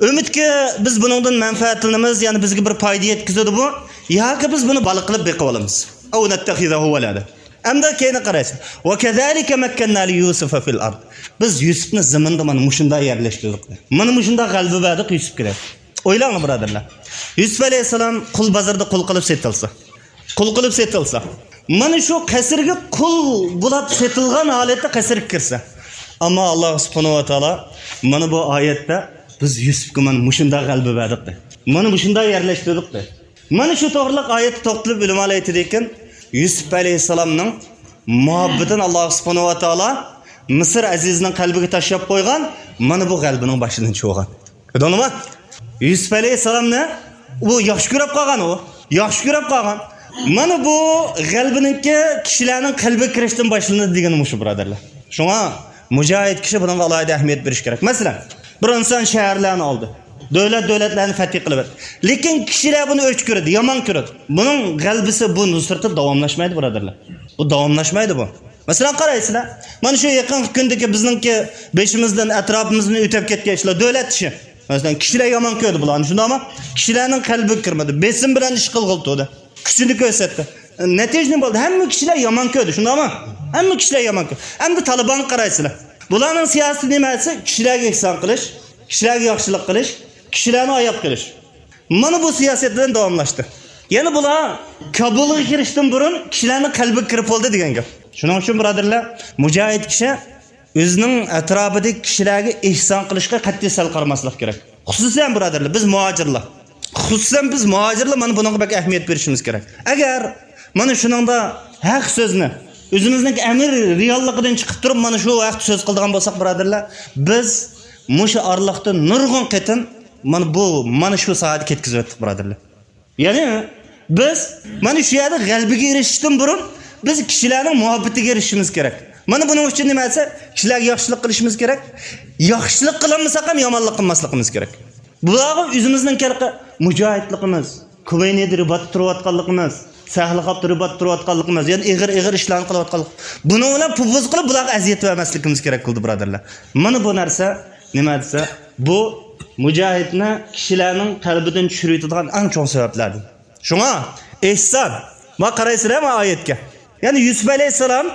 ئۈمىدكى بىز بۇنىڭدىن مەنپەئەتلىنىمىز، يەنى بىزگە بىر پايدا يەتكۈزىدۇ بۇ، ياكى بىز بۇنى بالا قىلىپ بېقىۋالىمىز. أو نتخذه ولدا. ئەمدى كېيىنى قارايسىز. وكذلك مكنا ليوسف في الأرض. بىز يۈسۈپنى زېمىندا مانا مۇشۇنداق يەرلەشتۈردۇق. مانا مۇشۇنداق غەلىبە بەردۇق يۈسۈپكە، دەپ. ئويلاڭلار، بۇرادەرلەر. يۈسۈپ ئەلەيھىسسالام قۇل بازىرىدا قۇل قىلىپ سېتىلسا. قۇل قىلىپ سېتىلسا. مانا شۇ قەسىرگە قۇل بولاپ سېتىلغان ھالەتتە قەسىرگە كىرسە. ئەمما ئاللاھ سۇبھانەھۇ ۋە تائالا مانا بۇ ئايەتتە بىز يۈسۈپكە مانا مۇشۇنداق غەلىبە بەردۇق، دەيدۇ. مانا مۇشۇنداق يەرلەشتۈردۇق، دەيدۇ. مانا شۇ توغرىلىق ئايەتتە توختىلىپ ئۆلىمالار ئېيتىدىكەن، يۈسۈپ ئەلەيھىسسالامنىڭ مۇھەببىتىنى ئاللاھ سۇبھانەھۇ ۋە تائالا مىسىر ئەزىزىنىڭ قەلبىگە تاشلاپ قويغان، مانا بۇ غەلىبىنىڭ باشلىنىشى بولغان. كۆردۈڭلارمۇ؟ يۈسۈپ ئەلەيھىسسالامنى ئۇ ياخشى كۆرۈپ قالغان ئۇ. ياخشى كۆرۈپ قالغان. مانا بۇ غەلىبىنىڭكى كىشىلەرنىڭ قەلبىگە كىرىشتىن باشلىنىدۇ دېگىنى مۇشۇ، بۇرادەرلەر. شۇڭا مۇجاھىد كىشى بۇنىڭغا ئالاھىدە ئەھمىيەت بېرىشى كېرەك. مەسىلەن، بىر ئىنسان شەھەرلەرنى ئالدى. دۆلەت، دۆلەتلەرنى فەتھى قىلىۋەتتى. لېكىن كىشىلەر بۇنى ئۆچ كۆرىدۇ، يامان كۆرىدۇ. بۇنىڭ غەلىبىسى، بۇ نۇسرىتى داۋاملاشمايدۇ، بۇرادەرلەر. بۇ داۋاملاشمايدۇ بۇ. مەسىلەن، قارايسىلەر، مانا شۇ يېقىنقى كۈندىكى بىزنىڭكى بېشىمىزدىن، ئەتراپىمىزدىن ئۆتۈپ كەتكەن ئىشلار، دۆلەت ئىشى. مەسىلەن، كىشىلەر يامان كۆردى بۇلارنى، شۇنداقمۇ؟ كىشىلەرنىڭ قەلبىگە كىرمىدى، بېسىم بىلەن ئىش قىلغىلى تۇردى، كۈچىنى كۆرسەتتى. نەتىجە نېمە بولدى؟ ھەممە كىشىلەر يامان كۆردى، شۇنداقمۇ؟ ھەممە كىشىلەر يامان كۆردى. ئەمدى تالىبانغا قارايسىلەر. بۇلارنىڭ سىياسىتى نېمە دېسە، كىشىلەرگە ئېھسان قىلىش، كىشىلەرگە ياخشىلىق قىلىش، كىشىلەرنى ئاياق قىلىش. مانا بۇ سىياسەت بىلەن داۋاملاشتى. يەنە بۇلار كابۇلغا كىرىشتىن بۇرۇن كىشىلەرنىڭ قەلبىگە كىرىپ بولدى دېگەن گەپ. شۇنىڭ ئۈچۈن، بۇرادەرلەر، مۇجاھىد كىشى ئۆزىنىڭ ئەتراپىدىكى كىشىلەرگە ئېھسان قىلىشقا قەتئىي سەل قارىماسلىق كېرەك. خۇسۇسەن، بۇرادەرلەر، بىز مۇھاجىرلار. خۇسۇسەن بىز مۇھاجىرلار مانا بۇنىڭغا بەك ئەھمىيەت بېرىشىمىز كېرەك. ئەگەر مانا شۇنىڭدا ھەق سۆزنى ئۆزىمىزنىڭ ئەمىر رېئاللىقىدىن چىقىپ تۇرۇپ مانا شۇ ھەقتە سۆز قىلىدىغان بولساق، بۇرادەرلەر، بىز مۇشۇ ئارىلىقتا نۇرغۇن قېتىم مانا بۇ، مانا شۇ ساھەدە كەتكۈزۈۋەتتۇق، بۇرادەرلەر. يەنى بىز مانا شۇ يەردە غەلىبىگە ئېرىشىشتىن بۇرۇن بىز كىشىلەرنىڭ مۇھەببىتىگە ئېرىشىشىمىز كېرەك. مانا بۇنىڭ ئۈچۈن نېمە دېسە، كىشىلەرگە ياخشىلىق قىلىشىمىز كېرەك. ياخشىلىق قىلالمىساق ھەم يامانلىق قىلماسلىقىمىز كېرەك. بۇلارغا ئۆزىمىزنىڭ كەرقى مۇجاھىدلىقىمىز، كۇۋەينىدە رىباتتا تۇرۇۋاتقانلىقىمىز، سەھلىخاپ تۇرۇپ، تۇرۇۋاتقانلىقىمىز، يەنى ئېغىر، ئېغىر ئىشلارنى قىلىۋاتقانلىق. بۇنىڭ بىلەن پۇپۇز قىلىپ، بۇلارغا ئەزىيەت بەرمەسلىكىمىز كېرەك بولىدۇ، بۇرادەرلەر. مانا بۇ نەرسە نېمە دېسە، بۇ مۇجاھىدنى كىشىلەرنىڭ قەلبىدىن چۈشۈرۈۋېتىدىغان ئەڭ چوڭ سەۋەبلەردىن. شۇڭا ئېھسان. ما قارايسىلەر ما ئايەتكە. يەنى يۈسۈپ ئەلەيھىسسالام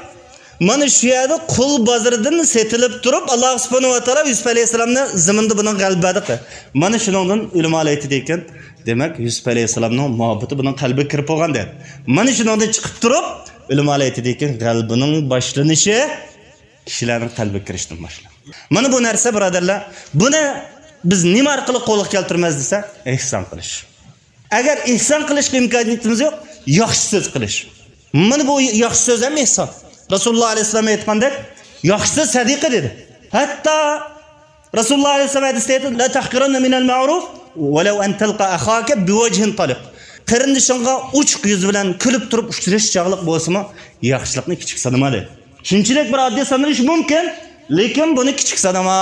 مانا شۇ يەردە قۇل بازىرىدىن سېتىلىپ تۇرۇپ، ئاللا سۇبھانەھۇ ۋە تائالا يۈسۈپ ئەلەيھىسسالامنى زېمىندا بۇنىڭ غەلىبە بەردى. مانا شۇنىڭدىن ئۆلىمالار ئېيتىدىكەن، دېمەك، يۈسۈپ ئەلەيھىسسالامنىڭ مۇھەببىتى بۇنىڭ قەلبىگە كىرىپ بولغان دەپ. مانا شۇنىڭدىن چىقىپ تۇرۇپ، ئۆلىمالار ئېيتىدىكەن، غەلىبىنىڭ باشلىنىشى كىشىلەرنىڭ قەلبىگە كىرىشتىن باشلىنىدۇ. مانا بۇ نەرسە، بۇرادەرلەر، بۇنى بىز نېمە ئارقىلىق قولغا كەلتۈرىمىز دېسە، ئېھسان قىلىش. ئەگەر ئېھسان قىلىشقا ئىمكانىيىتىمىز يوق، ياخشى سۆز قىلىش. مانا بۇ ياخشى سۆز ھەم ئېھسان. رەسۇلۇللا ئەلەيھىسسالام ئېيتقاندەك، ياخشى سۆز سەدىقە دېدى. ھەتتا رەسۇلۇللا ئەلەيھىسسالام ھەدىستە ئېيتىدۇ، لا تحقرن من المعروف ولو أن تلقى أخاك بوجه طلق. قېرىندىشىڭغا ئوچۇق يۈز بىلەن كۈلۈپ تۇرۇپ ئۇچرىشىش چاغلىق بولسىمۇ، ياخشىلىقنى كىچىك سانىما دېدى. شۇنچىلىك بىر ئاددىي سانىلىشى مۇمكىن، لېكىن بۇنى كىچىك سانىما.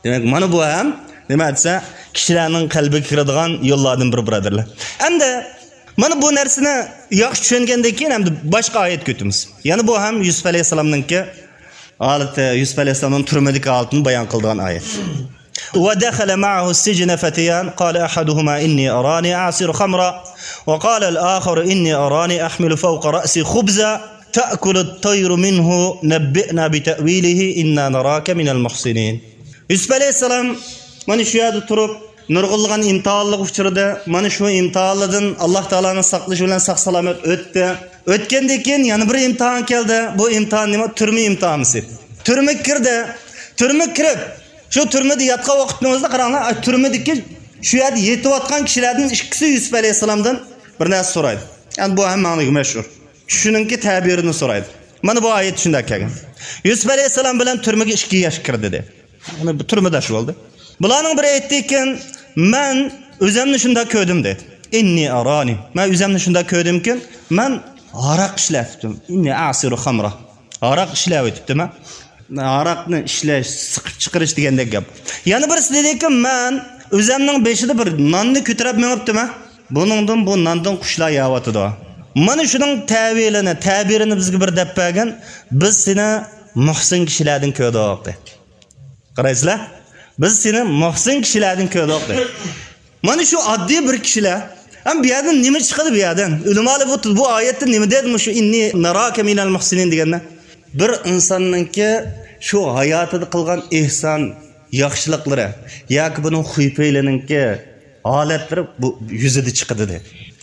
دېمەك، مانا بۇ ھەم نېمە دېسە، كىشىلەرنىڭ قەلبىگە كىرىدىغان يوللاردىن بىرى، بۇرادەرلەر. ئەمدى مانا بۇ نەرسىنى ياخشى چۈشەنگەندىن كېيىن، ئەمدى باشقا ئايەتكە ئۆتىمىز. يەنە بۇ ھەم يۈسۈپ ئەلەيھىسسالامنىڭكى ھالىتى، يۈسۈپ ئەلەيھىسسالامنىڭ تۈرمىدىكى ھالىتىنى بايان قىلىدىغان ئايەت. ودخل معه السجن فتيان قال أحدهما إني أراني أعصر خمرا وقال الآخر إني أراني أحمل فوق رأسي خبزا تأكل الطير منه نبئنا بتأويله إنا نراك من المحسنين. يۈسۈپ ئەلەيھىسسالام مانا شۇ يەردە تۇرۇپ، نۇرغۇنلىغان ئىمتىھانلىق ئۇچرىدى. مانا شۇ ئىمتىھانلاردىن ئاللا تائالانىڭ ساقلىشى بىلەن ساق-سالامەت ئۆتتى. ئۆتكەندىن كېيىن يەنە بىر ئىمتىھان كەلدى. بۇ ئىمتىھان نېمە؟ تۈرمە ئىمتىھانى. تۈرمىگە كىردى. تۈرمىگە كىرىپ، شۇ تۈرمىدە ياتقان ۋاقىتنىڭ ئۆزىدە قاراڭلار، ئاي، تۈرمىدىكى شۇ يەردە يېتىۋاتقان كىشىلەردىن ئىككىسى يۈسۈپ ئەلەيھىسسالامدىن بىر نەرسە سورايدۇ. يەنى بۇ ھەممىڭلارغا مەشھۇر. چۈشىنىڭكى تەبىرىنى سورايدۇ. مانا بۇ ئايەت شۇنداق كەلگەن. يۈسۈپ ئەلەيھىسسالام بىلەن تۈرمىگە ئىككى ياش كىردى دېدى. يەنى بۇ تۈرمىداش بولدى. بۇلارنىڭ بىرى ئېيتتىكەن، مەن ئۆزەمنى شۇنداق كۆردۈم دېدى. إني أراني. مەن ئۆزەمنى شۇنداق كۆردۈمكىن، مەن ھاراق ئىشلەۋېتىپتىم. إني أعصر خمرا. ھاراق ئىشلەۋېتىپتىمەن. ھاراقنى ئىشلەش، سىقىپ چىقىرىش دېگەندەك گەپ. يەنە بىرسى دېدىكى، مەن ئۆزەمنىڭ بېشىدا بىر ناننى كۆتۈرۈپ مېڭىپتىمەن. بۇنىڭدىن، بۇ ناندىن قۇشلار يەۋاتىدۇ. مانا شۇنىڭ تەۋىلىنى، تەبىرىنى بىزگە بىر دەپ بەرگىن، بىز سېنى مۇھسىن كىشىلەردىن كۆردۇق دېدى. قارايسىلەر، بىز سېنى مۇھسىن كىشىلەردىن كۆردۇق دېدى. مانا شۇ ئاددىي بىر كىشىلەر. ھەم بۇ يەردىن نېمە چىقىدۇ بۇ يەردىن؟ ئۆلىمالار بۇ، بۇ ئايەتتە نېمە دېدى؟ مۇشۇ إني نراك من المحسنين دېگەندە. بىر ئىنساننىڭكى شۇ ھاياتىدا قىلغان ئېھسان، ياخشىلىقلىرى ياكى بۇنىڭ خۇيپەيلىنىڭكى ھالەتلىرى بۇ يۈزىدە چىقىدۇ دېدى.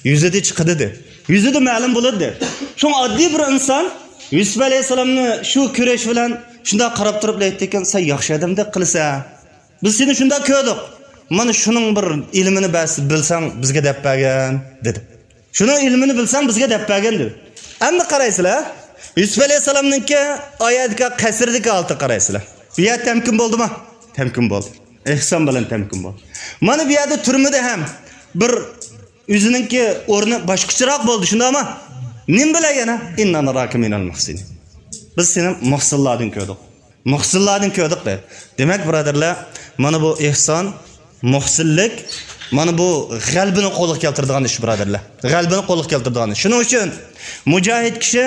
يۈزىدە چىقىدۇ دېدى. يۈزىدە مەلۇم بولىدۇ دېدى. شۇڭا ئاددىي بىر ئىنسان يۈسۈپ ئەلەيھىسسالامنى شۇ كۆرۈش بىلەن شۇنداق قاراپ تۇرۇپ ئېيتتىكەن، سەن ياخشى ئادەمدەك قىلىسەن. بىز سېنى شۇنداق كۆردۇق. مانا شۇنىڭ بىر ئىلمىنى بەرسە، بىلسەڭ بىزگە دەپ بەرگىن دېدى. شۇنىڭ ئىلمىنى بىلسەڭ بىزگە دەپ بەرگىن دېدى. ئەمدى قارايسىلەر، يۈسۈپ ئەلەيھىسسالامنىڭكى ئايەتتىكى قەسىردىكى ھالىتىگە قارايسىلەر. بۇ يەر تەمكىن بولدىمۇ؟ تەمكىن بولدى. ئېھسان بىلەن تەمكىن بولدى. مانا بۇ يەردە تۈرمىدە ھەم بىر ئۆزىنىڭكى ئورنى باشقىچىراق بولدى، شۇنداقمۇ؟ نېمە بىلەن يەنە؟ إنا نراك من المحسنين. بىز سېنى مۇھسىنلاردىن كۆردۇق. مۇھسىنلاردىن كۆردۇق دەيدۇ. دېمەك، بۇرادەرلەر، مانا بۇ ئېھسان، مۇھسىنلىك، مانا بۇ غەلىبىنى قولغا كەلتۈرىدىغان ئىش، بۇرادەرلەر. غەلىبىنى قولغا كەلتۈرىدىغان ئىش. شۇنىڭ ئۈچۈن مۇجاھىد كىشى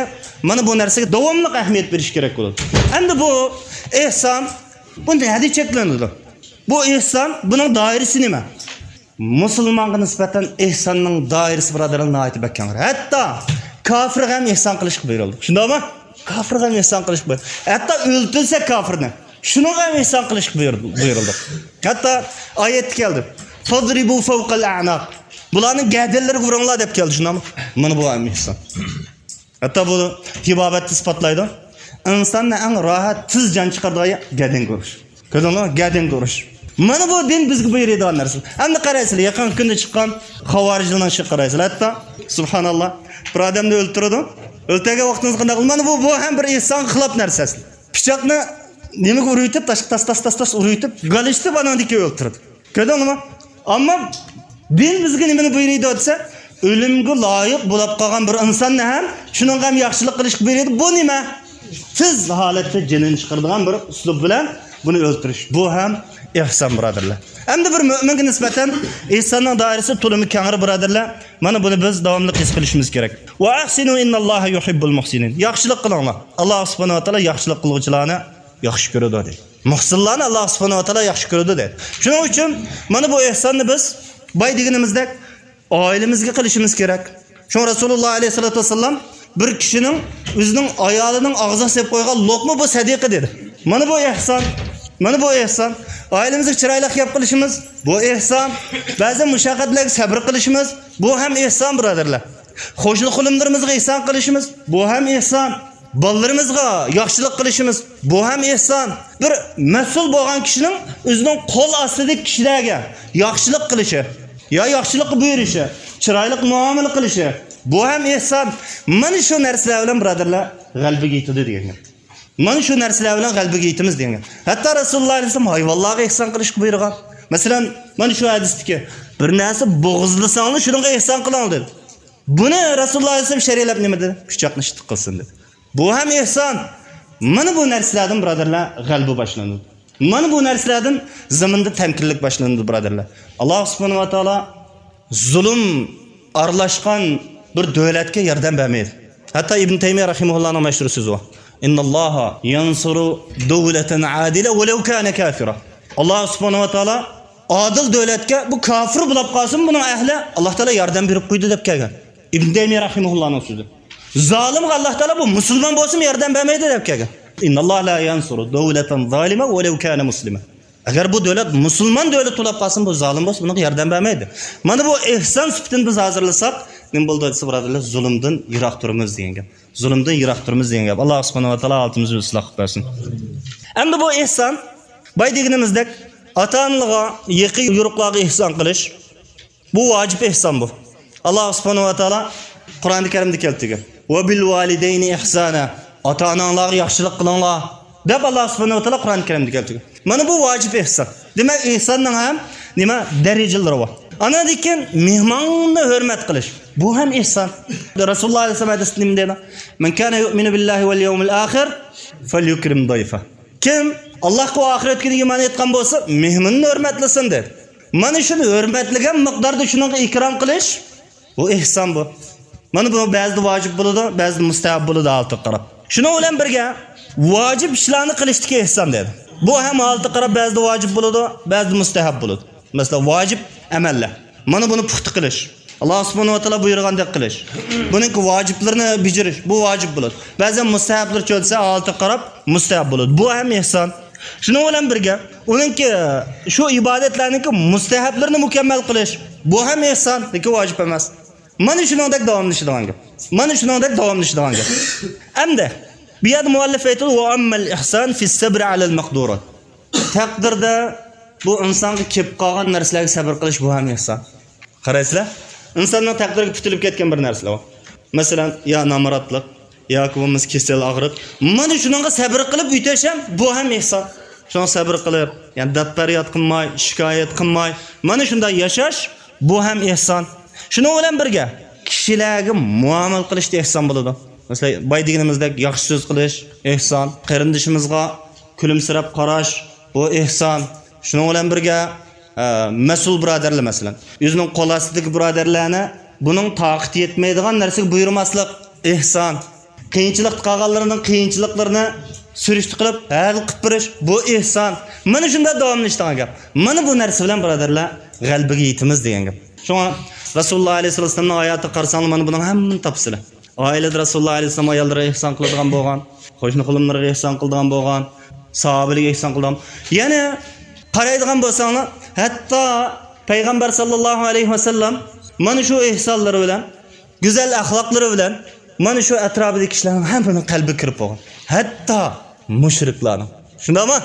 مانا بۇ نەرسىگە داۋاملىق ئەھمىيەت بېرىشى كېرەك بولىدۇ. ئەمدى بۇ ئېھسان، بۇ نەدە چەكلىنىدۇ؟ بۇ ئېھسان، بۇنىڭ دائىرىسى نېمە؟ مۇسۇلمانغا نىسبەتەن ئېھساننىڭ دائىرىسى، بۇرادەرلەر، ناھايىتى بەك كەڭ. ھەتتا كاپىرغا ھەم ئېھسان قىلىشقا بۇيرۇلدى. شۇنداقمۇ؟ كاپىرغا ھەم ئېھسان قىلىشقا بۇيرۇلدى. ھەتتا ئۆلتۈرسە كاپىرنى، شۇنىڭغا ھەم ئېھسان قىلىشقا بۇيرۇ-، بۇيرۇلدى. ھەتتا ئايەتتە كەلدى. فاضربوا فوق الأعناق. بۇلارنىڭ گەدىنلىرىگە ئۇرۇڭلار دەپ كەلدى، شۇنداقمۇ؟ مانا بۇ ھەم ئېھسان. ھەتتا بۇ تېبابەتتە ئىسپاتلايدۇ. ئىنساننى ئەڭ راھەت، تېز جان چىقىرىدىغان يەر گەدىنگە ئۇرۇش. كۆردۈڭلارمۇ؟ گەدىنگە ئۇرۇش. مانا بۇ دىن بىزگە بۇيرۇيدىغان نەرسە. ئەمدى قارايسىلەر، يېقىنقى كۈندە چىققان خاۋارىجلارنىڭ ئىشىغا قارايسىلەر. ھەتتا، سۇبھاناللا، بىر ئادەمنى ئۆلتۈرىدۇ. ئۆلتۈرگەن ۋاقتىڭىزدا قانداق قىلىدۇ؟ مانا بۇ، بۇ ھەم بىر ئېھسانغا خىلاپ نەرسە. پىچاقنى نېمىگە ئۇرۇۋېتىپ، تاشقا تاس، تاس، تاس، تاس ئۇرۇۋېتىپ، گالىشتىپ، ئاناندىن كېيىن ئۆلتۈرىدۇ. كۆردۈڭلارمۇ؟ ئەمما دىن بىزگە نېمىنى بۇيرۇيدۇ دېسە، ئۆلۈمگە لايىق بولۇپ قالغان بىر ئىنساننى ھەم شۇنىڭغا ھەم ياخشىلىق قىلىشقا بۇيرۇيدۇ. بۇ نېمە؟ تېز ھالەتتە جېنىنى چىقىرىدىغان بىر ئۇسلۇب بىلەن بۇنى ئۆلتۈرۈش. بۇ ھەم ئېھسان، بۇرادەرلەر. ئەمدى بىر مۆمىنگە نىسبەتەن ئېھساننىڭ دائىرىسى تولىمۇ كەڭرى، بۇرادەرلەر. مانا بۇنى بىز داۋاملىق ھېس قىلىشىمىز كېرەك. ۋە ئەھسىنۇ ئىنناللاھە يۇھىببۇل مۇھسىنىن. ياخشىلىق قىلىڭلار. ئاللاھ سۇبھانەھۇ ۋە تائالا ياخشىلىق قىلغۇچىلارنى ياخشى كۆرىدۇ، دەيدۇ. مۇھسىنلارنى ئاللاھ سۇبھانەھۇ ۋە تائالا ياخشى كۆرىدۇ، دەيدۇ. شۇنىڭ ئۈچۈن مانا بۇ ئېھساننى بىز باي دېگىنىمىزدەك ئائىلىمىزگە قىلىشىمىز كېرەك. شۇڭا رەسۇلۇللاھ ئەلەيھىسسالاتۇ ۋەسسالام بىر كىشىنىڭ ئۆزىنىڭ ئايالىنىڭ ئاغزىغا سېلىپ قويغان لوقما بۇ سەدىقە، دېدى. مانا بۇ ئېھسان. مانا بۇ ئېھسان. ئائىلىمىزگە چىرايلىق گەپ قىلىشىمىز، بۇ ئېھسان. بەزى مۇشەققەتلەرگە سەبر قىلىشىمىز، بۇ ھەم ئېھسان، بۇرادەرلەر. قوشنا-قولۇملىرىمىزغا ئېھسان قىلىشىمىز، بۇ ھەم ئېھسان. بالىلىرىمىزغا ياخشىلىق قىلىشىمىز، بۇ ھەم ئېھسان. بىر مەسئۇل بولغان كىشىنىڭ ئۆزىنىڭ قول ئاستىدىكى كىشىلەرگە ياخشىلىق قىلىشى، يا ياخشىلىققا بۇيرۇشى، چىرايلىق مۇئامىلە قىلىشى، بۇ ھەم ئېھسان. مانا شۇ نەرسىلەر بىلەن، بۇرادەرلەر، غەلىبىگە يېتىدۇ، دېگەن گەپ. مانا شۇ نەرسىلەر بىلەن غەلىبىگە يېتىمىز، دېگەن گەپ. ھەتتا رەسۇلۇللاھ ئەلەيھىسسالام ھايۋانلارغا ئېھسان قىلىشقا بۇيرۇغان. مەسىلەن، مانا شۇ ھەدىستىكى، بىر نەرسە بوغۇزلىساڭلار، شۇنىڭغا ئېھسان قىلىڭ، دېدى. بۇنى رەسۇلۇللاھ ئەلەيھىسسالام شەرھلەپ نېمە دېدى؟ پىچاقنى ئىشتىك قىلسۇن، دېدى. بۇ ھەم ئېھسان. مانا بۇ نەرسىلەردىن، بۇرادەرلەر، غەلىبە باشلىنىدۇ. مانا بۇ نەرسىلەردىن زېمىندا تەمكىنلىك باشلىنىدۇ، بۇرادەرلەر. ئاللاھ سۇبھانەھۇ ۋە تائالا زۇلۇم ئارىلاشقان بىر دۆلەتكە ياردەم بەرمەيدۇ. ھەتتا ئىبن تەيمىيە رەھىمەھۇللاھنىڭ مەشھۇر سۆزى بار. ئىنناللاھا يەنسۇرۇ دەۋلەتەن ئادىلە ۋەلەۋ كانە كافىرا. ئاللاھ سۇبھانەھۇ ۋە تائالا ئادىل دۆلەتكە، بۇ كافىر بولاپ قالسىمۇ بۇنىڭ ئەھلى، ئاللاھ تائالا ياردەم بېرىپ قويىدۇ، دەپ كەلگەن. ئىبن تەيمىيە رەھىمەھۇللاھنىڭ سۆزى. زالىمغا ئاللاھ تائالا بۇ مۇسۇلمان بولسىمۇ ياردەم بەرمەيدۇ، دەپ كەلگەن. ئىنناللاھا لا يەنسۇرۇ دەۋلەتەن زالىمە ۋەلەۋ كانە مۇسلىمە. ئەگەر بۇ دۆلەت مۇسۇلمان دۆلەت بولاپ قالسىمۇ، بۇ زالىم بولسا بۇنىڭغا ياردەم بەرمەيدۇ. مانا بۇ ئېھسان سۈپىتىنى بىز ھازىرلىساق، نېمە بولىدۇ دېسە، بۇرادەرلەر، زۇلۇمدىن يىراق تۇرىمىز دېگەن گەپ. زۇلۇمدىن يىراق تۇرىمىز دېگەن گەپ. ئاللاھ سۇبھانەھۇ ۋە تائالا ھالىتىمىزنى ئىسلاھ قىلىپ بەرسۇن. ئەمدى بۇ ئېھسان، باي دېگىنىمىزدەك، ئاتا-ئانىلارغا، يېقىن يورۇقلارغا ئېھسان قىلىش، بۇ ۋاجىپ ئېھسان بۇ. ئاللاھ سۇبھانەھۇ ۋە تائالا قۇرئانى كەرىمدە كەلتۈرگەن. ۋە بىل ۋالىدەينى ئىھسانا. ئاتا-ئاناڭلارغا ياخشىلىق قىلىڭلار، دەپ ئاللاھ سۇبھانەھۇ ۋە تائالا قۇرئانى كەرىمدە كەلتۈرگەن. مانا بۇ ۋاجىپ ئېھسان. دېمەك، ئېھساننىڭ ھەم نېمە دەرىجىلىرى بار. ئاندىن كېيىن مېھماننى ھۆرمەت قىلىش. بۇ ھەم ئېھسان. رەسۇلۇللاھ ئەلەيھىسسالام ھەدىستە نېمە دەيدۇ؟ مەن كانە يۇئمىنۇ بىللاھى ۋەل يەۋمىل ئاخىر فەليۇكرىم ضيفه. كىم ئاللاھقا ۋە ئاخىرەت كۈنىگە ئىمان ئېيتقان بولسا، مېھمىنىنى ھۆرمەتلىسۇن، دېدى. مانا شۇنى ھۆرمەتلىگەن مىقداردا شۇنىڭغا ئىكرام قىلىش، بۇ ئېھسان بۇ. مانا بۇ بەزىدە ۋاجىپ بولىدۇ، بەزىدە مۇستەھەب بولىدۇ، ھالىتىگە قاراپ. شۇنىڭ بىلەن بىرگە، ۋاجىپ ئىشلارنى قىلىشتىكى ئېھسان، دېدى. بۇ ھەم ھالىتىگە قاراپ بەزىدە ۋاجىپ بولىدۇ، بەزىدە مۇستەھەب بولىدۇ. مەسىلەن، ۋاجىپ ئەمەللەر. مانا بۇنى پۇختا قىلىش. ئاللاھ سۇبھانەھۇ ۋە تائالا بۇيرۇغاندەك قىلىش. بۇنىڭكى ۋاجىپلىرىنى بېجىرىش، بۇ ۋاجىپ بولىدۇ. بەزەن مۇستەھەبلىرى چۆلسە، ھالىتىگە قاراپ مۇستەھەب بولىدۇ. بۇ ھەم ئېھسان. شۇنىڭ بىلەن بىرگە، ئۇنىڭكى، شۇ ئىبادەتلەرنىڭكى مۇستەھەبلىرىنى مۇكەممەل قىلىش، بۇ ھەم ئېھسان، لېكىن ۋاجىپ ئەمەس. مانا شۇنىڭدەك داۋاملىشىدىغان گەپ. مانا شۇنىڭدەك داۋاملىشىدىغان گەپ. ئەمدى بۇ يەردە مۇئەللىپ ئېيتىدۇ، ۋە ئەممەل ئىھسان فىس سەبرى ئەلەل مەقدۇرات. تەقدىردە بۇ ئىنسانغا كېلىپ قالغان نەرسىلەرگە سەبر قىلىش، بۇ ھەم ئېھسان. قارايسىلەر، ئىنساننىڭ تەقدىرىگە پۈتۈلۈپ كەتكەن بىر نەرسىلەر بار. مەسىلەن، يا نامراتلىق، ياكى بولمىسا كېسەل، ئاغرىق. مانا شۇنىڭغا سەبر قىلىپ ئۆتۈش ھەم، بۇ ھەم ئېھسان. شۇڭا سەبر قىلىپ، يەنى دەرد-پەرياد قىلماي، شىكايەت قىلماي، مانا شۇنداق ياشاش، بۇ ھەم ئېھسان. شۇنىڭ بىلەن بىرگە، كىشىلەرگە مۇئامىلە قىلىشتا ئېھسان بولىدۇ. مەسىلەن، باي دېگىنىمىزدەك ياخشى سۆز قىلىش، ئېھسان. قېرىندىشىمىزغا كۈلۈمسىرەپ قاراش، بۇ ئېھسان. شۇنىڭ بىلەن بىرگە، ئە، مەسئۇل بۇرادەرلەر، مەسىلەن، ئۆزىنىڭ قول ئاستىدىكى بۇرادەرلەرنى بۇنىڭ تاقىتى يەتمەيدىغان نەرسىگە بۇيرۇماسلىق، ئېھسان. قىيىنچىلىقتا قالغانلىرىنىڭ قىيىنچىلىقلىرىنى سۈرۈشتە قىلىپ ھەل قىلىپ بېرىش، بۇ ئېھسان. مانا شۇنداق داۋاملىشىدىغان گەپ. مانا بۇ نەرسە بىلەن، بۇرادەرلەر، غەلىبىگە يېتىمىز دېگەن گەپ. شۇڭا رەسۇلۇللاھ ئەلەيھىسسالاتۇ ۋەسسالامنىڭ ھاياتىغا قارىساڭلار، مانا بۇنىڭ ھەممىنى تاپىسىلەر. ئائىلىدە رەسۇلۇللاھ ئەلەيھىسسالام ئاياللىرىغا ئېھسان قىلىدىغان بولغان، قوشنا-قولۇملىرىغا ئېھسان قىلىدىغان بولغان، ساھابىلەرگە ئېھسان قىلىدىغان. يەنى قارايدىغان بولساڭلار، ھەتتا پەيغەمبەر ساللاللاھۇ ئەلەيھى ۋەسەللەم مانا شۇ ئېھسانلىرى بىلەن، گۈزەل ئەخلاقلىرى بىلەن مانا شۇ ئەتراپىدىكى كىشىلەرنىڭ ھەممىنىڭ قەلبىگە كىرىپ بولغان. ھەتتا مۇشرىكلارنىڭ. شۇنداقمۇ؟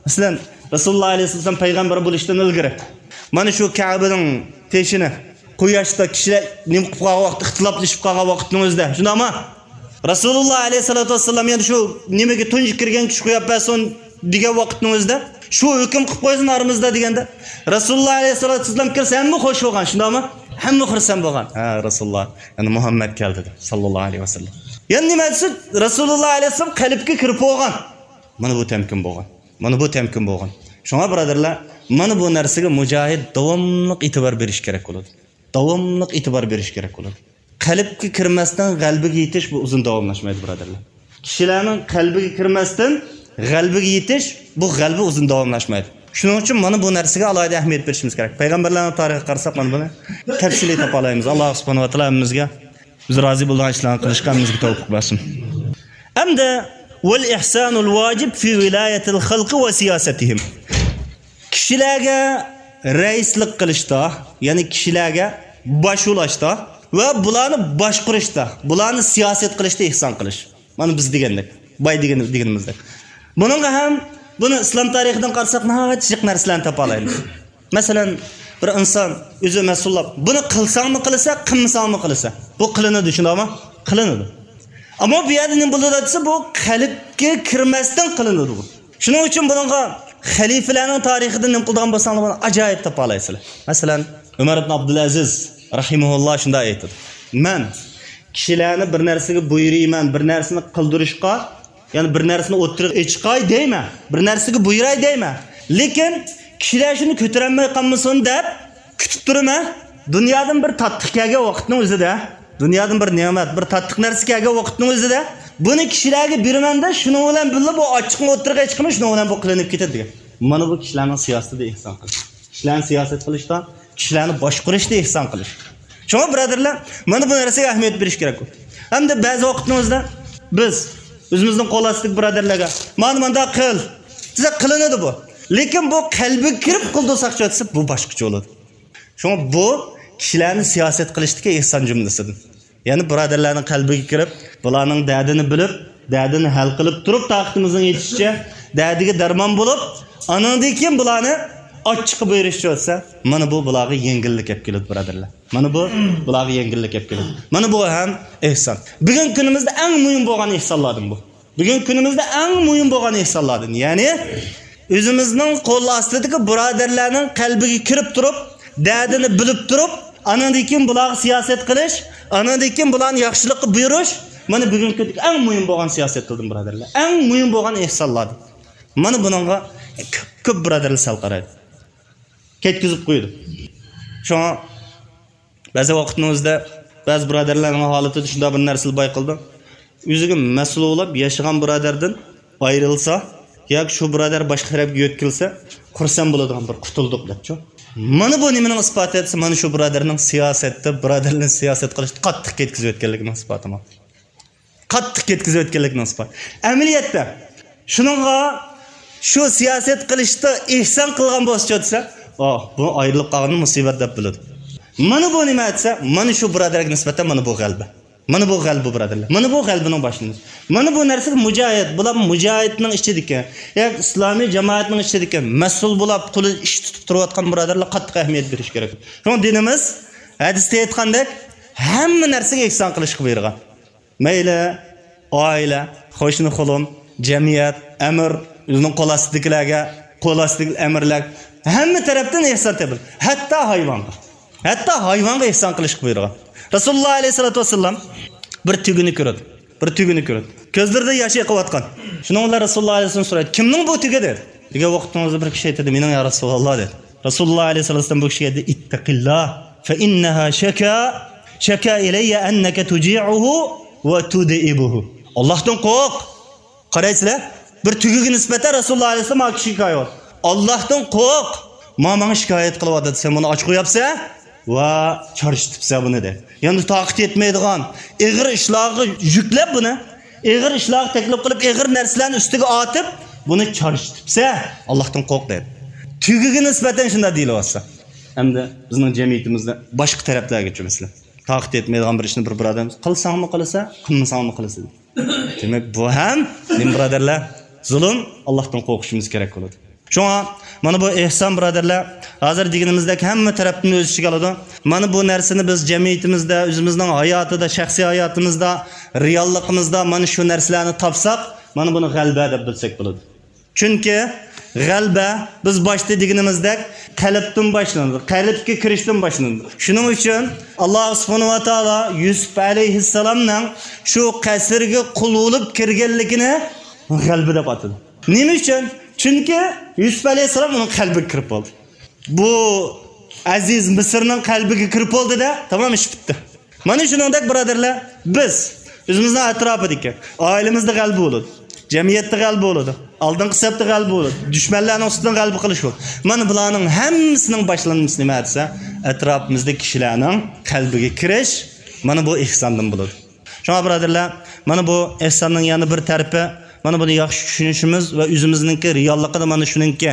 مەسىلەن، رەسۇلۇللاھ ئەلەيھىسسالام پەيغەمبەر بولۇشتىن ئىلگىرى مانا شۇ كەبىنىڭ تېشىنى قۇياشتا كىشىلەر نېمە قىلىپ قالغان ۋاقىت، ئىختىلاپلىشىپ قالغان ۋاقىتنىڭ ئۆزىدە، شۇنداقمۇ؟ رەسۇلۇللاھ ئەلەيھىسسالاتۇ ۋەسسالام يەنە شۇ نېمىگە تۇنجى كىرگەن كىشى قويۇپ بەرسۇن دېگەن ۋاقىتنىڭ ئۆزىدە، شۇ ھۆكۈم قىلىپ قويسۇن ئارىمىزدا دېگەندە، رەسۇلۇللاھ ئەلەيھىسسالاتۇ ۋەسسالام كىرسە ھەممە خوش بولغان، شۇنداقمۇ؟ ھەممە خۇرسەن بولغان. ھە، رەسۇلۇللاھ، يەنى مۇھەممەد كەلدى دەپ، ساللاللاھۇ ئەلەيھى ۋەسەللەم. يەنە نېمە دېسە، رەسۇلۇللاھ ئەلەيھىسسالام قەلبكە كىرىپ بولغان. مانا بۇ تەمكىن بولغان. مانا بۇ تەمكىن بولغان. شۇڭا بۇرادەرلەر، مانا بۇ نەرسىگە مۇجاھىد داۋاملىق ئېتىبار بېرىش كېرەك بولىدۇ. داۋاملىق ئېتىبار بېرىش كېرەك بولىدۇ. قەلبكە كىرمەستىن غەلىبىگە يېتىش بۇ ئۇزۇن داۋاملاشمايدۇ، بۇرادەرلەر. كىشىلەرنىڭ قەلبىگە كىرمەستىن غەلىبىگە يېتىش بۇ غەلىبە ئۇزۇن داۋاملاشمايدۇ. شۇنىڭ ئۈچۈن مانا بۇ نەرسىگە ئالاھىدە ئەھمىيەت بېرىشىمىز كېرەك. پەيغەمبەرلەرنىڭ تارىخىغا قارىساق، مانا بۇنى تەپسىلىي تاپالايمىز. ئاللاھ سۇبھانەھۇ ۋە تائالا ھەممىمىزگە ئۆزى رازى بولىدىغان ئىشلارنى قىلىشقا ھەممىمىزگە تەۋپىق بەرسۇن. ئەمدى، ۋەل ئىھسانۇل ۋاجىب فى ۋىلايەتىل خەلقى ۋە سىياسەتىھىم. كىشىلەرگە رەئىسلىك قىلىشتا، يەنى كىشىلەرگە باش بولاشتا ۋە بۇلارنى باشقۇرۇشتا، بۇلارنى سىياسەت قىلىشتا ئېھسان قىلىش. مانا بىز دېگەندەك، باي دېگەن، دېگىنىمىزدەك. بۇنىڭغا ھەم، بۇنى ئىسلام تارىخىدىن قارىساق، ناھايىتى جىق نەرسىلەرنى تاپالايمىز. مەسىلەن، بىر ئىنسان ئۆزى مەسئۇللاپ، بۇنى قىلساڭمۇ قىلىسەن، قىلمىساڭمۇ قىلىسەن. بۇ قىلىنىدۇ، شۇنداقمۇ؟ قىلىنىدۇ. ئەمما بۇ يەردە نېمە بولىدۇ دېسە، بۇ قەلبكە كىرمەستىن قىلىنىدۇ بۇ. شۇنىڭ ئۈچۈن بۇنىڭغا خەلىپىلەرنىڭ تارىخىدىن نېمە قىلىدىغان بولساڭلار، بۇنى ئاجايىپ تاپالايسىلەر. مەسىلەن، ئۆمەر ئىبن ئابدۇلئەزىز رەھىمەھۇللا شۇنداق ئېيتىدۇ: مەن كىشىلەرنى بىر نەرسىگە بۇيرۇيمەن، بىر نەرسىنى قىلدۇرۇشقا، يەنى بىر نەرسىنى ئوتتۇرىغا ئېچىقاي دەيمەن، بىر نەرسىگە بۇيراي دەيمەن. لېكىن كىشىلەر شۇنى كۆتۈرەلمەي قالمىسۇن دەپ كۈتۈپ تۇرىمەن. دۇنيادىن بىر تاتلىق كەلگەن ۋاقىتنىڭ ئۆزىدە، دۇنيادىن بىر نېمەت، بىر تاتلىق نەرسە كەلگەن ۋاقىتنىڭ ئۆزىدە بۇنى كىشىلەرگە بېرىمەن-دە، شۇنىڭ بىلەن بىللە بۇ ئاچچىقنى ئوتتۇرىغا چىقىمەن، شۇنىڭ بىلەن بۇ قىلىنىپ كېتىدۇ دېگەن. مانا بۇ كىشىلەرنىڭ سىياسىتىدە ئېھسان قىلىش. كىشىلەرنى سىياسەت قىلىشتا، كىشىلەرنى باشقۇرۇشتا ئېھسان قىلىش. شۇڭا بۇرادەرلەر، مانا بۇ نەرسىگە ئەھمىيەت بېرىش كېرەك. ھەمدە بەزى ۋاقىتنىڭ ئۆزىدە بىز ئۆزىمىزنىڭ قول ئاستىدىكى بۇرادەرلەرگە، مانا مۇنداق قىل دېسە قىلىنىدۇ بۇ. لېكىن بۇ قەلبىگە كىرىپ قىلدۇرساق دېسە بۇ باشقىچە بولىدۇ. شۇڭا بۇ كىشىلەرنى سىياسەت قىلىشتىكى ئېھسان جۈملىسىدىن. يەنى بۇرادەرلەرنىڭ قەلبىگە كىرىپ، بۇلارنىڭ دەردىنى بىلىپ، دەردىنى ھەل قىلىپ تۇرۇپ، تاقىتىمىزنىڭ يېتىشىچە دەردىگە دەرمان بولۇپ، ئانىڭدىن كېيىن بۇلارنى ئاچچىققا بۇيرۇشچە ئۆتسە، مانا بۇ بۇلارغا يەڭگىللىك ئەپ كېلىدۇ، بۇرادەرلەر. مانا بۇ بۇلارغا يەڭگىللىك ئەپ كېلىدۇ. مانا بۇ ھەم ئېھسان. بۈگۈنكى كۈنىمىزدە ئەڭ مۇھىم بولغان ئېھسانلاردىن بۇ. بۈگۈنكى كۈنىمىزدە ئەڭ مۇھىم بولغان ئېھسانلاردىن، يەنى ئۆزىمىزنىڭ قول ئاستىدىكى بۇرادەرلەرنىڭ قەلبىگە كىرىپ تۇرۇپ، دەردىنى بىلىپ تۇرۇپ، ئانىڭدىن كېيىن بۇلارغا سىياسەت قىلىش، ئانىڭدىن كېيىن بۇلارنى ياخشىلىققا بۇيرۇش، مانا بۈگۈنكى كۈندىكى ئەڭ مۇھىم بولغان سىياسەت قىلدىم، بۇرادەرلەر. ئەڭ مۇھىم بولغان ئېھسانلاردىن. مانا بۇنىڭغا كۆپ، كۆپ بۇرادەرلەر سەل قارايدۇ. كەتكۈزۈپ قويىدۇ. شۇڭا بەزى ۋاقىتنىڭ ئۆزىدە بەزى بۇرادەرلەرنىڭ ھالىتىدە شۇنداق بىر نەرسىلەر بايقىلىدۇ. ئۆزىگە مەسئۇل بولاپ ياشىغان بۇرادەردىن ئايرىلسا ياكى شۇ بۇرادەر باشقا تەرەپكە يۆتكىلسە، خۇرسەن بولىدىغان بىر، قۇتۇلدۇق دەپچۇ. مانا بۇ نېمىنىڭ ئىسپاتى دېسە، مانا شۇ بۇرادەرنىڭ سىياسەتتە، بۇرادەرلەرنى سىياسەت قىلىشتا قاتتىق كەتكۈزۈۋەتكەنلىكىنىڭ ئىسپاتى مانا. قاتتىق كەتكۈزۈۋەتكەنلىكىنىڭ ئىسپاتى. ئەمەلىيەتتە، شۇنىڭغا شۇ سىياسەت قىلىشتا ئېھسان قىلغان بولسىچۇ دېسە، ئاھ، بۇ ئايرىلىپ قالغىنى مۇسىبەت دەپ بىلىدۇ. مانا بۇ نېمە دېسە، مانا شۇ بۇرادەرگە نىسبەتەن مانا بۇ غەلىبە. مانا بۇ غەلىبە، بۇرادەرلەر. مانا بۇ غەلىبىنىڭ باشلىنىشى. مانا بۇ نەرسىگە مۇجاھىد، بۇلار مۇجاھىدنىڭ ئىچىدىكى، ياكى ئىسلامىي جامائەتنىڭ ئىچىدىكى مەسئۇل بولاپ، قولى ئىش تۇتۇپ تۇرۇۋاتقان بۇرادەرلەر قاتتىق ئەھمىيەت بېرىش كېرەك. شۇڭا دىنىمىز ھەدىستە ئېيتقاندەك، ھەممە نەرسىگە ئېھسان قىلىشقا بۇيرۇغان. مەيلى ئائىلە، قوشنا قولۇم، جەمئىيەت، ئەمىر، ئۆزىنىڭ قول ئاستىدىكىلەرگە، قول ئاستىدىكى ئەمىرلەر، ھەممە تەرەپتىن ئېھسان تېپىلىدۇ. ھەتتا ھايۋانغا، ھەتتا ھايۋانغا ئېھسان قىلىشقا بۇيرۇغان. رەسۇلۇللا ئەلەيھىسسالاتۇ ۋەسسالام بىر تۆگىنى كۆرىدۇ. بىر تۆگىنى كۆرىدۇ. كۆزلىرىدە ياش ئېقىۋاتقان. شۇنىڭ بىلەن رەسۇلۇللا ئەلەيھىسسالام سورايدۇ، كىمنىڭ بۇ تۆگە دېدى. دېگەن ۋاقتىڭىزدا بىر كىشى ئېيتىدۇ، مېنىڭ يا رەسۇلاللا دېدى. رەسۇلۇللا ئەلەيھىسسالام بۇ كىشىگە ئېيتتى، ئىتتەقىللا، فەئىننەھا شەكا، شەكا ئىلەييە ئەننەكە تۇجىئۇھۇ ۋە تۇدىئىبۇھۇ. ئاللاھتىن قورق. قارايسىلەر، بىر تۆگىگە نىسبەتەن رەسۇلۇللا ئەلەيھىسسالام ئا كىشىگە شىكايەت. ئاللاھتىن قورق. ما ماڭا شىكايەت قىلىۋاتىدۇ، سەن بۇنى ئاچ قوياپسەن ۋە چارچىتىپسەن بۇنى دەيدۇ. يەنى تاقىتى يەتمەيدىغان ئېغىر ئىشلارغا يۈكلەپ بۇنى، ئېغىر ئىشلارغا تەكلىپ قىلىپ، ئېغىر نەرسىلەرنى ئۈستىگە ئارتىپ، بۇنى چارچىتىپسەن، ئاللاھتىن قورق دەيدۇ. تۆگىگە نىسبەتەن شۇنداق دېيىلىۋاتسا. ئەمدى بىزنىڭ جەمئىيىتىمىزدە باشقا تەرەپلەرگىچۇ مەسىلەن. تاقىتى يەتمەيدىغان بىر ئىشنى بىر بۇرادەرىمىز قىلساڭمۇ قىلىسەن، قىلمىساڭمۇ قىلىسەن. دېمەك، بۇ ھەم نېمە بۇرادەرلەر؟ زۇلۇم، ئاللاھتىن قورقۇشىمىز كېرەك بولىدۇ. شۇڭا مانا بۇ ئېھسان بۇرادەرلەر، ھازىر دېگىنىمىزدەك ھەممە تەرەپتىن ئۆز ئىچىگە ئالىدۇ. مانا بۇ نەرسىنى بىز جەمئىيىتىمىزدە، ئۆزىمىزنىڭ ھاياتىدا، شەخسىي ھاياتىمىزدا، رېئاللىقىمىزدا مانا شۇ نەرسىلەرنى تاپساق، مانا بۇنى غەلىبە دەپ بىلسەك بولىدۇ. چۈنكى غەلىبە، بىز باشتا دېگىنىمىزدەك، قەلبتىن باشلىنىدۇ، قەلبكە كىرىشتىن باشلىنىدۇ. شۇنىڭ ئۈچۈن ئاللاھ سۇبھانەھۇ ۋە تائالا يۈسۈپ ئەلەيھىسسالامنىڭ شۇ قەسىرگە قۇل بولۇپ كىرگەنلىكىنى غەلىبە دەپ ئاتىدى. نېمە ئۈچۈن؟ چۈنكى يۈسۈپ ئەلەيھىسسالام ئۇنىڭ قەلبىگە كىرىپ بولدى. بۇ ئەزىز مىسىرنىڭ قەلبىگە كىرىپ بولدى-دە، تامام، ئىش پۈتتى. مانا شۇنىڭدەك، بۇرادەرلەر، بىز ئۆزىمىزنىڭ ئەتراپىدىكى، ئائىلىمىزدە غەلىبە بولىدۇ، جەمئىيەتتە غەلىبە بولىدۇ، ئالدىنقى سەپتە غەلىبە بولىدۇ، دۈشمەنلەرنىڭ ئۈستىدىن غەلىبە قىلىش بولىدۇ. مانا بۇلارنىڭ ھەممىسىنىڭ باشلانمىسى نېمە دېسە، ئەتراپىمىزدىكى كىشىلەرنىڭ قەلبىگە كىرىش، مانا بۇ ئېھساندىن بولىدۇ. شۇڭا، بۇرادەرلەر، مانا بۇ ئېھساننىڭ يەنە بىر تەرىپى، مانا بۇنى ياخشى چۈشىنىشىمىز ۋە ئۆزىمىزنىڭكى رېئاللىقىدا مانا شۇنىڭكى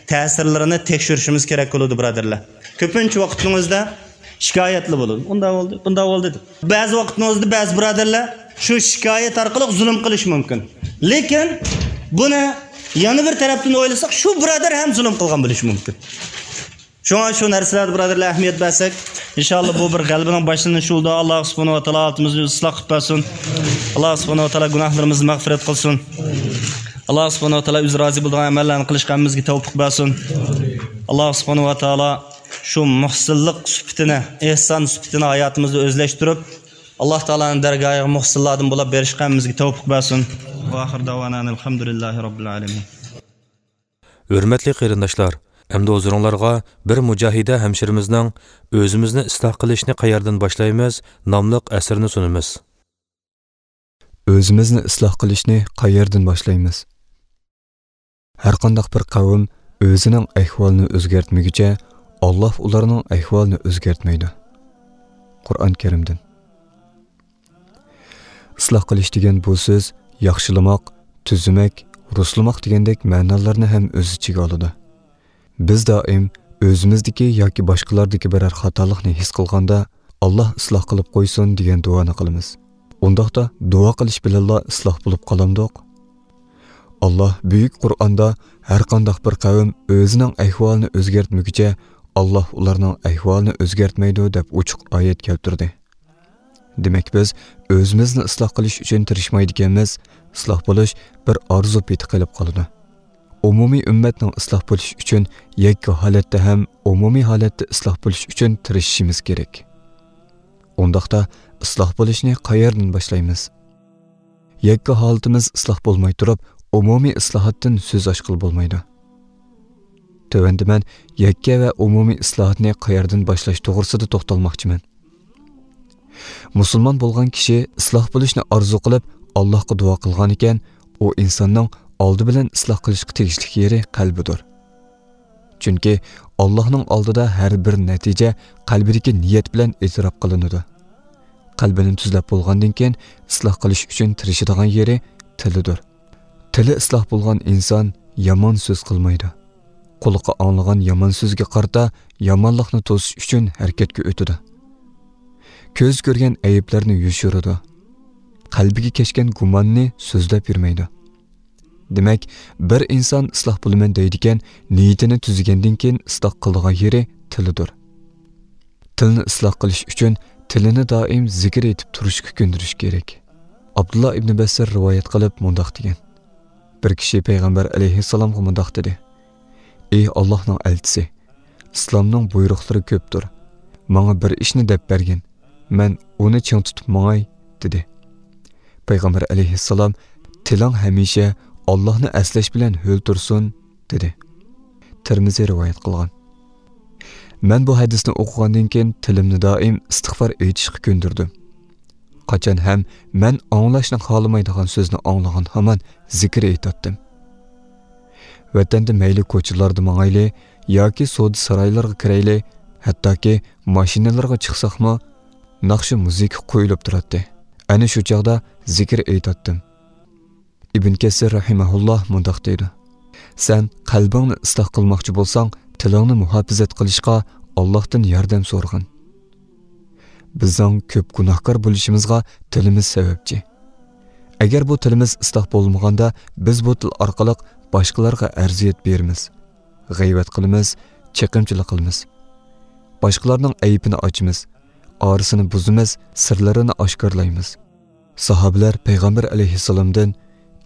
تەسىرلىرىنى تەكشۈرۈشىمىز كېرەك بولىدۇ، بۇرادەرلەر. كۆپىنچە ۋاقىتنىڭ ئۆزىدە شىكايەتلا بولىدۇ. ئۇنداق بولدى، بۇنداق بولدى دەپ. بەزى ۋاقىتنىڭ ئۆزىدە بەزى بۇرادەرلەر شۇ شىكايەت ئارقىلىق زۇلۇم قىلىشى مۇمكىن. لېكىن بۇنى يەنە بىر تەرەپتىن ئويلىساق، شۇ بۇرادەر ھەم زۇلۇم قىلغان بولۇشى مۇمكىن. شۇڭا شۇ نەرسىلەردە، بۇرادەرلەر، ئەھمىيەت بەرسەك، ئىنشاللا بۇ بىر غەلىبىنىڭ باشلىنىشى بولىدۇ. ئاللا سۇبھانەھۇ ۋە تائالا ھالىتىمىزنى ئىسلاھ قىلىپ بەرسۇن. ئاللا سۇبھانەھۇ ۋە تائالا گۇناھلىرىمىزنى مەغپىرەت قىلسۇن. ئاللا سۇبھانەھۇ ۋە تائالا ئۆزى رازى بولىدىغان ئەمەللەرنى قىلىشقا ھەممىمىزگە تەۋپىق بەرسۇن. ئاللا سۇبھانەھۇ ۋە تائالا شۇ مۇھسىنلىق سۈپىتىنى، ئېھسان سۈپىتىنى ھاياتىمىزدا ئۆزلەشتۈرۈپ، ئاللا تائالانىڭ دەرگاھىغا مۇھسىنلاردىن بولاپ بېرىشقا ھەممىمىزگە تەۋپىق بەرسۇن. ۋە ئاخىر دەۋانا ئەنىل ھەمدۇلىللاھى رەببىل ئالەمىن. ھۆرمەتلىك قېرىنداشلار، ئەمدى ھۇزۇرۇڭلارغا بىر مۇجاھىدە ھەمشىرىمىزنىڭ «ئۆزىمىزنى ئىسلاھ قىلىشنى قەيەردىن باشلايمىز» ناملىق ئەسىرىنى سۇنىمىز. ئۆزىمىزنى ئىسلاھ قىلىشنى قەيەردىن باشلايمىز؟ ھەرقانداق بىر قەۋم ئۆزىنىڭ ئەھۋالىنى ئۆزگەرتمىگۈچە، ئاللاھ ئۇلارنىڭ ئەھۋالىنى ئۆزگەرتمەيدۇ. قۇرئان كەرىمدىن. ئىسلاھ قىلىش دېگەن بۇ سۆز ياخشىلىماق، تۈزىمەك، رۇسلىماق دېگەندەك مەنالارنى ھەم ئۆز ئىچىگە ئالىدۇ. بىز دائىم ئۆزىمىزدىكى ياكى باشقىلاردىكى بىرەر خاتالىقنى ھېس قىلغاندا، «ئاللاھ ئىسلاھ قىلىپ قويسۇن» دېگەن دۇئانى قىلىمىز. ئۇنداقتا دۇئا قىلىش بىلەنلا ئىسلاھ بولۇپ قالامدۇق؟ ئاللاھ بۈيۈك قۇرئاندا «ھەرقانداق بىر قەۋم ئۆزىنىڭ ئەھۋالىنى ئۆزگەرتمىگۈچە، ئاللاھ ئۇلارنىڭ ئەھۋالىنى ئۆزگەرتمەيدۇ» دەپ ئوچۇق ئايەت كەلتۈردى. دېمەك، بىز ئۆزىمىزنى ئىسلاھ قىلىش ئۈچۈن تىرىشمايدىكەنمىز، ئىسلاھ بولۇش بىر ئارزۇ پېتى قېلىپ قالىدۇ. ئومۇمىي ئۈممەتنىڭ ئىسلاھ بولۇشى ئۈچۈن يەككە ھالەتتە ھەم ئومۇمىي ھالەتتە ئىسلاھ بولۇش ئۈچۈن تىرىشىشىمىز كېرەك. ئۇنداقتا ئىسلاھ بولۇشنى قەيەردىن باشلايمىز؟ يەككە ھالىتىمىز ئىسلاھ بولماي تۇرۇپ، ئومۇمىي ئىسلاھاتتىن سۆز ئاچقىلى بولمايدۇ. تۆۋەندە مەن يەككە ۋە ئومۇمىي ئىسلاھاتنى قەيەردىن باشلاش توغرىسىدا توختالماقچىمەن. مۇسۇلمان بولغان كىشى ئىسلاھ بولۇشنى ئارزۇ قىلىپ، ئاللاھقا دۇئا قىلغانىكەن، ئۇ ئىنساننىڭ ئالدى بىلەن ئىسلاھ قىلىشقا تېگىشلىك يېرى قەلبىدۇر. چۈنكى ئاللاھنىڭ ئالدىدا ھەر بىر نەتىجە قەلبىدىكى نىيەت بىلەن ئېتىراپ قىلىنىدۇ. قەلبىنى تۈزلەپ بولغاندىن كېيىن، ئىسلاھ قىلىش ئۈچۈن تىرىشىدىغان يېرى تىلىدۇر. تىلى ئىسلاھ بولغان ئىنسان يامان سۆز قىلمايدۇ. قۇلىقى ئاڭلىغان يامان سۆزگە قارىتا يامانلىقنى توسۇش ئۈچۈن ھەرىكەتكە ئۆتىدۇ. كۆز كۆرگەن ئەيىبلەرنى يوشۇرىدۇ. قەلبىگە كەچكەن گۇماننى سۆزلەپ يۈرمەيدۇ. دېمەك، بىر ئىنسان ئىسلاھ بولىمەن دەيدىكەن، نىيىتىنى تۈزىگەندىن كېيىن ئىسلاھ قىلىدىغان يېرى تىلىدۇر. تىلنى ئىسلاھ قىلىش ئۈچۈن تىلىنى دائىم زىكىر ئېيتىپ تۇرۇشقا كۆندۈرۈش كېرەك. ئابدۇللا ئىبنى بەسسىر رىۋايەت قىلىپ مۇنداق دېگەن: بىر كىشى پەيغەمبەر ئەلەيھىسسالامغا مۇنداق دېدى: «ئى ئاللاھنىڭ ئەلچىسى، ئىسلامنىڭ بۇيرۇقلىرى كۆپتۇر. ماڭا بىر ئىشنى دەپ بەرگىن، مەن ئۇنى چىڭ تۇتۇپ ماڭاي» دېدى. پەيغەمبەر ئەلەيھىسسالام: «تىلىڭ ھەمىشە ئاللاھنى ئەسلەش بىلەن ھۆل تۇرسۇن» دېدى. تىرمىزى رىۋايەت قىلغان. مەن بۇ ھەدىسنى ئوقۇغاندىن كېيىن تىلىمنى دائىم ئىستىغپار ئېيتىشقا كۆندۈردۈم. قاچان ھەم مەن ئاڭلاشنى خالىمايدىغان سۆزنى ئاڭلىغان ھامان زىكىر ئېيتاتتىم. ۋەتەندە مەيلى كوچىلاردا ماڭايلى ياكى سودا سارايلىرىغا كىرەيلى، ھەتتاكى ماشىنىلارغا چىقساقمۇ ناخشا مۇزىكا قويۇلۇپ تۇراتتى. ئەنە شۇ چاغدا زىكىر ئېيتاتتىم. ئىبن كەسىر رەھىمەھۇللاھ مۇنداق دەيدۇ: «سەن قەلبىڭنى ئىسلاھ قىلماقچى بولساڭ، تىلىڭنى مۇھاپىزەت قىلىشقا ئاللاھتىن ياردەم سورىغىن.» بىزنىڭ كۆپ گۇناھكار بولۇشىمىزغا تىلىمىز سەۋەبچى. ئەگەر بۇ تىلىمىز ئىسلاھ بولمىغاندا، بىز بۇ تىل ئارقىلىق باشقىلارغا ئەرزىيەت بېرىمىز، غەيۋەت قىلىمىز، چېقىمچىلىق قىلىمىز. باشقىلارنىڭ ئەيىبىنى ئاچىمىز، ئارىسىنى بۇزىمىز، سىرلىرىنى ئاشكارىلايمىز. ساھابىلەر پەيغەمبەر ئەلەيھىسسالامدىن: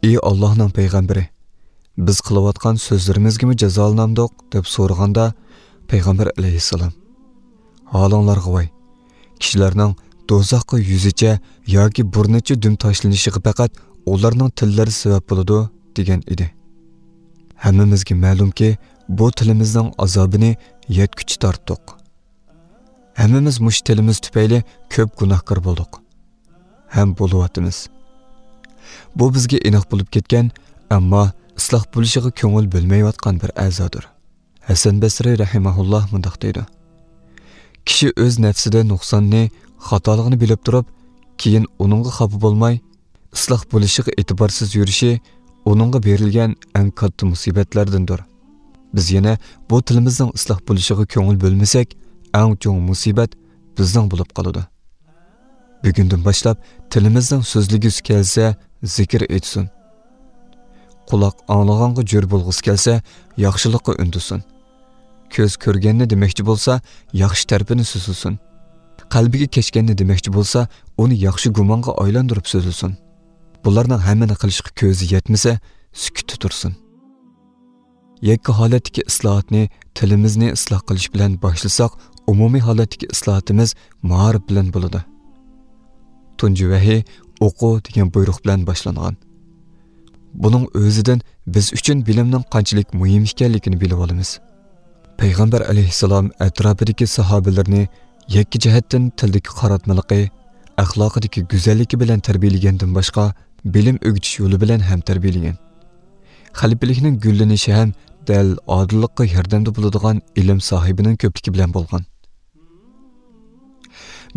«ئى ئاللاھنىڭ پەيغەمبىرى، بىز قىلىۋاتقان سۆزلىرىمىزگىمۇ جازالىنامدۇق؟» دەپ سورىغاندا، پەيغەمبەر ئەلەيھىسسالام: «ھالىڭلارغا ۋاي! كىشىلەرنىڭ دوزاخقا يۈزىچە ياكى بۇرنىچە دۈم تاشلىنىشىغا پەقەت ئۇلارنىڭ تىللىرى سەۋەب بولىدۇ» دېگەن ئىدى. ھەممىمىزگە مەلۇمكى، بۇ تىلىمىزنىڭ ئازابىنى يەتكۈچە تارتتۇق. ھەممىمىز مۇشۇ تىلىمىز تۈپەيلى كۆپ گۇناھكار بولدۇق ھەم بولۇۋاتىمىز. بۇ بىزگە ئېنىق بولۇپ كەتكەن، ئەمما ئىسلاھ بولۇشىغا كۆڭۈل بۆلمەيۋاتقان بىر ئەزادۇر. ھەسەن بەسرى رەھىمەھۇللاھ مۇنداق دەيدۇ: «كىشى ئۆز نەپسىدە نۇقساننى، خاتالىقنى بىلىپ تۇرۇپ، كېيىن ئۇنىڭغا خاپا بولماي، ئىسلاھ بولۇشىغا ئېتىبارسىز يۈرۈشى ئۇنىڭغا بېرىلگەن ئەڭ كاتتا مۇسىبەتلەردىندۇر.» بىز يەنە بۇ تىلىمىزنىڭ ئىسلاھ بولۇشىغا كۆڭۈل بۆلمىسەك، ئەڭ چوڭ مۇسىبەت بىزنىڭ بولۇپ قالىدۇ. بۈگۈندىن باشلاپ تىلىمىزنىڭ سۆزلىگۈسى كەلسە، زىكىر ئېيتسۇن. قۇلاق ئاڭلىغانغا جۆر بولغۇسى كەلسە، ياخشىلىققا ئۈندىسۇن. كۆز كۆرگەننى دېمەكچى بولسا، ياخشى تەرىپىنى سۆزلىسۇن. قەلبىگە كەچكەننى دېمەكچى بولسا، ئۇنى ياخشى گۇمانغا ئايلاندۇرۇپ سۆزلىسۇن. بۇلارنىڭ ھەممىنى قىلىشقا كۆزى يەتمىسە، سۈكۈتتە تۇرسۇن. يەككە ھالەتتىكى ئىسلاھاتنى تىلىمىزنى ئىسلاھ قىلىش بىلەن باشلىساق، ئومۇمىي ھالەتتىكى ئىسلاھاتىمىز مائارىپ بىلەن بولىدۇ. تۇنجى ۋەھىي «ئوقۇ» دېگەن بۇيرۇق بىلەن باشلانغان. بۇنىڭ ئۆزىدىن بىز ئۈچۈن بىلىمنىڭ قانچىلىك مۇھىم ئىكەنلىكىنى بىلىۋالىمىز. پەيغەمبەر ئەلەيھىسسالام ئەتراپىدىكى ساھابىلىرىنى يەككە جەھەتتىن تىلدىكى قاراتمىلىقى، ئەخلاقىدىكى گۈزەللىكى بىلەن تەربىيەلىگەندىن باشقا، بىلىم ئۆگىتىش يولى بىلەن ھەم تەربىيەلىگەن. خەلىپىلىكنىڭ گۈللىنىشى ھەم دەل ئادىللىققا ياردەمدە بولىدىغان ئىلىم ساھىبىنىڭ كۆپلۈكى بىلەن بولغان.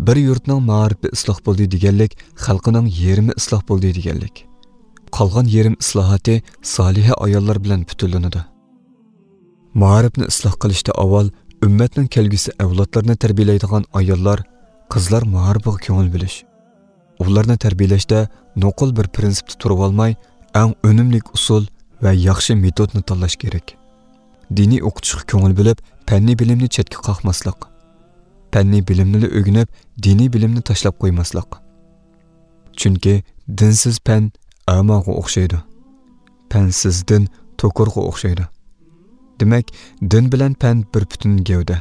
بىر يۇرتنىڭ مائارىپى ئىسلاھ بولدى دېگەنلىك، خەلقىنىڭ يېرىمى ئىسلاھ بولدى دېگەنلىك. قالغان يېرىم ئىسلاھاتى سالىھە ئاياللار بىلەن پۈتۈنلىنىدۇ. مائارىپنى ئىسلاھ قىلىشتا ئاۋۋال ئۈممەتنىڭ كەلگۈسى ئەۋلادلىرىنى تەربىيەلەيدىغان ئاياللار، قىزلار مائارىپىغا كۆڭۈل بۆلۈش. ئۇلارنى تەربىيەلەشتە نوقۇل بىر پىرىنسىپتا تۇرۇۋالماي، ئەڭ ئۈنۈملۈك ئۇسۇل ۋە ياخشى مېتودنى تاللاش كېرەك. دىنىي ئوقۇتۇشقا كۆڭۈل بۆلۈپ، پەننىي بىلىمنى چەتكە قاقماسلىق. پەننىي بىلىمنىلا ئۆگىنىپ، دىنىي بىلىمنى تاشلاپ قويماسلىق. چۈنكى دىنسىز پەن ئەماغا ئوخشايدۇ. پەنسىز دىن توكۇرغا ئوخشايدۇ. دېمەك، دىن بىلەن پەن بىر پۈتۈن گەۋدە.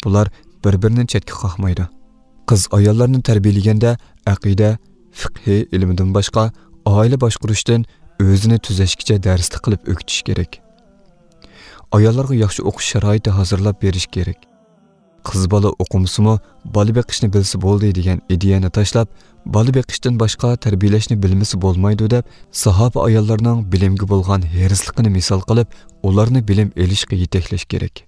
بۇلار بىر-بىرىنى چەتكە قاقمايدۇ. قىز-ئاياللارنى تەربىيەلىگەندە ئەقىدە، فىقھى ئىلمىدىن باشقا، ئائىلە باشقۇرۇشتىن ئۆزىنى تۈزەشكىچە دەرسلىك قىلىپ ئۆگىتىش كېرەك. ئاياللارغا ياخشى ئوقۇش شارائىتى ھازىرلاپ بېرىش كېرەك. قىز بالا ئوقۇمىسىمۇ، بالا بېقىشنى بىلسە بولدى دېگەن ئىدىيەنى تاشلاپ، بالا بېقىشتىن باشقا تەربىيەلەشنى بىلمىسە بولمايدۇ دەپ، ساھابە ئاياللارنىڭ بىلىمگە بولغان ھېرىسلىقىنى مىسال قىلىپ، ئۇلارنى بىلىم ئېلىشقا يېتەكلەش كېرەك.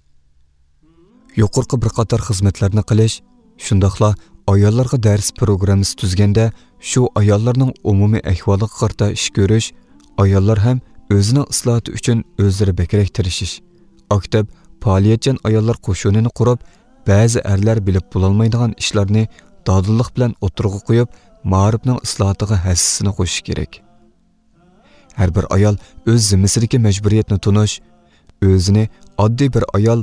يۇقىرىقى بىر قاتار خىزمەتلەرنى قىلىش، شۇنداقلا ئاياللارغا دەرس پروگراممىسى تۈزگەندە، شۇ ئاياللارنىڭ ئومۇمىي ئەھۋالىغا قارىتا ئىش كۆرۈش، ئاياللار ھەم ئۆزىنىڭ ئىسلاھاتى ئۈچۈن ئۆزلىرى بەكرەك تىرىشىش، ئاكتىپ، پائالىيەتچان ئاياللار قوشۇنىنى قۇرۇپ، بەزى ئەرلەر بىلىپ بولالمايدىغان ئىشلارنى دادىللىق بىلەن ئوتتۇرىغا قويۇپ، مائارىپنىڭ ئىسلاھاتىغا ھەسسىسىنى قوشۇشى كېرەك. ھەر بىر ئايال ئۆز زىممىسىدىكى مەجبۇرىيەتنى تونۇش، ئۆزىنى ئاددىي بىر ئايال،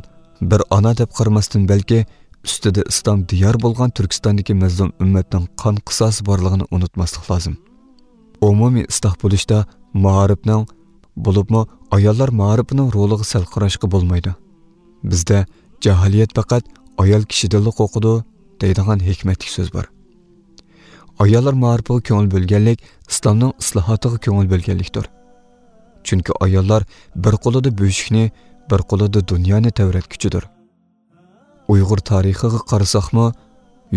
بىر ئانا دەپ قارىماستىن، بەلكى ئۈستىدە ئىسلام دىيار بولغان تۈركىستاندىكى مەزلۇم ئۈممەتنىڭ قان قىساسى بارلىقىنى ئۇنتۇماسلىق لازىم. ئومۇمىي ئىسلاھ بولۇشتا مائارىپنىڭ، بولۇپمۇ ئاياللار مائارىپىنىڭ رولىغا سەل قاراشقا بولمايدۇ. بىزدە «جاھىلىيەت پەقەت ئايال كىشىدىنلا قورقىدۇ» دەيدىغان ھېكمەتلىك سۆز بار. ئاياللار مائارىپىغا كۆڭۈل بۆلگەنلىك ئىسلامنىڭ ئىسلاھاتىغا كۆڭۈل بۆلگەنلىكتۇر. چۈنكى ئاياللار بىر قولىدا بۆشۈكنى، بىر قولىدا دۇنيانى تەۋرەتكۈچىدۇر. ئۇيغۇر تارىخىغا قارىساقمۇ،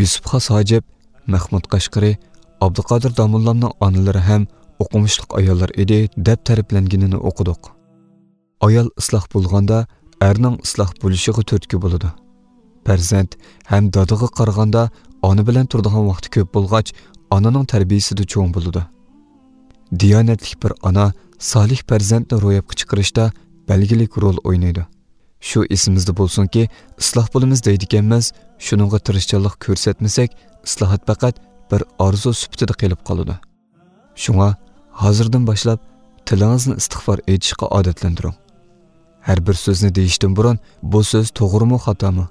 يۈسۈپ خاس ھاجىپ، مەخمۇت قەشقىرى، ئابدۇقادىر داموللامنىڭ ئانىلىرى ھەم ئوقۇمۇشلۇق ئاياللار ئىدى دەپ تەرىپلەنگىنىنى ئوقۇدۇق. ئايال ئىسلاھ بولغاندا، ئەرنىڭ ئىسلاھ بولۇشىغا تۈرتكە بولىدۇ. پەرزەنت ھەم دادىغا قارىغاندا، ئانا بىلەن تۇرىدىغان ۋاقتى كۆپ بولغاچ، ئانىنىڭ تەربىيىسىدە چوڭ بولىدۇ. دىيانەتلىك بىر ئانا سالىھ پەرزەنتنى روياپقا چىقىرىشتا بەلگىلىك رول ئوينايدۇ. شۇ ئېسىمىزدە بولسۇنكى، ئىسلاھ بولىمىز دەيدىكەنمىز، شۇنىڭغا تىرىشچانلىق كۆرسەتمىسەك، ئىسلاھات پەقەت بىر ئارزۇ سۈپىتىدە قېلىپ قالىدۇ. شۇڭا ھازىردىن باشلاپ تىلىڭىزنى ئىستىغپار ئېيتىشقا ئادەتلەندۈرۈڭ. ھەر بىر سۆزنى دېيىشتىن بۇرۇن، «بۇ سۆز توغرىمۇ، خاتامۇ؟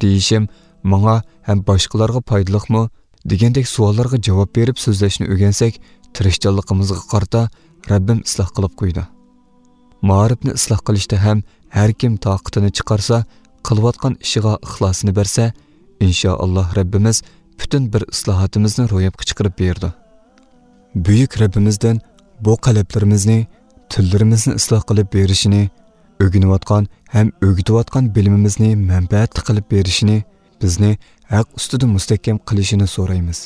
دېيىشىم ماڭا ھەم باشقىلارغا پايدىلىقمۇ؟» دېگەندەك سوئاللارغا جاۋاب بېرىپ سۆزلەشنى ئۆگەنسەك، تىرىشچانلىقىمىزغا قارىتا رەببىم ئىسلاھ قىلىپ قويىدۇ. مائارىپنى ئىسلاھ قىلىشتا ھەم ھەر كىم تاقىتىنى چىقارسا، قىلىۋاتقان ئىشىغا ئىخلاسىنى بەرسە، ئىنشائاللاھ رەببىمىز پۈتۈن بىر ئىسلاھاتىمىزنى روياپقا چىقىرىپ بېرىدۇ. بۈيۈك رەببىمىزدىن بۇ قەلبلىرىمىزنى تىللىرىمىزنى ئىسلاھ قىلىپ بېرىشىنى، ئۆگىنىۋاتقان ھەم ئۆگىتىۋاتقان بىلىمىمىزنى مەنپەئەتلىك قىلىپ بېرىشىنى، بىزنى ھەق ئۈستىدە مۇستەھكەم قىلىشىنى سورايمىز.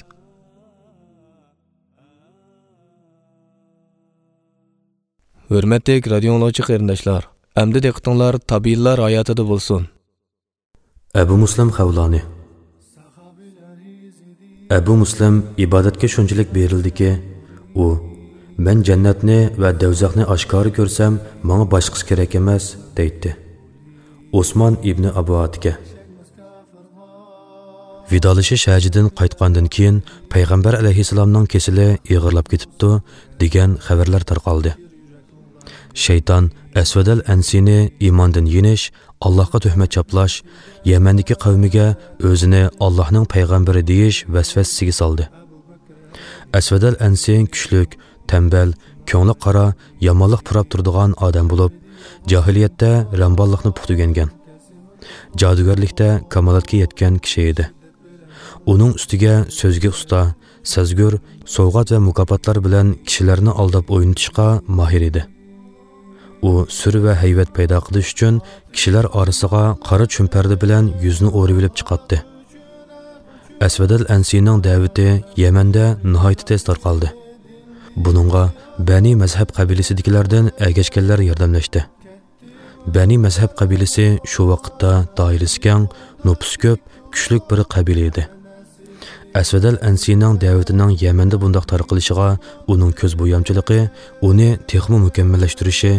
ھۆرمەتلىك رادىيو ئاڭلىغۇچى قېرىنداشلار، ئەمدى دىققىتىڭلار تابىئىيلار ھاياتىدا بولسۇن. ئەبۇ مۇسلىم خەۋلانى. ئەبۇ مۇسلىم ئىبادەتكە شۇنچىلىك بېرىلدىكى، ئۇ، «مەن جەننەتنى ۋە دەۋزەخنى ئاشكارا كۆرسەم، ماڭا باشقىسى كېرەك ئەمەس» دەيتتى. ئوسمان ئىبنى ئەبۇ ئاتىكە. ۋىدالىشىش ھەجىدىن قايتقاندىن كېيىن، پەيغەمبەر ئەلەيھىسسالامنىڭ كېسىلى ئېغىرلاپ كېتىپتۇ، دېگەن خەۋەرلەر تارقالدى. شەيتان ئەسۋەدەل ئەنسىنى ئىماندىن يېنىش، ئاللاھقا تۆھمەت چاپلاش، يەمەندىكى قەۋمىگە ئۆزىنى ئاللاھنىڭ پەيغەمبىرى دېيىش ۋەسۋەسىسىگە سالدى. ئەسۋەدەل ئەنسى كۈچلۈك، تەمبەل، كۆڭلى قارا، يامانلىق پۇراپ تۇرىدىغان ئادەم بولۇپ، جاھىلىيەتتە رەمباللىقنى پۇختا ئۆگەنگەن، جادۇگەرلىكتە كامالەتكە يەتكەن كىشى ئىدى. ئۇنىڭ ئۈستىگە سۆزگە ئۇستا، سەزگۈر، سوۋغات ۋە مۇكاپاتلار بىلەن كىشىلەرنى ئالداپ ئوينىتىشقا ماھىر ئىدى. ئۇ سۈر ۋە ھەيۋەت پەيدا قىلىش ئۈچۈن كىشىلەر ئارىسىغا قارا چۈمپەردە بىلەن يۈزىنى ئورىۋېلىپ چىقاتتى. ئەسۋەدەل ئەنسىنىڭ دەۋىتى يەمەندە ناھايىتى تېز تارقالدى. بۇنىڭغا بەنى مەزھەب قەبىلىسىدىكىلەردىن ئەگەشكەنلەر ياردەملەشتى. بەنى مەزھەب قەبىلىسى شۇ ۋاقىتتا دائىرىسى كەڭ، نوپۇسى كۆپ، كۈچلۈك بىر قەبىلە ئىدى. ئەسۋەدەل ئەنسىنىڭ دەۋىتىنىڭ يەمەندە بۇنداق تارقىلىشىغا ئۇنىڭ كۆز بويامچىلىقى ئۇنى تېخىمۇ مۇكەممەللەشتۈرۈشى،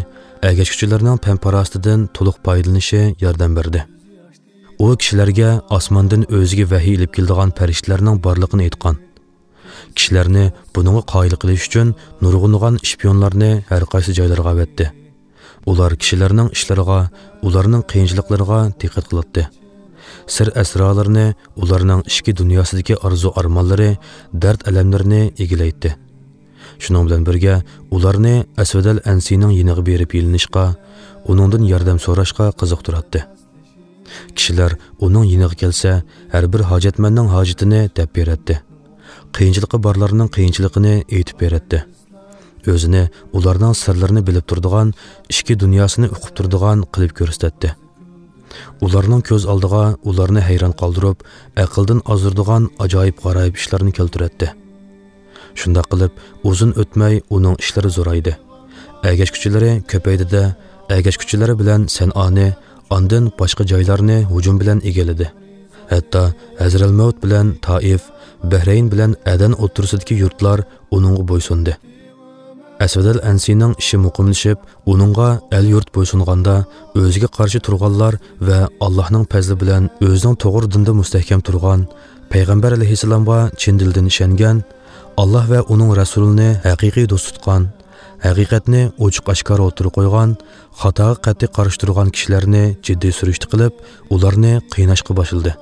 ئەگەشكۈچىلەرنىڭ پەن-پاراسىتىدىن تولۇق پايدىلىنىشى ياردەم بەردى. ئۇ كىشىلەرگە ئاسماندىن ئۆزىگە ۋەھىي ئېلىپ كېلىدىغان پەرىشتىلەرنىڭ بارلىقىنى ئېيتقان. كىشىلەرنى بۇنىڭغا قايىل قىلىش ئۈچۈن نۇرغۇنلىغان شپىيونلارنى ھەر قايسى جايلارغا ئەۋەتتى. ئۇلار كىشىلەرنىڭ ئىشلىرىغا، ئۇلارنىڭ قىيىنچىلىقلىرىغا دىققەت قىلاتتى. سىر-ئەسرارلىرىنى، ئۇلارنىڭ ئىچكى دۇنياسىدىكى ئارزۇ-ئارمانلىرى، دەرد-ئەلەملىرىنى ئىگىلەيتتى. شۇنىڭ بىلەن بىرگە، ئۇلارنى ئەسۋەدەل ئەنسىنىڭ يېنىغا بېرىپ يېلىنىشقا، ئۇنىڭدىن ياردەم سوراشقا قىزىقتۇراتتى. كىشىلەر ئۇنىڭ يېنىغا كەلسە، ھەر بىر ھاجەتمەننىڭ ھاجىتىنى دەپ بېرەتتى. قىيىنچىلىقى بارلارنىڭ قىيىنچىلىقىنى ئېيتىپ بېرەتتى. ئۆزىنى ئۇلارنىڭ سىرلىرىنى بىلىپ تۇرىدىغان، ئىچكى دۇنياسىنى ئۇقۇپ تۇرىدىغان قىلىپ كۆرسىتەتتى. ئۇلارنىڭ كۆز ئالدىغا ئۇلارنى ھەيران قالدۇرۇپ، ئەقىلدىن ئازدۇرىدىغان ئاجايىپ-غارايىپ ئىشلارنى كەلتۈرەتتى. شۇنداق قىلىپ، ئۇزۇن ئۆتمەي ئۇنىڭ ئىشلىرى زورايدى. ئەگەشكۈچىلىرى كۆپەيدى-دە، ئەگەشكۈچىلىرى بىلەن سەنئانى، ئاندىن باشقا جايلارنى ھۇجۇم بىلەن ئىگىلىدى. ھەتتا ھەزرەلمەۋت بىلەن تائىف، بەھرەين بىلەن ئەدەن ئوتتۇرىسىدىكى يۇرتلار ئۇنىڭغا بويسۇندى. ئەسۋەدەل ئەنسىنىڭ ئىشى مۇقىملىشىپ، ئۇنىڭغا ئەل-يۇرت بويسۇنغاندا، ئۆزىگە قارشى تۇرغانلار ۋە ئاللاھنىڭ پەزلى بىلەن ئۆزىنىڭ توغرا دىندا مۇستەھكەم تۇرغان، پەيغەمبەر ئەلەيھىسسالامغا چىن دىلدىن ئىشەنگەن، ئاللاھ ۋە ئۇنىڭ رەسۇلىنى ھەقىقىي دوست تۇتقان، ھەقىقەتنى ئوچۇق-ئاشكارا ئوتتۇرىغا قويغان، خاتاغا قەتئىي قارشى تۇرغان كىشىلەرنى جىددىي سۈرۈشتە قىلىپ، ئۇلارنى قىيناشقا باشلىدى.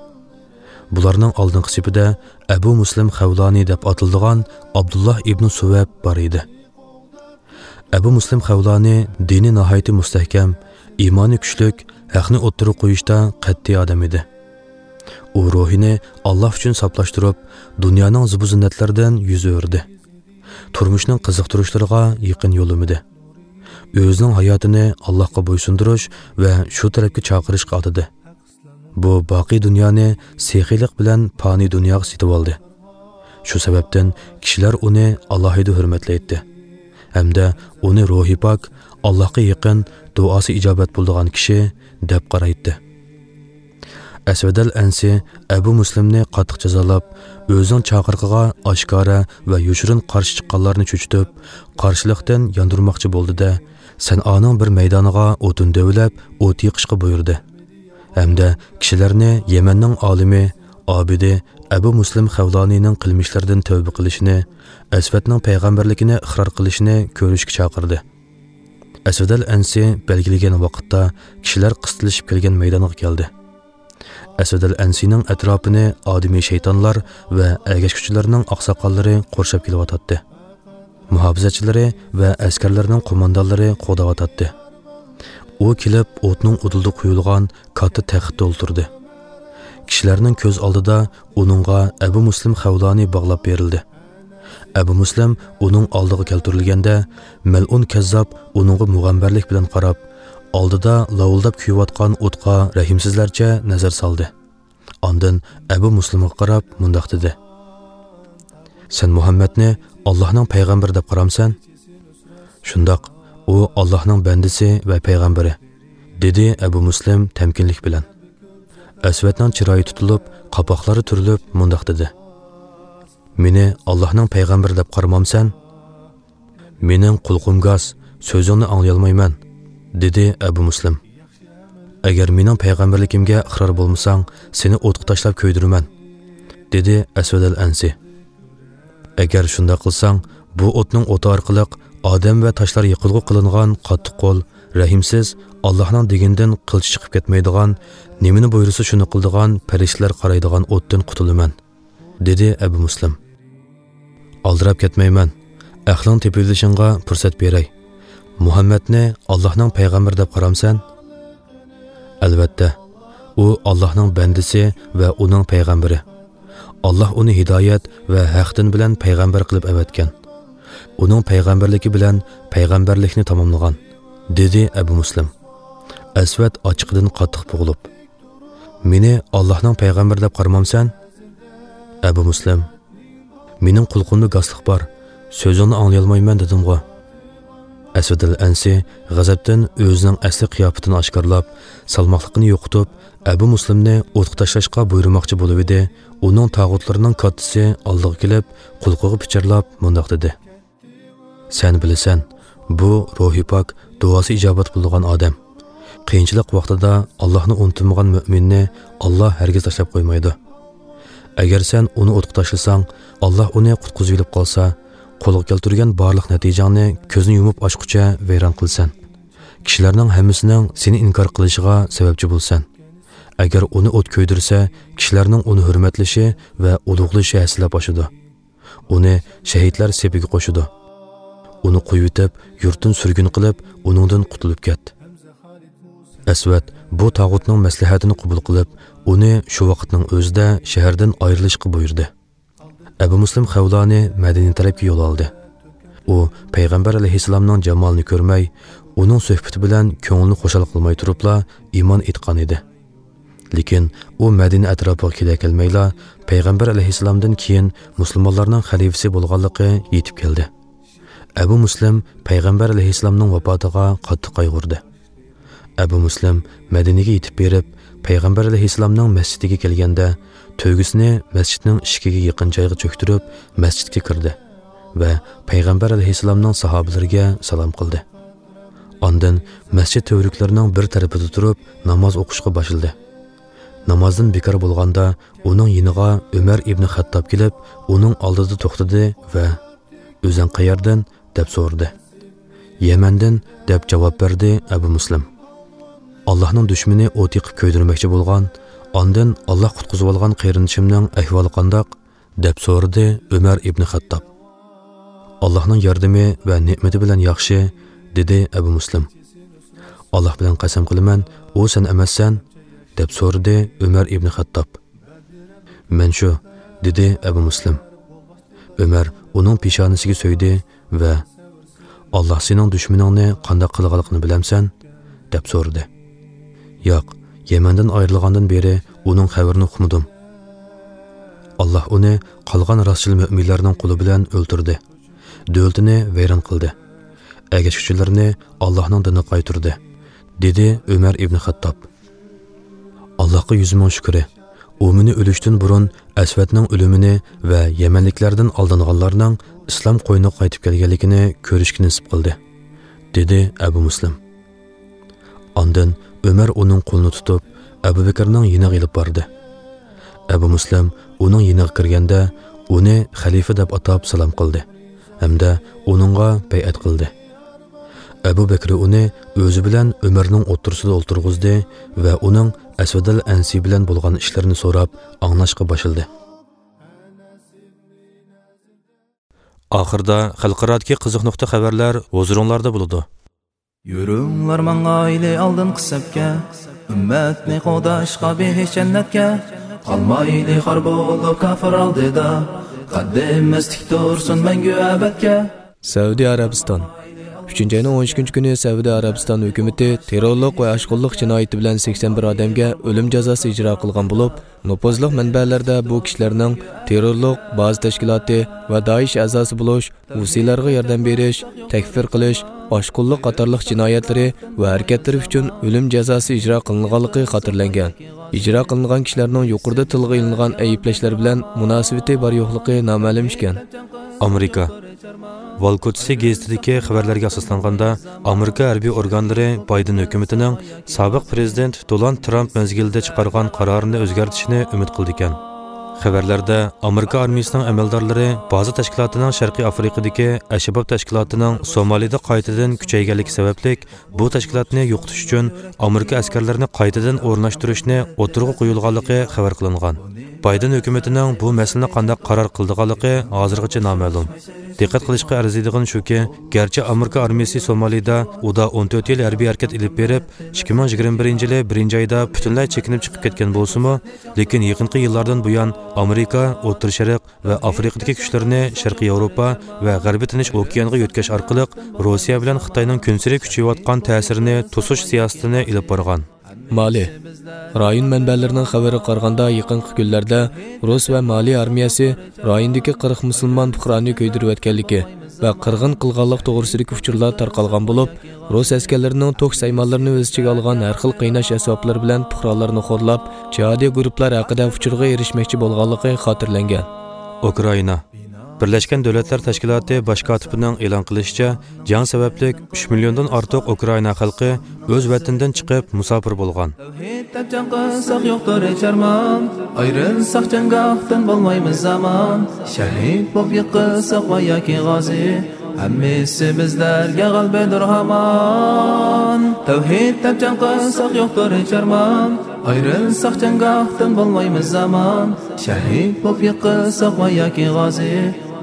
بۇلارنىڭ ئالدىنقى سېپىدە ئەبۇ مۇسلىم خەۋلانى دەپ ئاتىلىدىغان ئابدۇللاھ ئىبنى سۇۋەب بار ئىدى. ئەبۇ مۇسلىم خەۋلانى دىنى ناھايىتى مۇستەھكەم، ئىمانى كۈچلۈك، ھەقنى ئوتتۇرىغا قويۇشتا قەتئىي ئادەم ئىدى. ئۇ روھىنى ئاللاھ ئۈچۈن ساپلاشتۇرۇپ، دۇنيانىڭ زىبۇ-زىننەتلىرىدىن يۈز ئۆرۈدى. تۇرمۇشنىڭ قىزىقتۇرۇشلىرىغا يېقىن يولىمىدى. ئۆزىنىڭ ھاياتىنى ئاللاھقا بويسۇندۇرۇش ۋە شۇ تەرەپكە چاقىرىشقا ئاتىدى. بۇ باقىي دۇنيانى سېخىيلىق بىلەن پانىي دۇنياغا سېتىۋالدى. شۇ سەۋەبتىن كىشىلەر ئۇنى ئالاھىدە ھۆرمەتلەيتتى ھەمدە ئۇنى روھى پاك، ئاللاھقا يېقىن، دۇئاسى ئىجابەت بولىدىغان كىشى دەپ قارايتتى. ئەسۋەدەل ئەنسى ئەبۇ مۇسلىمنى قاتتىق جازالاپ، ئۆزىنىڭ چاقىرىقىغا ئاشكارا ۋە يوشۇرۇن قارشى چىققانلارنى چۆچۈتۈپ، قارشىلىقتىن ياندۇرماقچى بولدى-دە، سەنئانىڭ بىر مەيدانىغا ئوتۇن دۆۋىلەپ، ئوت يېقىشقا بۇيرۇدى. ھەمدە كىشىلەرنى يەمەننىڭ ئالىمى، ئابىدى ئەبۇ مۇسلىم خەۋلانىنىڭ قىلمىشلىرىدىن تەۋبە قىلىشىنى، ئەسۋەدنىڭ پەيغەمبەرلىكىنى ئىقرار قىلىشىنى كۆرۈشكە چاقىردى. ئەسۋەدەل ئەنسى بەلگىلىگەن ۋاقىتتا كىشىلەر قىستىلىشىپ كەلگەن مەيدانغا كەلدى. ئەسۋەدەل ئەنسىنىڭ ئەتراپىنى ئادىمىي شەيتانلار ۋە ئەگەشكۈچىلەرنىڭ ئاقساقاللىرى قورشاپ كېلىۋاتاتتى. مۇھاپىزەتچىلىرى ۋە ئەسكەرلەرنىڭ قوماندانلىرى قوغداۋاتاتتى. ئۇ كېلىپ، ئوتنىڭ ئۇدۇلىدا قويۇلغان كاتتا تەختتە ئولتۇردى. كىشىلەرنىڭ كۆز ئالدىدا ئۇنىڭغا ئەبۇ مۇسلىم خەۋلانى باغلاپ بېرىلدى. ئەبۇ مۇسلىم ئۇنىڭ ئالدىغا كەلتۈرۈلگەندە، مەلئۇن كەززاپ ئۇنىڭغا مۇغەمبەرلىك بىلەن قاراپ، ئالدىدا لاۋۇلداپ كۆيۈۋاتقان ئوتقا رەھىمسىزلەرچە نەزەر سالدى. ئاندىن ئەبۇ مۇسلىمغا قاراپ مۇنداق دېدى: «سەن مۇھەممەدنى ئاللاھنىڭ پەيغەمبىرى دەپ قارامسەن؟» «شۇنداق، ئۇ ئاللاھنىڭ بەندىسى ۋە پەيغەمبىرى»، دېدى ئەبۇ مۇسلىم تەمكىنلىك بىلەن. ئەسۋەدنىڭ چىرايى تۇتۇلۇپ، قاپاقلىرى تۈرۈلۈپ مۇنداق دېدى: «مېنى ئاللاھنىڭ پەيغەمبىرى دەپ قارىمامسەن؟» «مېنىڭ قۇلىقىم گاس، سۆزۈڭنى ئاڭلىيالمايمەن»، دېدى ئەبۇ مۇسلىم. «ئەگەر مېنىڭ پەيغەمبەرلىكىمگە ئىقرار بولمىساڭ، سېنى ئوتقا تاشلاپ كۆيدۈرىمەن»، دېدى ئەسۋەد ئەل ئەنسى. «ئەگەر شۇنداق قىلساڭ، بۇ ئوتنىڭ ئوتى ئارقىلىق ئادەم ۋە تاشلار يېقىلغۇ قىلىنغان قاتتىق قول، رەھىمسىز، ئاللاھنىڭ دېگىنىدىن قىلچە چىقىپ كەتمەيدىغان، نېمىنى بۇيرۇسا شۇنى قىلىدىغان پەرىشتىلەر قارايدىغان ئوتتىن قۇتۇلىمەن»، دېدى ئەبۇ مۇسلىم. «ئالدىراپ كەتمەيمەن. ئەقلىڭ تېپىۋېلىشىڭغا پۇرسەت بېرەي. مۇھەممەدنى ئاللاھنىڭ پەيغەمبىرى دەپ قارامسەن؟» «ئەلۋەتتە، ئۇ ئاللاھنىڭ بەندىسى ۋە ئۇنىڭ پەيغەمبىرى. ئاللاھ ئۇنى ھىدايەت ۋە ھەق دىن بىلەن پەيغەمبەر قىلىپ ئەۋەتكەن. ئۇنىڭ پەيغەمبەرلىكى بىلەن پەيغەمبەرلىكنى تاماملىغان»، دېدى ئەبۇ مۇسلىم. ئەسۋەد ئاچچىقىدىن قاتتىق بوغۇلۇپ: «مېنى ئاللاھنىڭ پەيغەمبىرى دەپ قارىمامسەن؟» ئەبۇ مۇسلىم: «مېنىڭ قۇلىقىمدا گاسلىق بار، سۆزۈڭنى ئاڭلىيالمايمەن دېدىمغۇ.» ئەسۋەدىل ئەنسى غەزەپتىن ئۆزىنىڭ ئەسلى قىياپىتىنى ئاشكارىلاپ، سالماقلىقىنى يوقىتىپ، ئەبۇ مۇسلىمنى ئوتقا تاشلاشقا بۇيرۇماقچى بولۇۋىدى. ئۇنىڭ تاغۇتلىرىنىڭ كاتتىسى ئالدىغا كېلىپ، قۇلىقىغا پىچىرلاپ مۇنداق دېدى: «سەن بىلىسەن، بۇ روھى پاك، دۇئاسى ئىجابەت بولىدىغان ئادەم. قىيىنچىلىق ۋاقتىدا ئاللاھنى ئۇنتۇمىغان مۆمىننى ئاللاھ ھەرگىز تاشلاپ قويمايدۇ. ئەگەر سەن ئۇنى ئوتقا تاشلىساڭ، ئاللاھ ئۇنى قۇتقۇزۇۋېلىپ قالسا، قولغا كەلتۈرگەن بارلىق نەتىجەڭنى كۆزنى يۇمۇپ ئاچقۇچە ۋەيران قىلىسەن. كىشىلەرنىڭ ھەممىسىنىڭ سېنى ئىنكار قىلىشىغا سەۋەبچى بولىسەن. ئەگەر ئۇنى ئوت كۆيدۈرسە، كىشىلەرنىڭ ئۇنى ھۆرمەتلىشى ۋە ئۇلۇغلىشى ھەسسىلەپ ئاشىدۇ. ئۇنى شەھىدلەر سېپىگە قوشىدۇ. ئۇنى قويۇۋېتىپ، يۇرتتىن سۈرگۈن قىلىپ، ئۇنىڭدىن قۇتۇلۇپ كەت.» ئەسۋەد بۇ تاغۇتنىڭ مەسلىھەتىنى قوبۇل قىلىپ، ئۇنى شۇ ۋاقىتنىڭ ئۆزىدە شەھەردىن ئايرىلىشقا بۇيرۇدى. ئەبۇ مۇسلىم خەۋلانى مەدىنە تەرەپكە يول ئالدى. ئۇ پەيغەمبەر ئەلەيھىسسالامنىڭ جامالىنى كۆرمەي، ئۇنىڭ سۆھبىتى بىلەن كۆڭلىنى خۇشال قىلماي تۇرۇپلا ئىمان ئېيتقان ئىدى. لېكىن ئۇ مەدىنە ئەتراپىغا كېلەلمەيلا، پەيغەمبەر ئەلەيھىسسالامدىن كېيىن مۇسۇلمانلارنىڭ خەلىپىسى بولغانلىقى يېتىپ كەلدى. ئەبۇ مۇسلىم پەيغەمبەر ئەلەيھىسسالامنىڭ ۋاپاتىغا قاتتىق قايغۇردى. ئەبۇ مۇسلىم مەدىنىگە يېتىپ بېرىپ، پەيغەمبەر ئەلەيھىسسالامنىڭ مەسچىتىگە كەلگەندە، تۆگىسىنى مەسچىتنىڭ ئىشىكىگە يېقىن جايغا چۆكتۈرۈپ، مەسچىتكە كىردى ۋە پەيغەمبەر ئەلەيھىسسالامنىڭ ساھابىلىرىگە سالام قىلدى. ئاندىن مەسچىت تۈۋرۈكلىرىنىڭ بىر تەرىپىدە تۇرۇپ، ناماز ئوقۇشقا باشلىدى. نامازدىن بىكار بولغاندا، ئۇنىڭ يېنىغا ئۆمەر ئىبنى خەتتاب كېلىپ، ئۇنىڭ ئالدىدا توختىدى ۋە «ئۆزۈڭ قەيەردىن؟» دەپ سورىدى. «يەمەندىن» دەپ جاۋاب بەردى ئەبۇ مۇسلىم. «ئاللاھنىڭ دۈشمىنى ئوت يېقىپ كۆيدۈرمەكچى بولغان، ئاندىن ئاللاھ قۇتقۇزۇۋالغان قېرىندىشىمنىڭ ئەھۋالى قانداق؟» دەپ سورىدى ئۆمەر ئىبنى خەتتاب. «ئاللاھنىڭ ياردىمى ۋە نېمىتى بىلەن ياخشى»، دېدى ئەبۇ مۇسلىم. «ئاللاھ بىلەن قەسەم قىلىمەن، ئۇ سەن ئەمەسسەن؟» دەپ سورىدى ئۆمەر ئىبنى خەتتاب. «مەن شۇ»، دېدى ئەبۇ مۇسلىم. ئۆمەر ئۇنىڭ پېشانىسىگە سۆيدى ۋە «ئاللاھ سېنىڭ دۈشمىنىڭنى قانداق قىلغانلىقىنى بىلەمسەن؟» دەپ سورىدى. «ياق، يەمەندىن ئايرىلغاندىن بېرى ئۇنىڭ خەۋىرىنى ئۇقمىدىم. ئاللاھ ئۇنى قالغان راستچىل مۆمىنلەرنىڭ قولى بىلەن ئۆلتۈردى، دۆلىتىنى ۋەيران قىلدى، ئەگەشكۈچىلىرىنى ئاللاھنىڭ دىنىغا قايتۇردى»، دېدى ئۆمەر ئىبنى خەتتاب. «ئاللاھقا يۈز مىڭ شۈكرى، ئۇ مېنى ئۆلۈشتىن بۇرۇن ئەسۋەدنىڭ ئۆلۈمىنى ۋە يەمەنلىكلەردىن ئالدانغانلارنىڭ ئىسلام قوينىغا قايتىپ كەلگەنلىكىنى كۆرۈشكە نېسىپ قىلدى»، دېدى ئەبۇ مۇسلىم. ئاندىن ئۆمەر ئۇنىڭ قولىنى تۇتۇپ، ئەبۇ بەكرىنىڭ يېنىغا ئېلىپ باردى. ئەبۇ مۇسلىم ئۇنىڭ يېنىغا كىرگەندە، ئۇنى خەلىپە دەپ ئاتاپ سالام قىلدى ھەمدە ئۇنىڭغا بەيئەت قىلدى. ئەبۇ بەكرى ئۇنى ئۆزى بىلەن ئۆمەرنىڭ ئوتتۇرىسىدا ئولتۇرغۇزدى ۋە ئۇنىڭ ئەسۋەدىل ئەنسى بىلەن بولغان ئىشلىرىنى سوراپ ئاڭلاشقا باشلىدى. ئاخىرىدا خەلقئارادىكى قىزىق نۇقتا خەۋەرلەر ھۇزۇرۇڭلاردا بولىدۇ. يۈرۈڭلار ماڭايلى ئالدىنقى سەپكە، ئۈممەتنى قوغداشقا بېھىشت جەننەتكە. قالمايلى خار بولۇپ كاپىر ئالدىدا، قەددىمىز تىك تۇرسۇن مەڭگۈ ئەبەدكە. سەئۇدى ئەرەبىستان. ئۈچىنچى ئاينىڭ ئون ئىككىنچى كۈنى سەئۇدى ئەرەبىستان ھۆكۈمىتى تېررورلۇق ۋە ئاشقۇنلۇق جىنايىتى بىلەن سەكسەن بىر ئادەمگە ئۆلۈم جازاسى ئىجرا قىلغان بولۇپ، نوپۇزلۇق مەنبەلەردە بۇ كىشىلەرنىڭ تېررورلۇق، بازا تەشكىلاتى ۋە دائىش ئەزاسى بولۇش، ھۇسىيلارغا ياردەم بېرىش، تەكفىر قىلىش، ئاشقۇنلۇق قاتارلىق جىنايەتلىرى ۋە ھەرىكەتلىرى ئۈچۈن ئۆلۈم جازاسى ئىجرا قىلىنغانلىقى خاتىرىلەنگەن. ئىجرا قىلىنغان كىشىلەرنىڭ يۇقىرىدا تىلغا ئېلىنغان ئەيىبلەشلەر بىلەن مۇناسىۋىتى بار-يوقلۇقى نامەلۇم ئىكەن. ئامېرىكا. ۋال كوچىسى گېزىتىدىكى خەۋەرلەرگە ئاساسلانغاندا، ئامېرىكا ھەربىي ئورگانلىرى بايدېن ھۆكۈمىتىنىڭ سابىق پىرېزىدېنت دونالد ترامپ مەزگىلىدە چىقارغان قارارىنى ئۆزگەرتىشىنى ئۈمىد قىلىدىكەن. خەۋەرلەردە ئامېرىكا ئارمىيىسىنىڭ ئەمەلدارلىرى بازا تەشكىلاتىنىڭ شەرقىي ئافرىقىدىكى ئەشباب تەشكىلاتىنىڭ سومالىدا قايتىدىن كۈچەيگەنلىكى سەۋەبلىك، بۇ تەشكىلاتنى يوقىتىش ئۈچۈن ئامېرىكا ئەسكەرلىرىنى قايتىدىن ئورۇنلاشتۇرۇشنى ئوتتۇرىغا قويۇلغانلىقى خەۋەر قىلىنغان. بايدېن ھۆكۈمىتىنىڭ بۇ مەسىلىنى قانداق قارار قىلىدىغانلىقى ھازىرغىچە نامەلۇم. دىققەت قىلىشقا ئەرزىيدىغىنى شۇكى، گەرچە ئامېرىكا ئارمىيىسى سومالىدا ئۇدا ئون تۆت يىل ھەربىي ھەرىكەت ئېلىپ بېرىپ، ئىككى مىڭ يىگىرمە بىرىنچى يىلى بىرىنچى ئايدا پۈتۈنلەي چېكىنىپ چىقىپ كەتكەن بولسىمۇ، لېكىن يېقىنقى يىللاردىن بۇيان ئامېرىكا، ئوتتۇرا شەرق ۋە ئافرىقىدىكى كۈچلىرىنى شەرقىي ياۋروپا ۋە غەربىي تىنچ ئوكيانغا يۆتكەش ئارقىلىق روسىيە بىلەن خىتاينىڭ كۈنسېرى كۈچىيىۋاتقان تەسىرىنى توسۇش سىياسىتىنى ئېلىپ بارغان. مالى. رايون مەنبەلىرىنىڭ خەۋىرىگە قارىغاندا، يېقىنقى كۈنلەردە رۇس ۋە مالى ئارمىيەسى رايوندىكى قىرىق مۇسۇلمان پۇقرانى كۆيدۈرۈۋەتكەنلىكى ۋە قىرغىن قىلغانلىق توغرىسىدىكى ئۇچۇرلار تارقالغان بولۇپ، رۇس ئەسكەرلىرىنىڭ توك سايمانلىرىنى ئۆز ئىچىگە ئالغان ھەر خىل قىيناش ئەسۋابلىرى بىلەن پۇقرالارنى خورلاپ، جىھادىي گۇرۇپپىلار ھەققىدە ئۇچۇرغا ئېرىشمەكچى بولغانلىقى خاتىرىلەنگەن. ئۇكرائىنا. بىرلەشكەن دۆلەتلەر تەشكىلاتى باش كاتىپىنىڭ ئېلان قىلىشىچە، جەڭ سەۋەبلىك ئۈچ مىليوندىن ئارتۇق ئۇكرائىنا خەلقى ئۆز ۋەتىنىدىن چىقىپ مۇساپىر بولغان. تەۋھىد دەپ جەڭ قىلساق يوقتۇر ھېچ ئارمان، ئايرىلساق جەڭگاھتىن بولمايمىز ئامان. شەھىد بولۇپ يىقىلساق ۋە ياكى غازى، ھەممىسى بىزلەرگە غەلىبىدۇر ھامان. تەۋھىد دەپ جەڭ قىلساق يوقتۇر ھېچ ئارمان، ئايرىلساق جەڭگاھتىن بولمايمىز ئامان. شەھىد بولۇپ يىقىلساق ۋە ياكى غازى،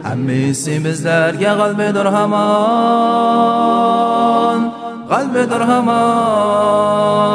ھەممىسى بىزلەرگە غەلىبىدۇر ھامان، غەلىبىدۇر ھامان.